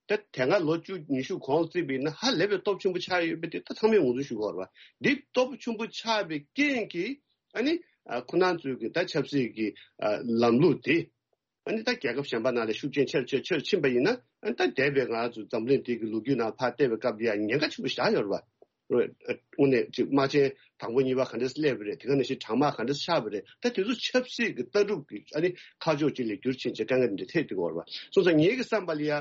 ད་དེ་སྔ་ལོ་བཅུ་ཉི་ཤུ་གོང་བརྩིས་པ་ཡིན་ན་ཧ་ལས་པའི་སྟོབས་ཆེན་པོ་ཆགས་ཡོད་པ་དེ་ད་ཚང་མས་ངོས་འཛིན་ཞུ་དགོས་རེད་བ། འདི་སྟོབས་ཆེན་པོ་ཆགས་པའི་རྐྱེན་གྱིས་ཨ་ནི་ཨ་ཁོ་རང་ཚོའི་གི་ད་ཆབ་སྲིད་ཀྱི་ཨ་ལམ་ལུགས་དེ། ཨ་ནི་ད་རྒྱལ་ཁབ་གཞན་པ་ནང་ལ་ཤུགས་རྐྱེན་ཆེར་ཆེར་ཆེར་ཕྱིན་པ་ཡིན་ན། ཨ་ནི་ད་འདས་པའི་ང་ཚོ་འཛམ་གླིང་འདི་གི་ལོ་རྒྱུས་ནང་ཕར་བལྟས་པའི་སྐབས་ལ་ཡང་ཉེན་ཁ་ཆེན་པོ་བཞག་ཡོད་རེད་བ། དངོས་གནས་ཅིག་དམག་ཆེན་དང་པོ་གཉིས་པ་ག་འདྲས་སླེབས་པ་རེད། དེ་ག་ནང་བཞིན་གྲང་དམག་ག་འདྲས་ཆགས་པ་རེད། ད་དེ་ཚོ་ཆབ་སྲིད་ཀྱི་ལྟ་གྲུབ་ཀྱི་ཨ་ནི་ཁ་ཕྱོགས་གཅིག་ལ་འགྱུར་ཕྱིན་བྱས་དཀའ་ངལ་འདི་འཕྲད་ཐུབ་ཀྱི་ཡོད་རེད་བ། སོང་ཙང་ངེད་ཀྱི་བསམ་པ་ལ་ཡ།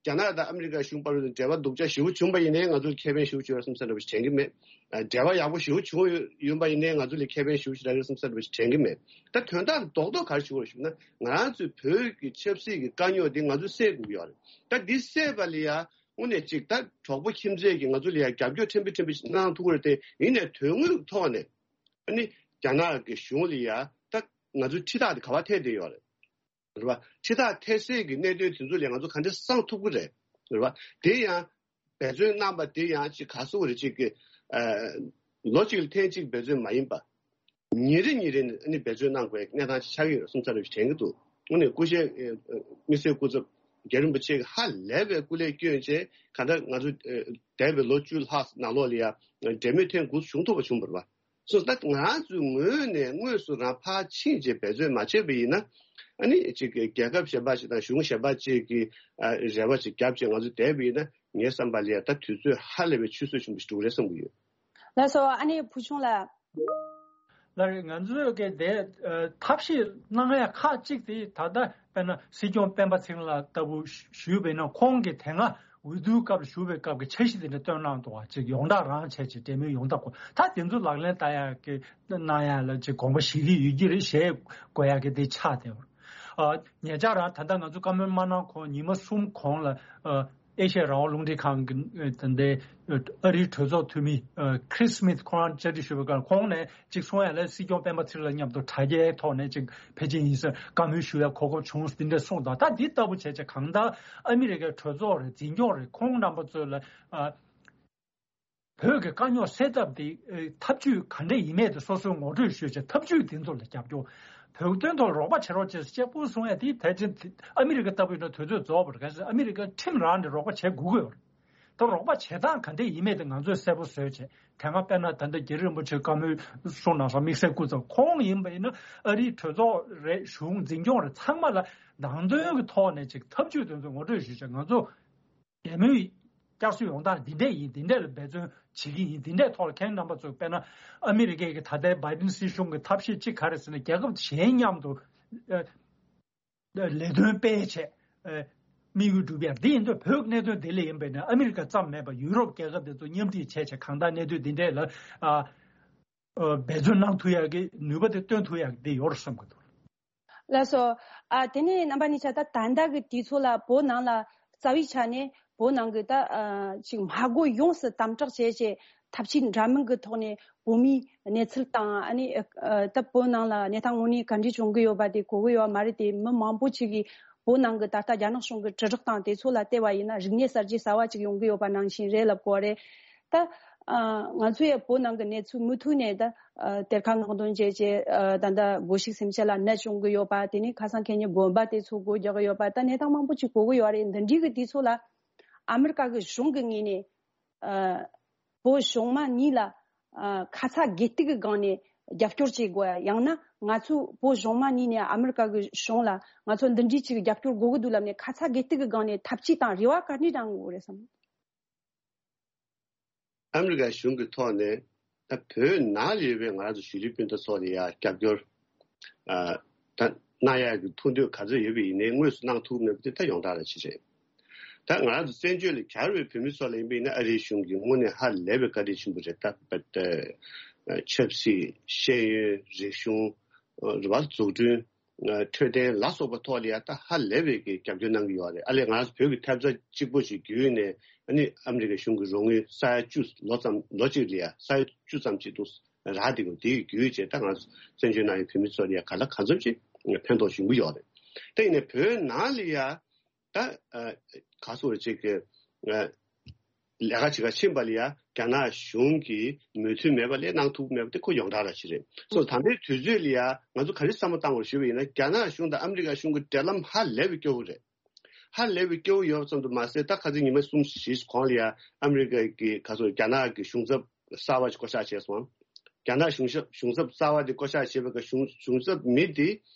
རྒྱ་ནག་དང་ཨ་མི་རི་ཀ་གཞུང་བར་དུ་འབྲེལ་བ་སྡུག་ཅག་ཞེ་པོ་བྱུང་པ་ཡིན་ནའི་ང་ཚོར་ཁེ་ཕན་ཞེ་པོ་བྱུང་བ་བསམ་ས་འདྲ་པོ་ཞིག་དྲན་གྱི་མེད། འབྲེལ་བ་ཡག་པོ་ཞེ་པོ་བྱུང་ཡོད་པ་ཡིན་ནའི་ང་ཚོ་ལ་ཁེ་ཕན་ཞེ་པོ་ཞིག་རག་གི་རེད་བསམ་ས་འདྲ་པོ་ཞིག་དྲན་གྱི་མེད། ད་དོན་དག་རྡོག་རྡོག་ག་རེ་ཞུ་དགོས་རེད་ཞུ་ན། ང་རང་ཚོའི་བོད་ཀྱི་ཆབ་སྲིད་ཀྱི་དཀའ་རྙོག་འདི་ང་ཚོས་སེལ་དགོས་ཀྱི་ཡོད་རེད། ད་འདི་སེལ་བ་ལ་ཡ་དངོས་གནས་ཅིག་ད་གྲོགས་པོ་ཁྱིམ་མཚེས་ཀྱིས་ང་ཚོ་ལ་ཡ་རྒྱབ་སྐྱོར་ཕྲན་བུ་ཕྲན་བུ་ཞིག་གནང་ཐུབ་ཀྱི་རེད་དེ། ཡིན་ནའི་དོན་དངོས་ཀྱི་ཐོག་ནས་ཨ་ནི་རྒྱ་ནག་གི་གཞུང་ལ་ཡ་ད་ང་ཚོའི་ཁྲིམས་ཐག་དེ་ག་པར་འཐད་བསྡད་ཡོད་རེད། རེད་བ། ཁྲིམས་ཐག་འཐེན་སའི་གི་གནད་དོན་དེ་ཚོ་ལ་ང་ཚོ་ག་འདྲ་བསང་ཐུབ་ཀྱི་རེད། རེད་བ། དེ་ཡང་འབད་བརྩོན་གནང་པ་དེ་ཡང་ཅིག་ག་སོ་རེ་ཅིག་གི་ཨ་ལོ་གཅིག་ལ་ཐེངས་གཅིག་འབད་བརྩོན་མ་ཡིན་པ། ཉིན་རེ་ཉིན་རེ་ནས་ཨ་ནི་འབད་བརྩོན་གནང་དགོས་གནས་སྟངས་ཅིག་ཆགས་ཀྱི་ཡོད་བསམ་ས་རེ་དྲན་གྱི་འདུག། དངོས་གནས་སྐུ་ཞབས་ཨ་དམིགས་བསལ་སྐུ་ཚབ་རྒྱལ་རིན་པོ་ཆེ་གིས་ཧ་ལས་པའི་སྐུ་ལས་བསྐྱོན་བྱས་གང་ལྟར་ང་ཚོ་ཨ་འདས་པའི་ལོ་བཅུ་ལྷག་ནང་ལོགས་ལ་ཡ་འབྲེལ་མོལ་ཐེངས་དགུ་བྱུང་ཐུབ་པ་བྱུང་བ་རེད་བ། སོ་ད་ང་རང་ཚོའི་ངོས་ནས་དངོས་སུ་རང་ཕར་ཕྱིན་བྱས་འབད་བརྩོན་མ་བྱས་པ་ཡིན་ན། ཨ་ནི་ཅིག་རྒྱལ་ཁབ་གཞན་པ་ཞིག་དང་གཞུང་གཞན་པ་ཅིག་གིས་ཨ་རེ་བ་ཅིག་བརྒྱབ་བྱས་ང་ཚོ་བསྡད་པ་ཡིན་ན། ངའི་བསམ་པ་ལ་ཡ་ད་དུས་ཚོད་ཧ་ལས་པའི་ཆུད་ཟོས་ཆེན་པོ་ཞིག་འགྲོ་གི་རེད་བསམ་གྱི་ཡོད། ལགས་སོ། ཨ་ནི་བུ་ཆུང་ལགས། ལགས་རེད། ང་ཚོས་གལ་ཏེ་ཨ་ཐབས་ཤེས་གནང་ཡ་ཁག་ཅིག་དེ་ད་ལྟ་དཔེར་ན་སྲིད་སྐྱོང་སྤེན་པ་ཚེ་རིང་ལགས་ལྟ་བུ་ཞུས་པ་ཡིན་ན། ཁོང་གིས་དེ་སྔ་འོས་བསྡུའི་སྐབས་ལ་ཞུ་བའི་སྐབས་ཀྱི་འཆར་གཞི་དེ་འདྲ་བཏོན་གནང་འདུག་བ། ཅིག་ཡོངས་བསྒྲགས་རང་བྱས་ཅིག་འབྲེལ་མོལ་ཡོངས་བསྒྲགས་སྐོར་ད་དེ་ཚོ་ལག་ལེན་བསྟར་ཡག་གི་གནང་ཡག་ལ་ཅིག་དགོངས་པ་བཞེས་ཀྱི་ཡོད་ཀྱི་རེད། བཞེས་དགོས་ཡག་གི་དེ་ཆགས་བསྡད་པ་རེད། ཨ་ཉེ་ཆར་རང་ད་ལྟ་ང་ཚོ་བཀའ་མོལ་མ་གནང་གོང་ཉི་མ་གསུམ་གོང་ལ་ཨ་ཨེ་ཤ་ཡ་རང་དབང་རླུང་འཕྲིན་ཁང་གི་ཨ་ད་ལྟའི་ཨ་རིའི་གྲོས་ཚོགས་འཐུས་མི་ཨ་ཁྲིས་སི་མིད་ཁོང་རང་བཅར་འདྲི་ཞུ་བའི་སྐབས་ཁོང་ནས་ཅིག་གསུང་ཡ་ལ། སྲིད་སྐྱོང་སྤེན་པ་ཚེ་རིང་ལགས་མཉམ་དུ་དྲ་རྒྱའི་ཐོག་ནས་ཅིག་ཕལ་ཆེར་ཡིན་ས་བཀའ་མོལ་ཞུ་ཡ་གོ་སྐབས་བྱུང་འདི་འདྲ་གསུངས་དང་། ད་འདི་ལྟ་བུ་བྱས་བྱས་གང་ལྟར་ཨ་མི་རི་ཀའི་གྲོས་ཚོགས་རེད། འཛིན་སྐྱོང་རེད། ཁོང་རྣམ་པ་ཚོ་ལ་ཨ་བོད་ཀྱི་དཀའ་རྙོག་སེལ་ཐབས་དེ་ཨ་ཐབས་ཇུས་ག་འདྲ་ཡིན་མིན་དེ་སོ་སོའི་ངོ་སྤྲོད་ཞུས་བྱས་ཐབས་ཇུས་དེ་ཚོ་ལ་རྒྱབ་སྐྱོར། བོད་དོན་ཐོག་རོགས་པ་བྱེད་རོགས་བྱེད་ཟེར་གཅིག་པུ་གསུང་ཡ་དེ་ཕལ་ཆེར་ཨ་མི་རི་ཀ་ལྟ་བུ་ཡིན་ན་དུས་ཚོད་རྫོགས་པ་རེད། གལ་སྲིད་ཨ་མི་རི་ཀ་ཁྲིམས་རང་ནས་རོགས་པ་བྱེད་དགོས་ཀྱི་ཡོད་རེད། ད་རོགས་པ་བྱེད་སྟངས་ག་འདྲས་ཡིན་མེད་དེ་ང་ཚོས་གསལ་པོ་བཟོས་བྱས། དེ་སྔ་དཔེར་ན་ད་ལྟ་རྒྱལ་རིན་པོ་ཆེ་བཀའ་མོལ་གསུང་གནང་སོང་། དམིགས་བསལ་སྐུ་ཚབ་ཁོང་ཡིན་པ་ཡིན་ན་ཨ་རིའི་གྲོས་ཚོགས་རེད། གཞུང་འཛིན་སྐྱོང་རེད། ཚང་མ་ལ་ནང་དོན་གྱི་ཐོག་ནས་ཅིག་ཐབས་ཇུས་དེ་ཚོ་ངོ་སྤྲོད་ཞུས་བྱས། ང་ཚོ་འབྲེལ་མོལ་བསྐྱར་གསོ་ཡོང་སྟངས་འདི་འདྲས་ཡིན། འདི་འདྲས་ལ་འབད་བརྩོན་བྱེད་ཀྱི་ཡིན། འདི་འདྲས་ཐོག་ལ་ཁྱེད་རྣམ་པ་ཚོས་དཔེར་ན་ཨ་མི་རི་ཀའི་གི་ད་ལྟའི་བའི་ཌེན་སྲིད་གཞུང་གི་ཐབས་ཤེས་གཅིག་ག་རེ་ཟེར་ན། རྒྱལ་ཁབ་གཞན་མཉམ་དུ་ཨ་ལས་དོན་སྤེལ་བྱས་ཨ་དམིགས་ཡུལ་འགྲུབ་ཡ་འདི་ཡིན་དུས། བོད་ཀྱི་གནད་དོན་འདི་ལ་ཡིན་པས་ན་ཨ་མི་རི་ཀ་ཙམ་མེད་པར་ཡུ་རོབ་རྒྱལ་ཁབ་དེ་ཚོ་མཉམ་འཁྲིད་བྱས་བྱས་གང་ལྟར་གནད་དོན་འདི་འདྲས་ལ་ཨ་ཨ་འབད་བརྩོན་གནང་ཐུབ་ཡ་གི་ནུས་པ་དེ་བཏོན་ཐུབ་ཡ་གི་འདི་ཡོད་རེད་བསམ་གི་འདུག། ལགས་སོ། ཨ་དེ་ནས་རྣམ་པ་གཉིས་ཆ་ད་ད་ལྟ་གི་དུས་ཚོད་ལ་བོད་ནང་ལ་རྩ་བའི་ཆ་ནས་བོད་ནང་གི་ད་ཨ་ཅིག་མ་དགོས་ཡོངས་སུ་དམ་དྲག་བྱས་བྱས་ཐབས་ཇུས་འདྲ་མིན་གྱི་ཐོག་ནས་བོད་མིའི་གནས་ཚུལ་དང་། ཨ་ནི་ཨ་ད་བོད་ནང་ལ་གནས་སྟངས་དངོས་གནས་ག་འདྲས་བྱུང་གི་ཡོད་པ་དེ་གོ་གི་ཡོད་མ་རེད་དེ། མི་མང་པོ་ཅིག་གིས་བོད་ནང་གི་ད་ལྟ་རྒྱ་ནག་གཞུང་གི་དྲིལ་བསྒྲགས་དང་དེ་ཚོ་ལ་བལྟས་པ་ཡིན་ན་རིག་གནས་གསར་བརྗེ་གསར་བ་ཅིག་ཡོང་གི་ཡོད་པ་ནང་བཞིན་རེད་ལབ་དགོས་རེད། ད་ཨ་ང་ཚོ་ཡང་བོད་ནང་གི་གནས་ཚུལ་མུ་མཐུད་ནས་ད་ཨ་གཏེར་ཁ་སྔོག་འདོན་བྱས་བྱས་ཨ་ད་ལྟ་སྒོ་ཕྱུགས་སེམས་ཅན་ལ་ནད་བྱུང་གི་ཡོད་པ། དེ་ནས་ཁ་སང་ཁེ་ཉིན་དགོན་པ་དེ་ཚོ་སྒོ་རྒྱག་གི་ཡོད་པ། ད་གནས་སྟངས་མང་པོ་ཅིག་གོ་གི་ཡོད་རེད། འདི་འདྲའི་གི་དུས་ཚོད་ལ་ཨ་མི་རི་ཀ་གི་གཞུང་གི་ངོས་ནས་ཨ་བོད་གཞུང་མ་གཉིས་ལ་ཨ་ཁ་ཚ་དགོས་གཏུག་གི་སྒང་ནས་རྒྱབ་སྐྱོར་བྱེད་དགོས། ཡང་ན་ང་ཚོ་བོད་གཞུང་མ་གཉིས་ནས་ཨ་མི་རི་ཀ་གི་གཞུང་ལ་ང་ཚོ་འདི་འདྲའི་ཅིག་རྒྱབ་སྐྱོར་དགོས་གི་འདུག་ལབ་ནས་ཁ་ཚ་དགོས་གཏུག་གི་སྒང་ནས་ཐབས་ཇུས་དང་རེ་བ་ག་འདྲས་བཏང་དགོས་རེད་བསམ། ཨ་མི་རི་ཀའི་གཞུང་གི་ཐོག་ནས་ད་བོད་ནང་ལ་ཡོད་པའི་ང་རང་ཚོ་གཞིས་ལུས་སྤུན་ཟླ་ཚོ་ལ་ཡ་རྒྱབ་སྐྱོར་ཨ་ད་གནང་ཡག་གི་ཐུགས་འདུན་ག་ཚོད་ཡོད་པ་ཡིན་ནའི་དངོས་སུ་གནང་ཐུབ་མེད་པ་དེ་ད་ཡོངས་གྲགས་རང་ཅིག་རེད། ད་ང་རང་ཚོ་བཙན་བྱོལ་ལ་གྱར་བའི་བོད་མི་ཚོ་ལ་ཡིན་པ་ཡིན་ན་ཨ་རིའི་གཞུང་གིས་དངོས་གནས་ཧ་ལས་པའི་བཀའ་དྲིན་ཆེན་པོ་རེད། ད་ད་ཆབ་སྲིད། ཤེས་ཡོན། རིག་གཞུང་། རེད་བ། འཛུགས་སྐྲུན། འཕྲོད་བསྟེན་ལ་སོགས་པའི་ཐོག་ལ་ཡ་ད་ཧ་ལས་པའི་གི་རྒྱབ་སྐྱོར་གནང་གི་ཡོད་རེད། ཨ་ལས་ང་རང་ཚོ་བོད་ཀྱི་ཐེབས་རྩ་གཅིག་པོ་ཞིག་བརྒྱུད་ནས་ཨ་ནི་ཨ་མི་རི་ཀའི་གཞུང་གི་རོགས་དངུལ་ས་ཡ་བཅུ། ལོ་ཙམ། ལོ་གཅིག་ལ་ཡ་ས་ཡ་བཅུ་ཙམ་ཅིག་འདུག་རག་བསྡད་ཀྱི་འདུག། དེ་གི་བརྒྱུད་བྱས་ད་ང་ཚོ་བཙན་བྱོལ་ནང་ཡོད་བོད་མི་ཚོ་ལ་ཡ་ག་ལ་གང་འཚམ་ཅིག་ཕན་ཐོགས་ཡོང་གི་ཡོད་རེད། དེ་ཡིན་ནའི་བོད་ནང་ལ་ཡ་ད་ཨ་ག་སོ་རེ་ཅིག་གི་ཨ་ལས་ཀ་བྱེད་ག་ཕྱིན་པ་ལ་ཡ་རྒྱ་ནག་གཞུང་གིས་མོས་མཐུན་མེད་པ་ལས་གནང་ཐུབ་མེད་པ་དེ་ཁོ་ཡོངས་གྲགས་ར་ཞིག་རེད། སོ་ད་ལྟའི་དུས་ཚོད་ལ་ཡ་ང་ཚོ་ག་རེ་བསམ་བློ་བཏང་དགོས་ཞུས་པ་ཡིན་ན་རྒྱ་ནག་གཞུང་དང་ཨ་མི་རི་ཀ་གཞུང་གི་འབྲེལ་ལམ་ཧ་ལས་པའི་སྐྱོ་བོ་རེད། ཧ་ལས་པའི་སྐྱོ་བོ་ཡོད་ཙམ་དུ་མ་ཟད་ད་ཁ་སང་ཉི་མ་གསུམ་བཞི་གོང་ལ་ཡ་ཨ་མི་རི་ཀ་གི་ག་སོ་རྒྱ་ནག་གི་གཞུང་ཚབ་གསར་བ་ཞིག་བསྐོ་གཞག་བྱས་སོང་། རྒྱ་ནག་གཞུང་ཞབས་གཞུང་ཚབ་གསར་བ་དེ་བསྐོ་གཞག་བྱས་པའི་སྐབས་གཞུང་གཞུང་ཚབ་མི་དེ་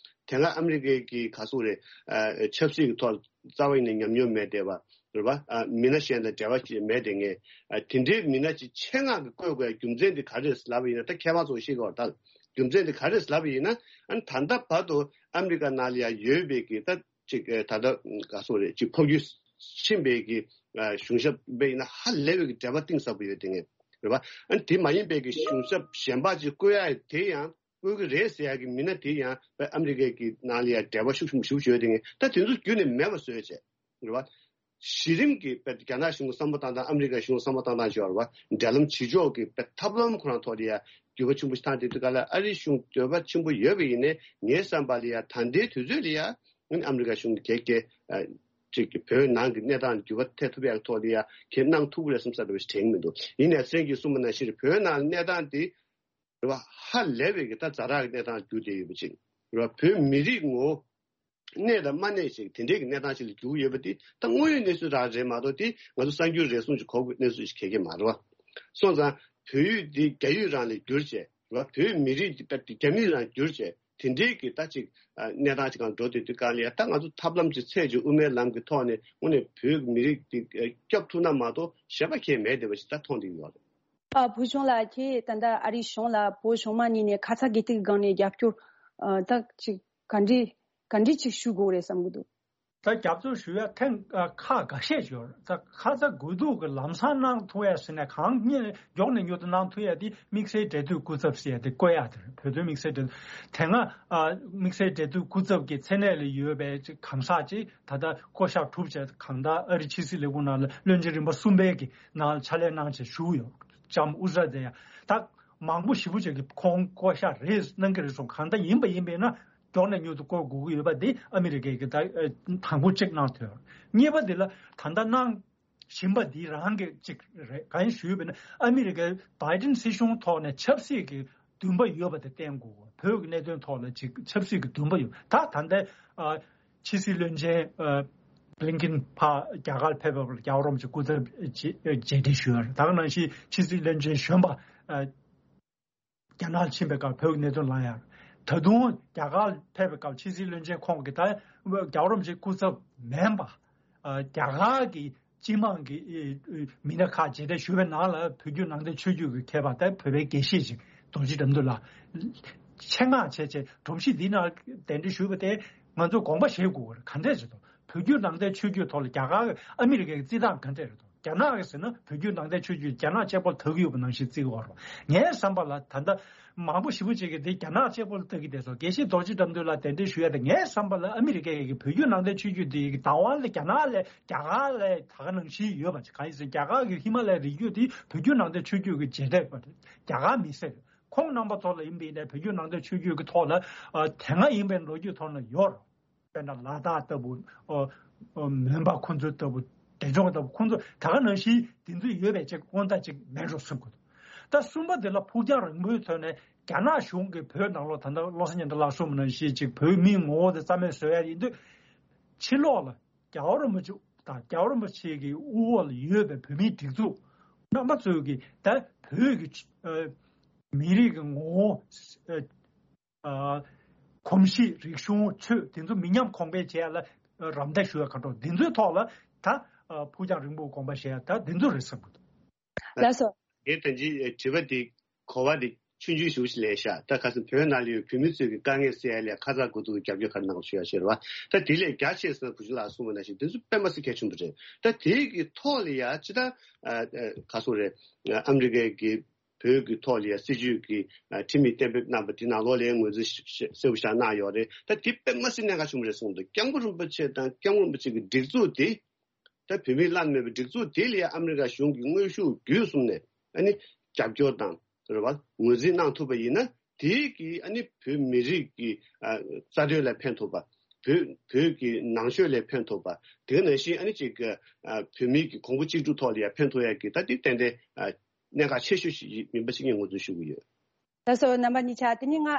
དེ་སྔ་ཨ་མི་རི་ཀའི་གི་ག་སོ་རེད། ཨ་ཆབ་སྲིད་ཀྱི་ཐོག་རྩ་བ་ཡིན་ནས་ཉམས་མྱོང་མེད་བསྡད་པ་རེད་པ། ཨ་མི་སྣ་གཞན་དང་འབྲེལ་བ་ཞིག་མེད་བསྡད་མཁན། ཨ་དེ་འདྲའི་མི་སྣ་ཅིག་ཆེད་མངགས་ཀྱིས་བསྐོས་དགོས་རྒྱུ་མཚན་དེ་ག་རེ་རེད་ལབ་པ་ཡིན་ན། ད་མཁས་པ་ཚོས་ཤེས་དགོས་པ། ད་རྒྱུ་མཚན་དེ་ག་རེ་རེད་ལབ་པ་ཡིན་ན། ཨ་ནི་ད་ལྟ་བར་དུ་ཨ་མི་རི་ཀ་ནང་ལ་ཡ་ཡོད་པའི་གི་ད་ཅིག་ཨ་ད་ལྟ་ག་སོ་རེད། ཅིག་འཕོ་འགྱུར་ཕྱིན་པའི་གི་ཨ་གཞུང་ཞབས་པ་ཡིན་ན་ཧ་ལས་པའི་གི་འབྲེལ་བ་གཏིང་ཟབ་པོ་ཡོད་བསྡད་མཁན་རེད་པ། ཨ་ནི་དེ་མ་ཡིན་པའི་གི་གཞུང་ཞབས་གཞན་པ་ཅིག་བསྐོ་ཡ་དེ་ཡང་བསྐོ་གི་རེད་ཟེར་ཡ་གི་མི་སྣ་དེ་ཡང་ཨ་མི་རི་ཀའི་གི་ནང་ལ་ཡ་འབྲེལ་བ་ཤུགས་ཆེན་པོ་ཞེ་པོ་ཅིག་ཡོད་བསྡད་མཁན། ད་དེ་ཚོ་བརྒྱུད་ནས་མེད་པ་བཟོས་བྱས་རེད་པ། གཞི་རིམ་གྱི་དཔེ་རྒྱ་ནག་གཞུང་གི་བསམ་བློ་བཏང་སྟངས། ཨ་མི་རི་ཀ་གཞུང་གི་བསམ་བློ་བཏང་སྟངས་བྱས་པ་རེད་པ། འབྲེལ་ལམ་བྱེད་ཕྱོགས་ཀྱི་དཔེ་ཐབས་ལམ་ཁོ་རང་ཐོག་ལ་ཡ་འགྱུར་བ་ཆེན་པོ་ཞིག་བཏང་བསྡད་དུས་སྒང་ལ། ཨ་རིའི་གཞུང་འདོད་པ་ཆེན་པོ་ཡོད་པ་ཡིན་ནའི་ངའི་བསམ་པ་ལ་ཡ་ད་ལྟའི་དུས་ཚོད་ལ་ཡ་ཨ་མི་རི་ཀ་གཞུང་གིས་གལ་ཨ་ཅིག་བོད་ནང་གི་གནས་སྟངས་འགྱུར་བ་ཐེབས་ཐུབ་ཡག་ཐོག་ལ་ཡ་གལ་གནང་ཐུབ་ཀྱི་རེད་བསམ་ས་འདྲ་བ་ཞིག་དྲན་གྱི་མི་འདུག། ཡིན་ནའི་སེང་གེས་གསུངས་པ་ནང་བཞིན་རེད། བོད་ནང་གནས་སྟངས་དེ་རེད་པ། ཧ་ལས་པའི་གི་ད་ཛ་དྲག་གི་གནས་སྟངས་འགྱུར་བསྡད་ཡོད་པ་ཅིག་རེད་པ། བོད་མི་རིགས་ངོ་གནས་དང་མ་གནས་ཅིག་དེ་འདྲའི་གི་གནས་སྟངས་ཅིག་ལ་འགྱུར་ཡོད་པ་དེ་ད་དངོས་ཡོད་གནས་ཚུལ་རང་རེད་མ་གཏོགས། དེ་ང་ཚོ་གསར་འགྱུར་རེ་ཟུང་ཅིག་གོ་དགོས་གནས་ཚུལ་ཞིག་ག་གེ་མ་རེད་པ། སོང་ཙང་བོད་ཡུལ་འདི་རྒྱ་ཡུལ་རང་ལ་བསྒྱུར་བྱས་རེད་པ། བོད་མི་རིགས་འདི་ད་རྒྱ་མི་རང་བསྒྱུར་བྱས་དེ་འདྲའི་གི་ད་ཅིག་ཨ་གནས་སྟངས་ཅིག་སྒང་འགྲོ་བསྡད་དུས་སྒང་ལ་ཡ། ད་ང་ཚོ་ཐབས་ལམ་ཅིག་འཚོལ་བྱས་དབུ་མའི་ལམ་གྱི་ཐོག་ནས་དངོས་གནས་བོད་མི་རིགས་འདི་སྐྱོབ་ཐུབ་ན་མ་གཏོགས་གཞན་པ་གང་ཡང་མེད་བསྡད་པ་ཞིག་ད་མཐོང་བསྡད་ཡོད་རེད། ཨ་བུ་ཆུང་ལགས་ཀྱིས་ད་ལྟ་ཨ་རིའི་གཞུང་ལ་བོད་གཞུང་མ་གཉིས་ནས་ཁ་ཚ་དགོས་གཏུག་སྒང་ནས་རྒྱབ་སྐྱོར་ཨ་ད་ཅིག་ག་འདྲས་ག་འདྲས་ཅིག་ཞུ་དགོས་རེད་བསམ་གྱི་འདུག། ད་རྒྱབ་སྐྱོར་ཞུ་ཡ་ཐེངས་ཨ་ཁག་འགའ་ཤས་ཡོད་རེད། ད་ཁ་ཚ་དགོས་གཏུག་གི་ལམ་སང་གནང་ཐུབ་ཡ་ཟེར་ནས་གང་མྱུར་མགྱོགས་ནས་མྱུར་དུ་གནང་ཐུབ་ཡ་དེ་དམིགས་བསལ་འབྲེལ་མཐུད་སྐུ་ཚབ་ཟེར་ཡ་དེ་བསྐོ་ཡ་དེ་རེད། བོད་དོན་དམིགས་བསལ་འབྲེལ་མཐུད། དེ་སྔ་ཨ་དམིགས་བསལ་འབྲེལ་མཐུད་སྐུ་ཚབ་ཀྱི་མཚན་གནས་ལ་ཡོད་པའི་ཅིག་གང་ཟག་ཅིག་ད་ལྟ་བསྐོ་གཞག་གྲུབ་བྱས། གང་ལྟར་ཨ་རི་ཕྱི་སྲིད་ལས་ཁུངས་ནང་ལ་བློན་ཆེན་རིམ་པ་གསུམ་པའི་གི་ནང་ལ་ཕྱག་ལས་གནང་བྱས་བཞུགས་ཡོད། ལྕམ་ཨུ་ཟ་ཛེ་ཡ། ད་མང་པོ་ཞེ་པོ་ཅིག་གིས་ཁོང་བསྐོ་གཞག་རེ་གནང་གི་རེད་གསུངས། གང་ལྟར་ཡིན་པ་ཡིན་པས་ན་མགྱོགས་ནས་མྱུར་དུ་བསྐོ་དགོས་ཀྱི་ཡོད་པ་འདི་ཨ་མི་རི་ཀས་ཀྱིས་ད་ཨ་དང་པོ་གཅིག་གནང་ཐུབ་ཡོད། གཉིས་པ་འདི་ལ་ད་ལྟ་གནང་བཞིན་པ་འདི་རང་གི་གཅིག་རེད། གང་ཡིན་ཞུས་པ་ཡིན་ན་ཨ་མི་རི་ཀའི་བྷའི་ཌེན་སྲིད་གཞུང་ཐོག་ནས་ཆབ་སྲིད་ཀྱི་འདུན་པ་ཡོད་པ་དེ་བསྟན་དགོས། བོད་ཀྱི་གནད་དོན་ཐོག་ལ་ཅིག་ཆབ་སྲིད་ཀྱི་འདུན་པ་ཡོད། ད་ད་ལྟའི་ཨ་ཕྱི་སྲིད་བློན་ཆེན་ཨ་ བླིན་ཀིན་ཕར་རྒྱ་གར་ཕེབས་པ་ལ་རྒྱལ་བ་རིན་པོ་ཆེ་སྐུ་ཚབ་རྗེས་འབྲེལ་ཞུས་ཡོད་རེད། ད་ག་ནང་བཞིན་ཕྱི་སྲིད་བློན་ཆེན་གཞོན་པ་རྒྱ་ནག་ཕྱིན་པའི་སྐབས་བོད་ཀྱི་གནད་དོན་ལངས་ཡོད་རེད། ད་དུང་རྒྱ་གར་ཕེབས་པའི་སྐབས་ཕྱི་སྲིད་བློན་ཆེན་ཁོང་གིས་ད་རྒྱལ་བ་རིན་པོ་ཆེ་སྐུ་ཚབ་མིན་པ་རྒྱ་གར་གྱི་སྤྱི་དམངས་ཀྱི་མི་སྣ་ཁག་མཇལ་འཕྲད་ཞུས་པའི་ནང་ལ་བོད་བརྒྱུད་ནང་བསྟན་ཆོས་བརྒྱུད་ཀྱི་མཁས་པ་དང་བོད་པའི་དགེ་བཤེས་ཤིག་རྡོ་རྗེ་དགྲ་འདུལ་ལགས་ཆེད་མངགས་བྱས་བྱས་སྒྲོམ་གཞི་འདིའི་ནང་གདན་འདྲེན་ཞུས་པ་དེ་ང་ཚོས་དགོངས་པ་བཞེས་དགོས་པ་རེད། ག་འདྲས་བྱེད་དོ། བོད་བརྒྱུད་ནང་བསྟན་ཆོས་བརྒྱུད་ཐོག་ལ་རྒྱ་གར་ཨ་མི་རི་ཀའི་རྩིས་སྟངས་ག་འདྲས་རེད་དོ། རྒྱ་ནག་གིས་ཟེར་ན་བོད་བརྒྱུད་ནང་བསྟན་ཆོས་བརྒྱུད་རྒྱ་ནག་གཅིག་པོ་ལ་ལྟ་གི་ཡོད་པ་ནང་བཞིན་བརྩི་གི་ཡོད་རེད། ངའི་བསམ་པ་ལ་ད་ལྟ་མང་པོ་ཞེ་པོ་ཅིག་གིས་དེ་རྒྱ་ནག་གཅིག་པོ་ལ་ལྟ་གི་བསྡད་སོང་། དགེ་བཤེས་རྡོ་རྗེ་དགྲ་འདུལ་ལགས་གདན་འདྲེན་ཞུ་ཡ་དེ་ངའི་བསམ་པ་ལ་ཨ་མི་རི་ཀའི་གི་བོད་བརྒྱུད་ནང་བསྟན་ཆོས་བརྒྱུད་དེ་གི་བདག་དབང་ལ་རྒྱ་ནག་ལས་རྒྱ་གར་ལས་ད་ག་ནང་བཞིན་ཡོད་པ་ཅིག་གང་ཡིན་ཟེར་ན་རྒྱ་གར་གི་ཧི་མ་ལ་ཡའི་རི་རྒྱུད་དེ་བོད་བརྒྱུད་ནང་བསྟན་ཆོས་བརྒྱུད་ཀྱི་རྗེས་འབྲས་པ་རེད། རྒྱ་གར་མི་སེར་རེད། ཁོང་རྣམ་པ་ཚོ་ལ་ཡིན་པ་ཡིན་ནའི་བོད་བརྒྱུད་ནང་བསྟན་ཆོས་བརྒྱུད་ཀྱི་ཐོག་ལ་ཨ་དེ་སྔ་ཡིན་པའི་ལོ་རྒྱུས་ཐོག་ན་ཡོད་རེད། དཔེར་ན་ལ་དྭགས་ལྟ་བུ། ཨོ། ཨོ། མོན་པ་ཁོང་ཚོ་ལྟ་བུ། འབྲས་ལྗོངས་ལྟ་བུ་ཁོང་ཚོ་ད་ག་ནང་བཞིན་དེ་ཚོ་ཡོད་པའི་ཅིག་དབང་ཐང་ཅིག་མེད་འགྲོ་བསམ་གྱི་འདུག་ད་གསུམ་པ་དེ་ལ་ཕུགས་རྒྱང་རིང་པོའི་ཐོག་ནས་རྒྱ་ནག་གཞུང་གིས་བོད་ནང་ལོགས་ད་ལྟ་བློ་བཟང་སྙན་གྲགས་ལགས་གསུངས་པ་ནང་བཞིན་ཅིག་བོད་མིའི་ངོ་བོ་དེ་རྩ་མེད་བཟོ་ཡ་ཡིན་དུས། ཕྱི་ལོགས་ལ་རྒྱལ་བ་རིན་པོ་ཆེ་དང་རྒྱལ་བ་རིན་པོ་ཆེ་གི་དབུ་འོག་ལ་ཡོད་པའི་བོད་མིའི་སྒྲིག་འཛུགས་རྣམ་པ་ཚོས་ཀྱི་ད་བོད་ཀྱི་ཨ་མི་རིགས་ཀྱི་ངོ་བོ། ཨ། ཨ། གོམས་གཤིས་རིག་གཞུང་ཆོས་དེ་ཚོ་མི་ཉམས་གོང་འཕེལ་བྱེད་ཡ་ལ་རམ་འདེགས་ཞུ་ཡ་ག་འགྲོ་འདི་ཚོའི་ཐོག་ལ་ད་ཨ་ཕུགས་རྒྱང་རིང་པོའི་དགོངས་པ་བཞེས་ཡ་ད་འདི་ཚོ་རེད་བསམ་གྱི་འདུག་ལགས་སོ། ངས་ད་ཅི་དྲི་བ་འདི་གོ་བ་འདི་ཆུང་ཆུང་ཞིག་ལས་ཤག་ད་ཁ་སང་བོད་ནང་ལ་ཡོད་བོད་མི་ཚོས་ཀྱི་དཀའ་ངལ་སེལ་ཡ་ལ་ཁ་ཚ་དགོས་གཏུག་རྒྱབ་སྐྱོར་ག་རེ་གནང་དགོས་ཞུ་ཡ་ཤེས་རེད་བ། ད་དེ་ལས་རྒྱ་ཆེ་ས་བུ་ཆུ་ལགས་གསུངས་པ་ནང་བཞིན་དེ་ཚོ་དཔེ་མ་སྲིད་གལ་ཆེན་པོ་རེད། ད་དེའི་གི་ཐོག་ལ་ཡ་ཅི་ད་ཨ་ཨ་ག་སོང་རེད། ཨ་མི་རི་ཀའི་གི་བོད་ཀྱི་ཐོག་ལ་ཡ་སྲིད་ཇུས་ཀྱི་ཨ་ཁྲིམས་ཡིག་གཏན་འབེབས་གནང་པ་དེ་ནང་ལོགས་ལ་ཡ་ངོས་འཛིན་ཤ་ཤ་གསལ་པོ་ཞིག་གནང་ཡོད་རེད། ད་དེ་དཔེ་མ་སྲིད་གནད་འགག་ཆེན་པོ་རེད་གསུངས་འདུག་སྐྱབས་མགོན་རིན་པོ་ཆེ་དང་སྐྱབས་མགོན་རིན་པོ་ཆེ་གི་སྒྲིག་འཛུགས་དེ་ད་བོད་མིས་བླངས་མེད་པའི་སྒྲིག་འཛུགས་དེ་ལ་ཡ་ཨ་མི་རི་ཀ་གཞུང་གིས་དངོས་ཤུགས་བརྒྱུད་གསུམ་ནས་ཨ་ནི་རྒྱབ་སྐྱོར་དང་རེད་བ་ངོས་འཛིན་གནང་ཐུབ་པ་ཡིན་ན་དེ་གིས་ཨ་ནི་བོད་མི་རིགས་ཀྱི་ཨ་རྩ་དོན་ལ་ཕན་ཐོགས་པ། བོད་བོད་ཀྱི་ནང་ཆོས་ལ་ཕན་ཐོགས་པ། དེ་ནང་བཞིན་ཨ་ནི་ཅིག་ཨ་བོད་མི་གི་གོང་བུ་གཅིག་གྲུབ་ཐོག་ལ་ཡ་ཕན་ཐོགས་ཡ་གི་ད་དེ་ཏན་ཏན་ཨ་གནད་འགག་ཆེ་ཤོས་ཤིག་ཡིན་པ་ཞིག་ངས་ངོས་འཛིན་ཞུ་གི་ཡོད། ལགས་སོ། རྣམ་པ་གཉིས་ཆ་དེ་ནི་ང་ཨ་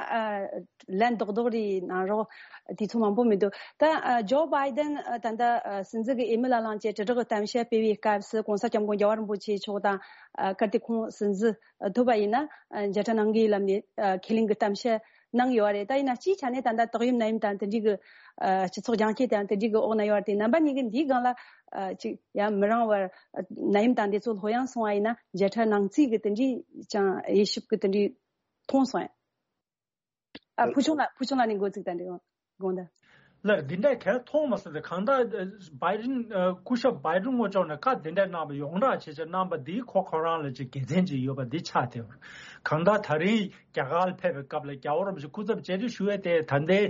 ལན་རྡོག་རྡོག་རེ་གནང་རོགས། དུས་ཚོད་མང་པོ་མི་འདུག་ད་ཨ་ཇོ་བྷའི་ཌེན་ཨ་ད་ལྟ་ཨ་སྲིད་འཛིན་གྱི་འོས་མི་ལ་ལངས་བྱས་དྲིལ་བསྒྲགས་གི་གཏམ་བཤད་སྤེལ་བའི་སྐབས་སུ་གོང་ས་སྐྱབས་མགོན་རྒྱལ་བ་རིན་པོ་ཆེ་མཆོག་དང་ཨ་གལ་ཏེ་ཁོང་སྲིད་འཛིན་ཐོབ་པ་ཡིན་ན་ཨ་མཇལ་འཕྲད་གནང་གི་ལབ་ནས་ཨ་ཁས་ལེན་གྱི་གཏམ་བཤད་གནང་ཡོད་རེད། ད་ཡིན་ན་སྤྱིའི་ཆ་ནས་ད་ལྟ་དག་ཡུལ་ནད་ཡམས་དང་དེ་འདྲའི་གི་ཨ་སྤྱི་ཚོགས་རྒྱང་བཀྱེད་དང་དེ་འདྲའི་གི་འོག་ན་ཡོད་རེད་དེ། རྣམ་པ་གཉིས་ཀྱིས་འདིའི་སྒང་ལ་ཨ་ཅིག་ཡ་མི་རིང་བར་ཨ་ནད་ཡམས་དང་འདི་ཚོ་ལྷོད་ཡངས་སོང་བ་ཡིན་ན་མཇལ་འཕྲད་གནང་རྩིས་ཀྱི་དེ་འདྲའི་ཅང་དབྱེ་ཞིབ་ཀྱི་དེ་འདྲའི་མཐོང་སོང་ཡ། ཨ་ཕུལ་བྱུང་ལ་ཕུལ་བྱུང་ལ་ནི་འགོ་ཚུགས་དང་འདྲི་དགོངས་དག་ལགས་འདི་འདྲའི་གལ་མཐོང་མ་སོང་སྟེ་གང་ལྟར་བྷའི་ཌེན་སྐུ་ཞབས་བྷའི་ཌེན་དངོས་ཕྱོགས་ནས་བཀའ་འདི་འདྲ་གནང་བ་ཡོངས་གྲགས་བྱས་བྱས་གནང་བ་འདིས་ཁོ་ཁོ་རང་ལ་ཅིག་དགེ་མཚན་ཅིག་ཡོད་པ་འདི་ཆགས་བསྡད་པ་རེད། གང་ལྟར་ད་རིང་རྒྱ་གར་ལ་ཕེབས་པའི་སྐབས་ལ་རྒྱལ་བ་རིན་པོ་ཆེ་སྐུ་ཚབ་མཇལ་འཕྲད་ཞུ་བའི་ཐད་ད་ལྟའི་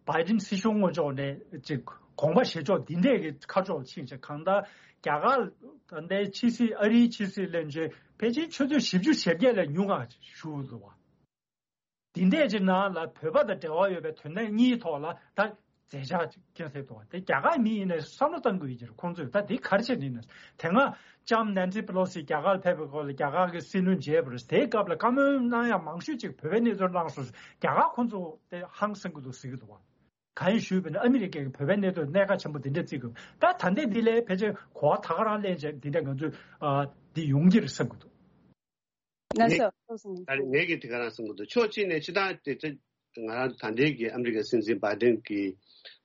བྷའི་ཌེན་སྲིད་གཞུང་དངོས་ཕྱོགས་ནས་ཅིག་དགོངས་པ་བཞེས་ཕྱོགས་འདི་འདྲས་ཀྱི་ཁ་ཕྱོགས་ཕྱིན་བྱས་གང་ལྟར་རྒྱ་གར་ད་ལྟའི་ཕྱི་སྲིད་ཨ་རིའི་ཕྱི་སྲིད་བློན་ཆེན་ཕལ་ཆེར་ཆུ་ཚོད་བཞི་བཅུ་ཞེ་བརྒྱད་ལས་ཉུང་ང་བཞུགས་འདུག་བ། འདི་འདྲས་ཀྱི་ནང་ལ་བོད་པ་དང་འབྲེལ་བ་ཡོད་པའི་དོན་གནད་གཉིས་ཐོག་ལ་ད་མཛད་འཆར་ཅིག་སྐྱོན་སེ་འདུག་བ། དེ་རྒྱ་གར་མི་ཡིན་ནའི་བསམ་བློ་གཏང་དགོས་ཀྱི་རེད། ཁོང་ཚོས་ད་འདི་ག་རེ་བྱས་ནས་ཡིན་ན། དེ་སྔ་ལྕམ་ནན་སི་པེ་ལོ་སི་རྒྱ་གར་ལ་ཕེབས་པའི་སྐོར་ལ་རྒྱ་གར་གྱི་སྲིད་བློན་མཇལ་བ་རེད། དེའི་སྐབས་ལ་བཀའ་མོལ་གནང་ཡག་མང་ཤོས་ཅིག་བོད་པའི་གནས་ཚུལ་གནང་སོང་། རྒྱ་གར་ཁོང་ཚོ་དེ་ཧང་སང་གི་འདུག་ཟེར་གྱི་འདུག་བ། གང་ཡིན་ཞུས་པ་ཡིན་ན་ཨ་མི་རི་ཀས་བོད་པའི་གནད་དོན་གནད་འགག་ཆེན་པོ་འདི་འདྲ་བརྩི་དགོས། ད་ད་ལྟའི་འདི་ལས་ཕལ་ཆེར་གོ་བ་ད་ག་རང་ལེན་བྱས་འདི་འདྲ་ང་ཚོས་ཨ་འདི་ཡོང་གི་རེད་བསམ་གྱི་འདུག་ལགས་སོ། ངས་ཐུགས་སུ་ད་རེས་ངས་ཀྱིས་དེ་ག་རང་གསུང་གི་འདུག་ཕྱོགས་གཅིག་ནས་སྤྱིར་བཏང་དེ་ཚོ་ང་རང་ད་ལྟའི་གི་ཨ་མི་རི་ཀའི་སྲིད་འཛིན་བྷའི་ཌེན་གྱི་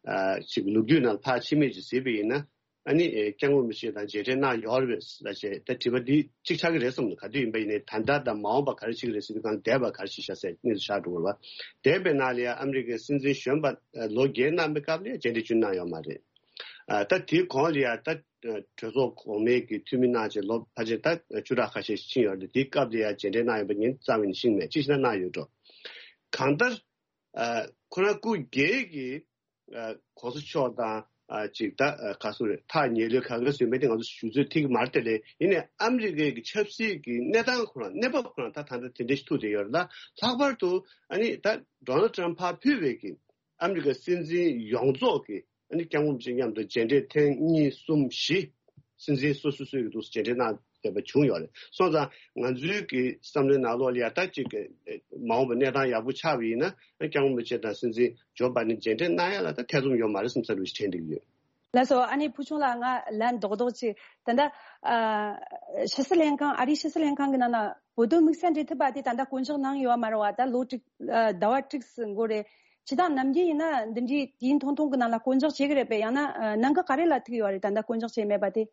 ཨ་ཅིག་ལོ་རྒྱུས་ནང་ཕར་ཕྱི་མིག་ཅིག་གཟིགས་པ་ཡིན་ན་ཨ་ནི་ཨེ་སྐྱབས་མགོན་རིན་པོ་ཆེ་དང་མཇལ་འཕྲད་གནང་ཡོད་རེད་ཟེར་བྱས་ད་དྲི་བ་འདི་གཅིག་ཆགས་ཀྱི་རེད་བསམ་འདུག་ག་དུས་ཡིན་པ་ཡིན་ནའི་ད་ལྟ་དང་མ་འོངས་པ་ག་རེ་བྱེད་ཀྱི་རེད་ཟེར་དུས་གང་འདས་པ་ག་རེ་བྱེད་ཤག་ཟེར་གནས་ཚུལ་ཆགས་འགྲོ་གི་རེད་བ། འདས་པའི་ནང་ལ་ཡང་ཨ་མི་རི་ཀའི་སྲིད་འཛིན་གཞོན་པ་ཨ་ལོ་བརྒྱད་གནང་པའི་སྐབས་ལ་ཡང་མཇལ་འཕྲད་བྱུང་གནང་ཡོད་མ་རེད། ཨ་ད་དེའི་གོང་ལ་ཡང་ད་གྲོས་ཚོགས་གོང་མའི་གི་འཐུས་མི་གནང་བྱས་ལོ་ཕལ་ཆེར་ད་བཅུ་ཕྲག་ཁ་ཤས་ཤིག་ཕྱིན་ཡོད་རེད། དེའི་སྐབས་དེ་ཡང་མཇལ་འཕྲད་གནང་ཡོད་པ་ངས་རྩ་བ་ནས་ཤེས་མེད། ཅི་ཞིག་ན་གནང་ཡོད་འགྲོ། གང་ལྟར་ཨ་ཁོ་རང་སྐུ་སྒེར་གྱི་ཨ་གོང་ས་མཆོག་དང་ཨ་ཅིག་ད་ཨ་ག་སུ་རེད་ཐག་ཉེ་ལོས་ག་ག་སུ་མེད་དེ་ང་ཚོ་ཞུ་ཚོད་ཐིག་མར་དེ་ལས་ཡིན་ནའི་ཨ་མི་རི་ཀའི་གི་ཆབ་སྲིད་ཀྱི་གནས་སྟངས་ཁོ་རང་གནས་བབ་ཁོ་རང་ད་ད་ལྟ་དེ་འདྲ་ཞིག་ཐུག་བསྡད་ཡོད་རེད། ད་ལྷག་པར་དུ་ཨ་ནི་ད་ཌོ་ནལ་ཊམ་ཕར་ཕུད་པའི་གི་ཨ་མི་རི་ཀའི་སྲིད་འཛིན་ཡོངས་རྫོགས་ཀྱི་ཨ་ནི་སྐྱབས་མགོན་རིན་པོ་ཆེ་མཉམ་དུ་མཇལ་འཕྲད་ཐེངས་གཉིས་གསུམ་བཞི་སྲིད་འཛིན་སོ་སོ་སོའི་གི་འདུག་སེ་མཇལ་འཕྲད་གནང་བསྡད་པ་བྱུང་ཡོད་རེད། སོང་ཙང་ང་ཚོའི་གི་བསམ་བློའི་ནང་ལོགས་ལ་ཡ་ད་ཅིག་གི་མ་འོངས་པ་གནས་སྟངས་ཡག་པོ་ཆགས་པ་ཡིན་ན་སྐྱབས་མགོན་རིན་པོ་ཆེ་དང་སྲིད་འཛིན་ཇོ་བྷའི་ཌེན་མཇལ་འཕྲད་གནང་ཡ་ལ་ད་ཐེ་ཚོམ་ཡོད་མ་རེད་བསམ་ས་རུ་ཞིག་དྲན་བསྡད་ཀྱི་ཡོད། ལགས་སོ། ཨ་ནི་ཕུལ་བྱུང་ལགས། ང་ལན་རྡོག་རྡོག་ཅིག་ད་ལྟ་ཨ་ཕྱི་སྲིད་ལྷན་ཁང་། ཨ་རིའི་ཕྱི་སྲིད་ལྷན་ཁང་གི་ནང་ན་བོད་དོན་དམིགས་བསལ་འབྲེལ་མཐུད་པ་དེ་ད་ལྟ་བསྐོ་འཇོག་གནང་ཡོད་མ་རེད་བ། ད་ལོ་དྲུག་ཨ་ཟླ་བ་དྲུག་ཙམ་འགོར་རེད། སྤྱིར་བཏང་ནམ་རྒྱུན་ཡིན་ན་འདི་འདྲའི་དུས་ཡུན་ཐུང་ཐུང་གི་ནང་ལ་བསྐོ་འཇོག་བྱེད་ཀྱི་རེད་པས། ཡང་ན་ཨ་གནད་འགག་ག་རེ་ལ་ཐུག་ཡོད་རེད། ད་ལྟ་བསྐོ་འཇོག་བྱས་མེད་པ་དེ།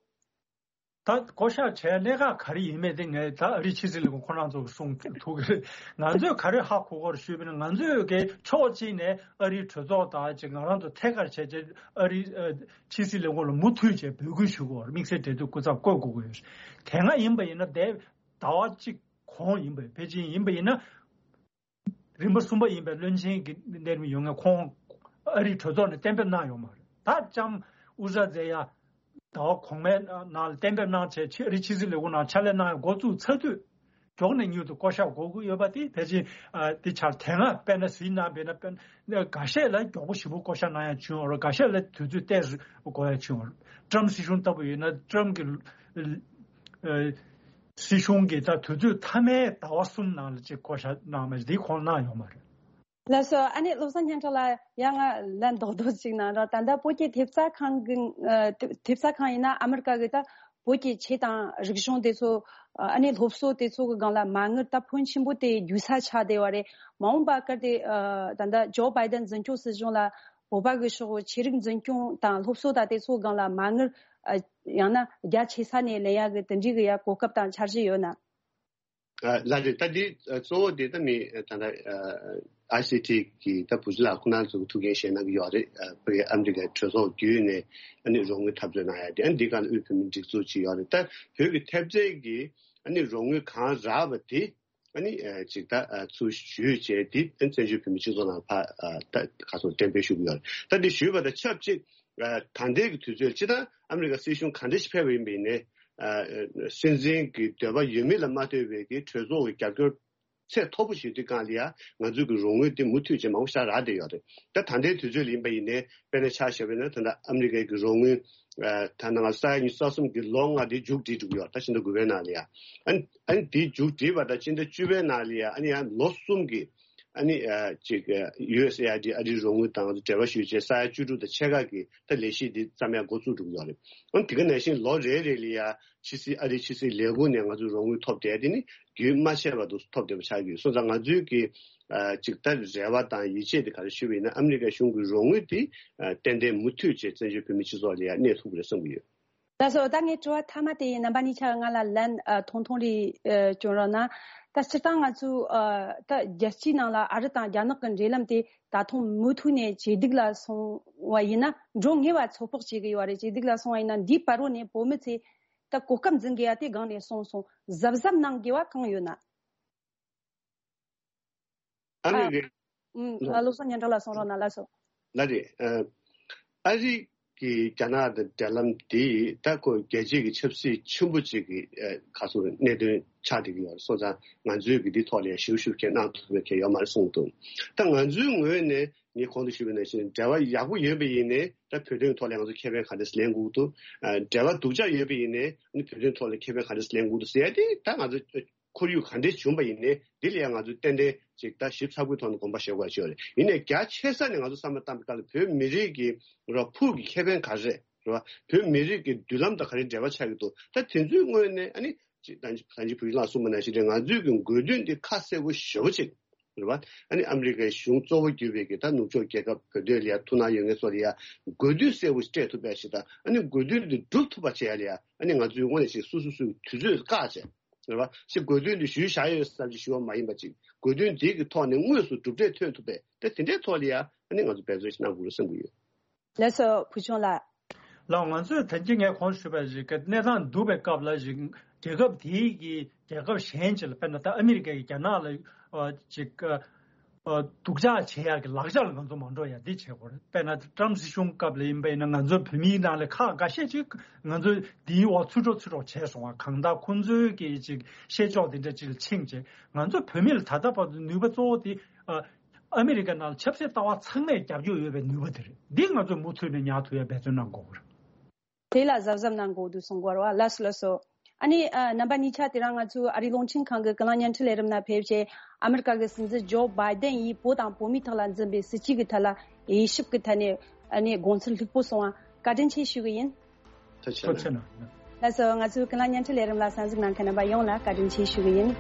ད་བསྐོ་བཞག་བྱས་གནད་འགག་ག་རེ་ཡིན་མིན་དེ་ངས་ད་ཨ་རིའི་ཕྱི་སྲིད་ལས་ཁུངས་ཁོ་རང་ཚོ་གིས་གསུང་ཐུབ་ཀྱི་རེད། ང་ཚོས་ག་རེ་ཧ་གོ་གི་ཡོད་རེད་ཞུས་པ་ཡིན་ན། ང་ཚོས་ཀྱི་ཕྱོགས་གཅིག་ནས་ཨ་རིའི་གྲོས་ཚོགས་དང་ཅིག་ང་རང་ཚོ་ཐད་ཀར་བྱས་བྱས་ཨ་རིའི་ཨ་ཕྱི་སྲིད་ལས་ཁུངས་ལ་མུ་མཐུད་བྱས་འབོད་སྐུལ་ཞུ་གི་ཡོད་རེད། དམིགས་བསལ་འབྲེལ་མཐུད་སྐུ་ཚབ་བསྐོ་དགོས་ཀྱི་ཡོད་རེད། དེ་སྔ་ཡིན་པ་ཡིན་ན། དེ་ཟླ་བ་གཅིག་གོང་ཡིན་པ། ཕལ་ཆེར་ཡིན་པ་ཡིན་ན། རིམ་པ་གསུམ་པ་ཡིན་པའི་བློན་ཆེན་གྱི་གནས་རིམ་ཡོད་མཁན་ཁོང་ཨ་རིའི་གྲོས་ཚོགས་ནས་གཏན་འབེབས་གནང་ཡོད་མ་རེད། ད་ལྕམ་ཨུ་ཟ་ཛེ་ཡ་ཟླ་བ་གོང་མའི་ནང་ལ་གཏན་འབེབས་གནང་བྱས། ཕྱི་ཨ་རིའི་ཕྱི་སྲིད་ལས་ཁུངས་ནང་ཕྱག་ལས་གནང་ཡག་འགོ་བཙུགས་ཚར་དུས། མགྱོགས་ནས་མྱུར་དུ་བསྐོ་བཞག་དགོས་ཀྱི་ཡོད་པ་དེ་ཕལ་ཆེར་ཨ་དེ་ཆར་དེ་སྔ་དཔེར་ན་གཟིགས་གནང་བས་ན། དཔེར་ན་འགའ་ཤས་ལ་མགྱོགས་པོ་ཞེ་པོ་བསྐོ་བཞག་གནང་ཡག་བྱུང་ཡོད་རེད། འགའ་ཤས་ལ་དུས་ཚོད་ཏོག་ཙམ་འགོར་ཡག་བྱུང་ཡོད་རེད། ཏྲམ་སྲིད་གཞུང་ལྟ་བུ་ཡིན་ན། ཏྲམ་གྱི་ཨ་སྲིད་གཞུང་གིས་ད་དུས་ཚོད་མཐའ་མའི་ཟླ་བ་གསུམ་ནང་ལ་ཅིག་བསྐོ་བཞག་གནང་མ་རེད། འདི་ཁོང་གནང་ཡོད་མ་རེད། ལགས་སོ། ཨ་ནི་བློ་བཟང་སྙན་གྲགས་ལགས། ཡང་ང་ལན་རྡོག་རྡོག་ཅིག་གནང་རོགས། ད་ལྟ་བོད་ཀྱི་ཐེབས་རྩ་ཁང་གི་ཨ་ཐེབས་རྩ་ཁང་ཡིན་ན། ཨ་མི་རི་ཀ་གི་ད་བོད་ཀྱི་ཆོས་དང་རིག་གཞུང་དེ་ཚོ་ཨ་ནི་སློབ་གསོ་དེ་ཚོ་གི་སྒང་ལ་མ་དངུལ་ད་ཕོན་ཆེན་པོ་དེ་རྒྱུག་ས་ཆགས་བསྡད་པ་རེད། མ་འོངས་པ་གལ་ཏེ་ཨ་ད་ལྟ་ཇོ་བྷའི་ཌེན་འཛིན་སྐྱོང་སྲིད་གཞུང་ལ་བོད་པ་གི་ཕྱོགས་ཆོས་རིག་འཛིན་སྐྱོང་དང་སློབ་གསོ་དང་དེ་ཚོ་སྒང་ལ་མ་དངུལ་ཨ་ཡང་ན་རྒྱ་ཆེ་ས་ནས་ལེན་ཡག་གི་དེ་འདྲའི་གི་ཡ་གོ་སྐབས་དང་འཆར་གཞི་ཡོད་ན། ཨ་ལགས་རེད། ད་འདི་ཨ་གཙོ་བོ་དེ་ད་མི་ཨ་ད་ལྟ་ཨ་ཨའི་སི་ཊི་གི་ད་བུ་ཚ་ལགས་ཁོང་རྣམ་ཚོ་གི་ཐུགས་འགན་བཞེས་གནང་གི་ཡོད་རེད། ཨ་བོད་ཨ་མི་རི་ཀའི་གྲོས་ཚོགས་བརྒྱུད་ནས་ཨ་ནི་རོགས་དངུལ་འཐབ་རྩོད་གནང་ཡ་དེ། ཨ་ནི་འདི་ག་ལ་དབུས་བོད་མིའི་སྒྲིག་འཛུགས་ཅིག་ཡོད་རེད། ད་བོད་ཀྱི་ཐེབས་རྩའི་གི་ཨ་ནི་རོགས་དངུལ་གང་རག་པ་དེ་ཨ་ནི་ཨ་ཅིག་ད་ཨ་ཚུར་ཞུས་བྱས། དེ་ཨ་བཙན་བྱོལ་བོད་མིའི་སྤྱི་ཚོགས་ནང་ཕར་ཨ་ད་ག་ཚོད་གཏན་འབེབས་ཞུ་གི་ཡོད་རེད། ད་འདི་ཞུས་པ་དང་ཆབས་ཅིག་ཨ་ད་ལྟའི་གི་དུས་ཚོད་ལ་སྤྱིར་བཏང་ཨ་མི་རི་ཀ་སྲིད་གཞུང་ག་འདྲ་ཞིག་ཕེབས་པ་ཡིན་པ་ཡིན་ནའི། ཨ་སྲིད་འཛིན་གྱི་འདོད་པ་ཡོད་མེད་ལ་མ་ལྟོས་པའི་གི་གྲོས་ཚོགས་ཀྱི་རྒྱབ་སྐྱོར་ཚད་མཐོ་པོ་ཞིག་དུས་སྒང་ལ་ཡ་ང་ཚོས་ཀྱི་རོགས་དངུལ་དེ་མུ་མཐུད་ཅིག་མང་པོ་ཞིག་རག་བསྡད་ཡོད་རེད། ད་ད་ལྟའི་དུས་ཚོད་ལ་ཡིན་པ་ཡིན་ནའི། དཔེར་ན་ཆ་བཞག་པ་ཡིན་ན། ད་ལྟ་ཨ་མི་རི་ཀའི་གི་རོགས་དངུལ་ཨ་ད་ནང་ས་ཡ་ཉི་ཤུ་རྩ་གསུམ་གྱི་ལོ་ལྔ་དེ་མཇུག་སྒྲིལ་འགྲོ་གི་ཡོད་རེད། ད་ཕྱི་ཟླ་དགུ་པའི་ནང་ལ་ཡ། ཨ་ནི་ཨ་ནི་དེ་མཇུག་སྒྲིལ་བ་དང་ཕྱི་ཟླ་བཅུ་པའི་ནང་ལ་ཡ། ཨ་ནི་ཡང་ལོ་གསུམ་གྱི་ཨ་ནི་ཨ་ཅིག་ཨ་ཡུ་ཨེས་ཨེ་ཨའི་ཌི་ཨ་རིའི་རོགས་དངུལ་དང་འབྲེལ་བ་ཞུས་བྱས་ས་ཡ་བཅུ་དྲུག་དང་ཕྱེད་ཀ་གི་ད་ལས་གཞི་འདི་བརྩམས་ཡ་འགོ་བཙུགས་འགྲོ་གི་ཡོད་རེད། ཨང་དེ་ག་ནང་བཞིན་ལོ་རེ་རེ་ལ་ཡ་ཕྱི་སྲིད་ཨ་རིའི་ཕྱི་སྲིད་ལས་ཁུངས་ནས་ང་ཚོ་རོགས་དངུལ་ཐོབ་བསྡད་དེ་ནི་རྒྱུན་མ་ཆད་པ་དུ་ཐོབ་བསྡད་པ་ཆགས་ཀྱི་ཡོད། སོང་ཙང་ང་ཚོའི་གི་ཨ་ཅིག་ད་རེ་བ་དང་ཡིད་ཆེས་དེ་ག་རེ་ཞུས་པ་ཡིན་ན། ཨ་མི་རི་ཀ་གཞུང་གི་རོགས་དངུལ་དེ་ཨ་ཏན་ཏན་མུ་མཐུད་བྱས་བཙན་བྱོལ་བོད་མི་སྤྱི་ཚོགས་ལ་ཡ་གནས་ཐུབ་ཀྱི་རེད་བསམ་གྱི་ཡོད། ལགས་སོ། ད་ངའི་དྲི་བ་མཐའ་མ་དེ་ཡིན། རྣམ་པ་གཉིས་ཆ་ང་ལ་ལན་ཨ་ཐུང་ཐུང་རེ་ཨ་སྐྱོན་རོགས་གནང་། ད་སྤྱིར་བཏང་ང་ཚོའི་ཨ་ད་རྒྱལ་སྤྱིའི་ནང་ལ་ཨ་རི་དང་རྒྱ་ནག་གི་འབྲེལ་ལམ་དེ་ད་དུང་མུ་མཐུད་ནས་ཇེ་སྡུག་ལ་སོང་བ་ཡིན་ན། འགྲོ་ངེས་པ་ཚོད་དཔག་བྱེད་ཀྱི་ཡོད་རེད། ཇེ་སྡུག་ལ་སོང་བ་ཡིན་ན། འདིའི་བར་རོ་ནས་བོད་མི་ཚོས་ད་གོ་སྐབས་འཛིན་དགོས་ཡ་དེ་སྒང་ནས་སོང་སོང་། གཟབ་གཟབ་གནང་དགོས་པ་གང་ཡོད་ན། ཨ་ཨ་མི་རི་ཀའི། ཨུམ། ཨ་བློ་བཟང་སྙན་གྲགས་ལགས་གསུང་རོགས་གནང་། ལགས་སོ། ལགས་རེད། ཨ་ཨ་རི་གི་རྒྱ་ནག་དང་འབྲེལ་ལམ་འདི་ད་ཁོ་རྒྱལ་སྤྱི་གི་ཆབ་སྲིད་ཆེན་པོ་ཅིག་གི་ཨ་ག་ཚོད་གནད་དོན་ཆགས་བསྡད་ཀྱི་ཡོད་རེད། སོང་ཙང་ང་ཚོས་གི་འདི་ཐོག་ལ་ཡང་ཞིབ་ཞིབ་བྱས་གནང་ཐུབ་པའི་གལ་ཡོད་མ་རེད་གསུངས་འདུག་ད་ང་ཚོའི་ངོས་ནས་ངས་གོང་དུ་ཞུས་པ་ནང་བཞིན་འབྲེལ་བ་ཡག་པོ་ཡོད་པ་ཡིན་ནའི། ད་བོད་དོན་ཐོག་ལ་ང་ཚོ་ཁེ་ཕན་ག་འདྲས་ལེན་དགོས་འདུག་ཨ་འབྲེལ་བ་སྡུག་ཅག་ཡོད་པ་ཡིན་ནའི་ཨ་ནི་བོད་དོན་ཐོག་ལ་ཁེ་ཕན་ག་འདྲས་ལེན་དགོས་འདུག་ཟེར་ཡ་དེ། ད་ང་ཚོ་ཁོར་ཡུག་ག་འདྲས་བྱུང་པ་ཡིན་ནའི་འདི་ལ་ཡང་ང་ཚོས་ཏན་ཏན་ཅིག་ད་ཞིབ་ཚགས་པོའི་ཐོག་ནས་དགོངས་པ་བཞེས་དགོས་ཡ་ཅིག་ཡོད་རེད། ཡིན་ནའི་རྒྱ་ཆེ་ས་ནས་ང་ཚོ་བསམ་བློ་བཏང་པའི་སྐབས་ལ་བོད་མི་རིགས་ཀྱི་ར་ཕུགས་ཀྱི་ཁེ་ཕན་ག་རེ་རེད་བ། བོད་མི་རིགས་ཀྱི་མདུན་ལམ་དང་ག་རེ་འབྲེལ་བ་ཆགས་ཀྱི་འདུག་ད་དེ་ཚོའི་ངོས་ནས་ཨ་ནི་ཅིག་ད་ད་ཅིག་བུ་ལགས་གསུངས་པ་ནང་བཞིན་རེད། ང་ཚོའི་གི་དགོས་འདུན་འདི་ཁ་གསལ་པོ་ཞེ་པོ་ཅིག་རེད་བ། ཨ་ནི་ཨ་མི་རི་ཀའི་གཞུང་གཙོ་བོ་གྱུར་པའི་གི་ད་ནུབ་ཕྱོགས་རྒྱལ་ཁབ་བོད་དོན་ལ་ཡ་ཐུགས་སྣང་ཡོད་མཁན་ཚོ་ལ་ཡ་དགོས་འདུན་གསལ་པོ་ཞིག་སྤྲད་ཐུབ་པ་ཞིག་དང་། ཨ་ནི་དགོས་འདུན་འདི་འགྲུབ་ཐུབ་པ་བྱེད་ཡ་ལ་ཡ་ཨ་ནི་ང་ཚོའི་ངོས་ནས་ཅིག་སོ་སོ་སོའི་དུས་ཚོད་བཀག་བྱས། རེད་བ། ཅིག་དགོས་འདུན་འདི་ཞུས་བཞག་ཡོད་བསམ་གྱི་ཞུ་བ་མ་ཡིན་པ། ཅིག་དགོས་འདུན་འདི་གི་ཐོག་ནས་དངོས་སུ་གྲུབ་འབྲས་ཐོན་ཐུབ་པའི་ད་དེ་འདྲའི་ཐོག་ལ་ཡ་ཨ་ནི་ང་ཚོ་འབད་བརྩོན་ཞིག་གནང་དགོས་རེད་བསམ་གྱི་ཡོད། ལགས་སོ། བུ་ཆུང་ལགས། ལགས། ང་ཚོས་ད་གིན་ངས་གོང་ཞུས་པ་ཞིག་གི་གནས་སྟངས་སྡུག་པའི་སྐབས་ལ་ཞིག་རྒྱལ་ཁབ་དེའི་གི་རྒྱལ་ཁབ་གཞན་ཅིག་ལ། དཔེར་ན་ད་ཨ་མི་རི་ཀ་གི་རྒྱ་ནག་ལ་ཨ་ཅིག་ཨ་སྡུག་ཅག་བྱེད་ཡག་གི་ལག་ཆ་ལ་ང་ཚོ་མ་འགྲོ་ཡ་འདི་བྱེད་དགོས་རེད། དཔེར་ན་ཏྲམ་སྲིད་གཞུང་སྐབས་ལ་ཡིན་པ་ཡིན་ན། ང་ཚོ་བོད་མིའི་ནང་ལ་ཁག་འགའ་ཤས་ཅིག་ང་ཚོ་འདིའི་འོག་ཚུད་འགྲོ་ཚུད་འགྲོ་བྱས་སོང་བ། གང་ལྟར་ཁོང་ཚོའི་གི་ཅིག་བཤད་ཕྱོགས་འདི་འདྲ་ཅིག་ལ་ཕྱིན་བྱས། ང་ཚོ་བོད་མི་ལ་ད་ལྟ་བར་དུ་ནུས་པ་གཙོ་བོ་དེ་ཨ་ཨ་མི་རི་ཀ་ནང་ལ་ཆབ་སྲིད་ལྟ་བ་ཚང་མས་རྒྱབ་སྐྱོར་ཡོད་པའི་ནུས་པ་དེ་རེད། འདི་ང་ཚོས་མུ་མཐུད་ནས་ཉར་ཐུབ་ཡ་འབད་བརྩོན་གནང་དགོས་ཀྱི་རེད། དེ་ལ་གཟབ་གཟབ་གནང་དགོས་འདུག་གསུང་གི་ཡོད་རེད་བ། ལགས་སོ། ལགས་སོ། ཨ་ནི་ཨ་རྣམ་པ་གཉིས་ཆ་དེ་རིང་ང་ཚོའི་ཨ་རིའི་རླུང་འཕྲིན་ཁང་གི་ཀུན་གླེང་བརྙན་འཕྲིན་ལས་རིམ་ནང་ཕེབས་བྱས། ཨ་མི་རི་ཀ་གི་སྲིད་འཛིན་ཇོ་བྷའི་ཌེན་ཡིས་བོད་དང་བོད་མིའི་ཐོག་ལ་འཛིན་པའི་སྲིད་བྱུས་ཀྱི་ཐད་ལ་དབྱེ་ཞིབ་ཀྱི་ཐད་ནས་ཨ་ནི་དགོངས་ཚུལ་ལྷུག་པོ་གསུངས་པ། བཀའ་དྲིན་ཆེ་ཞུ་གི་ཡིན། ཐུགས་རྗེ་ཆེ་གནང་། ལགས་སོ། ང་ཚོའི་ཀུན་གླེང་བརྙན་འཕྲིན་ལས་རིམ་ལ་གསན་གཟིགས་གནང་མཁན་རྣམ་པ་ཡོངས་ལ་བཀའ་དྲིན་ཆེ་ཞུ་གི་ཡིན།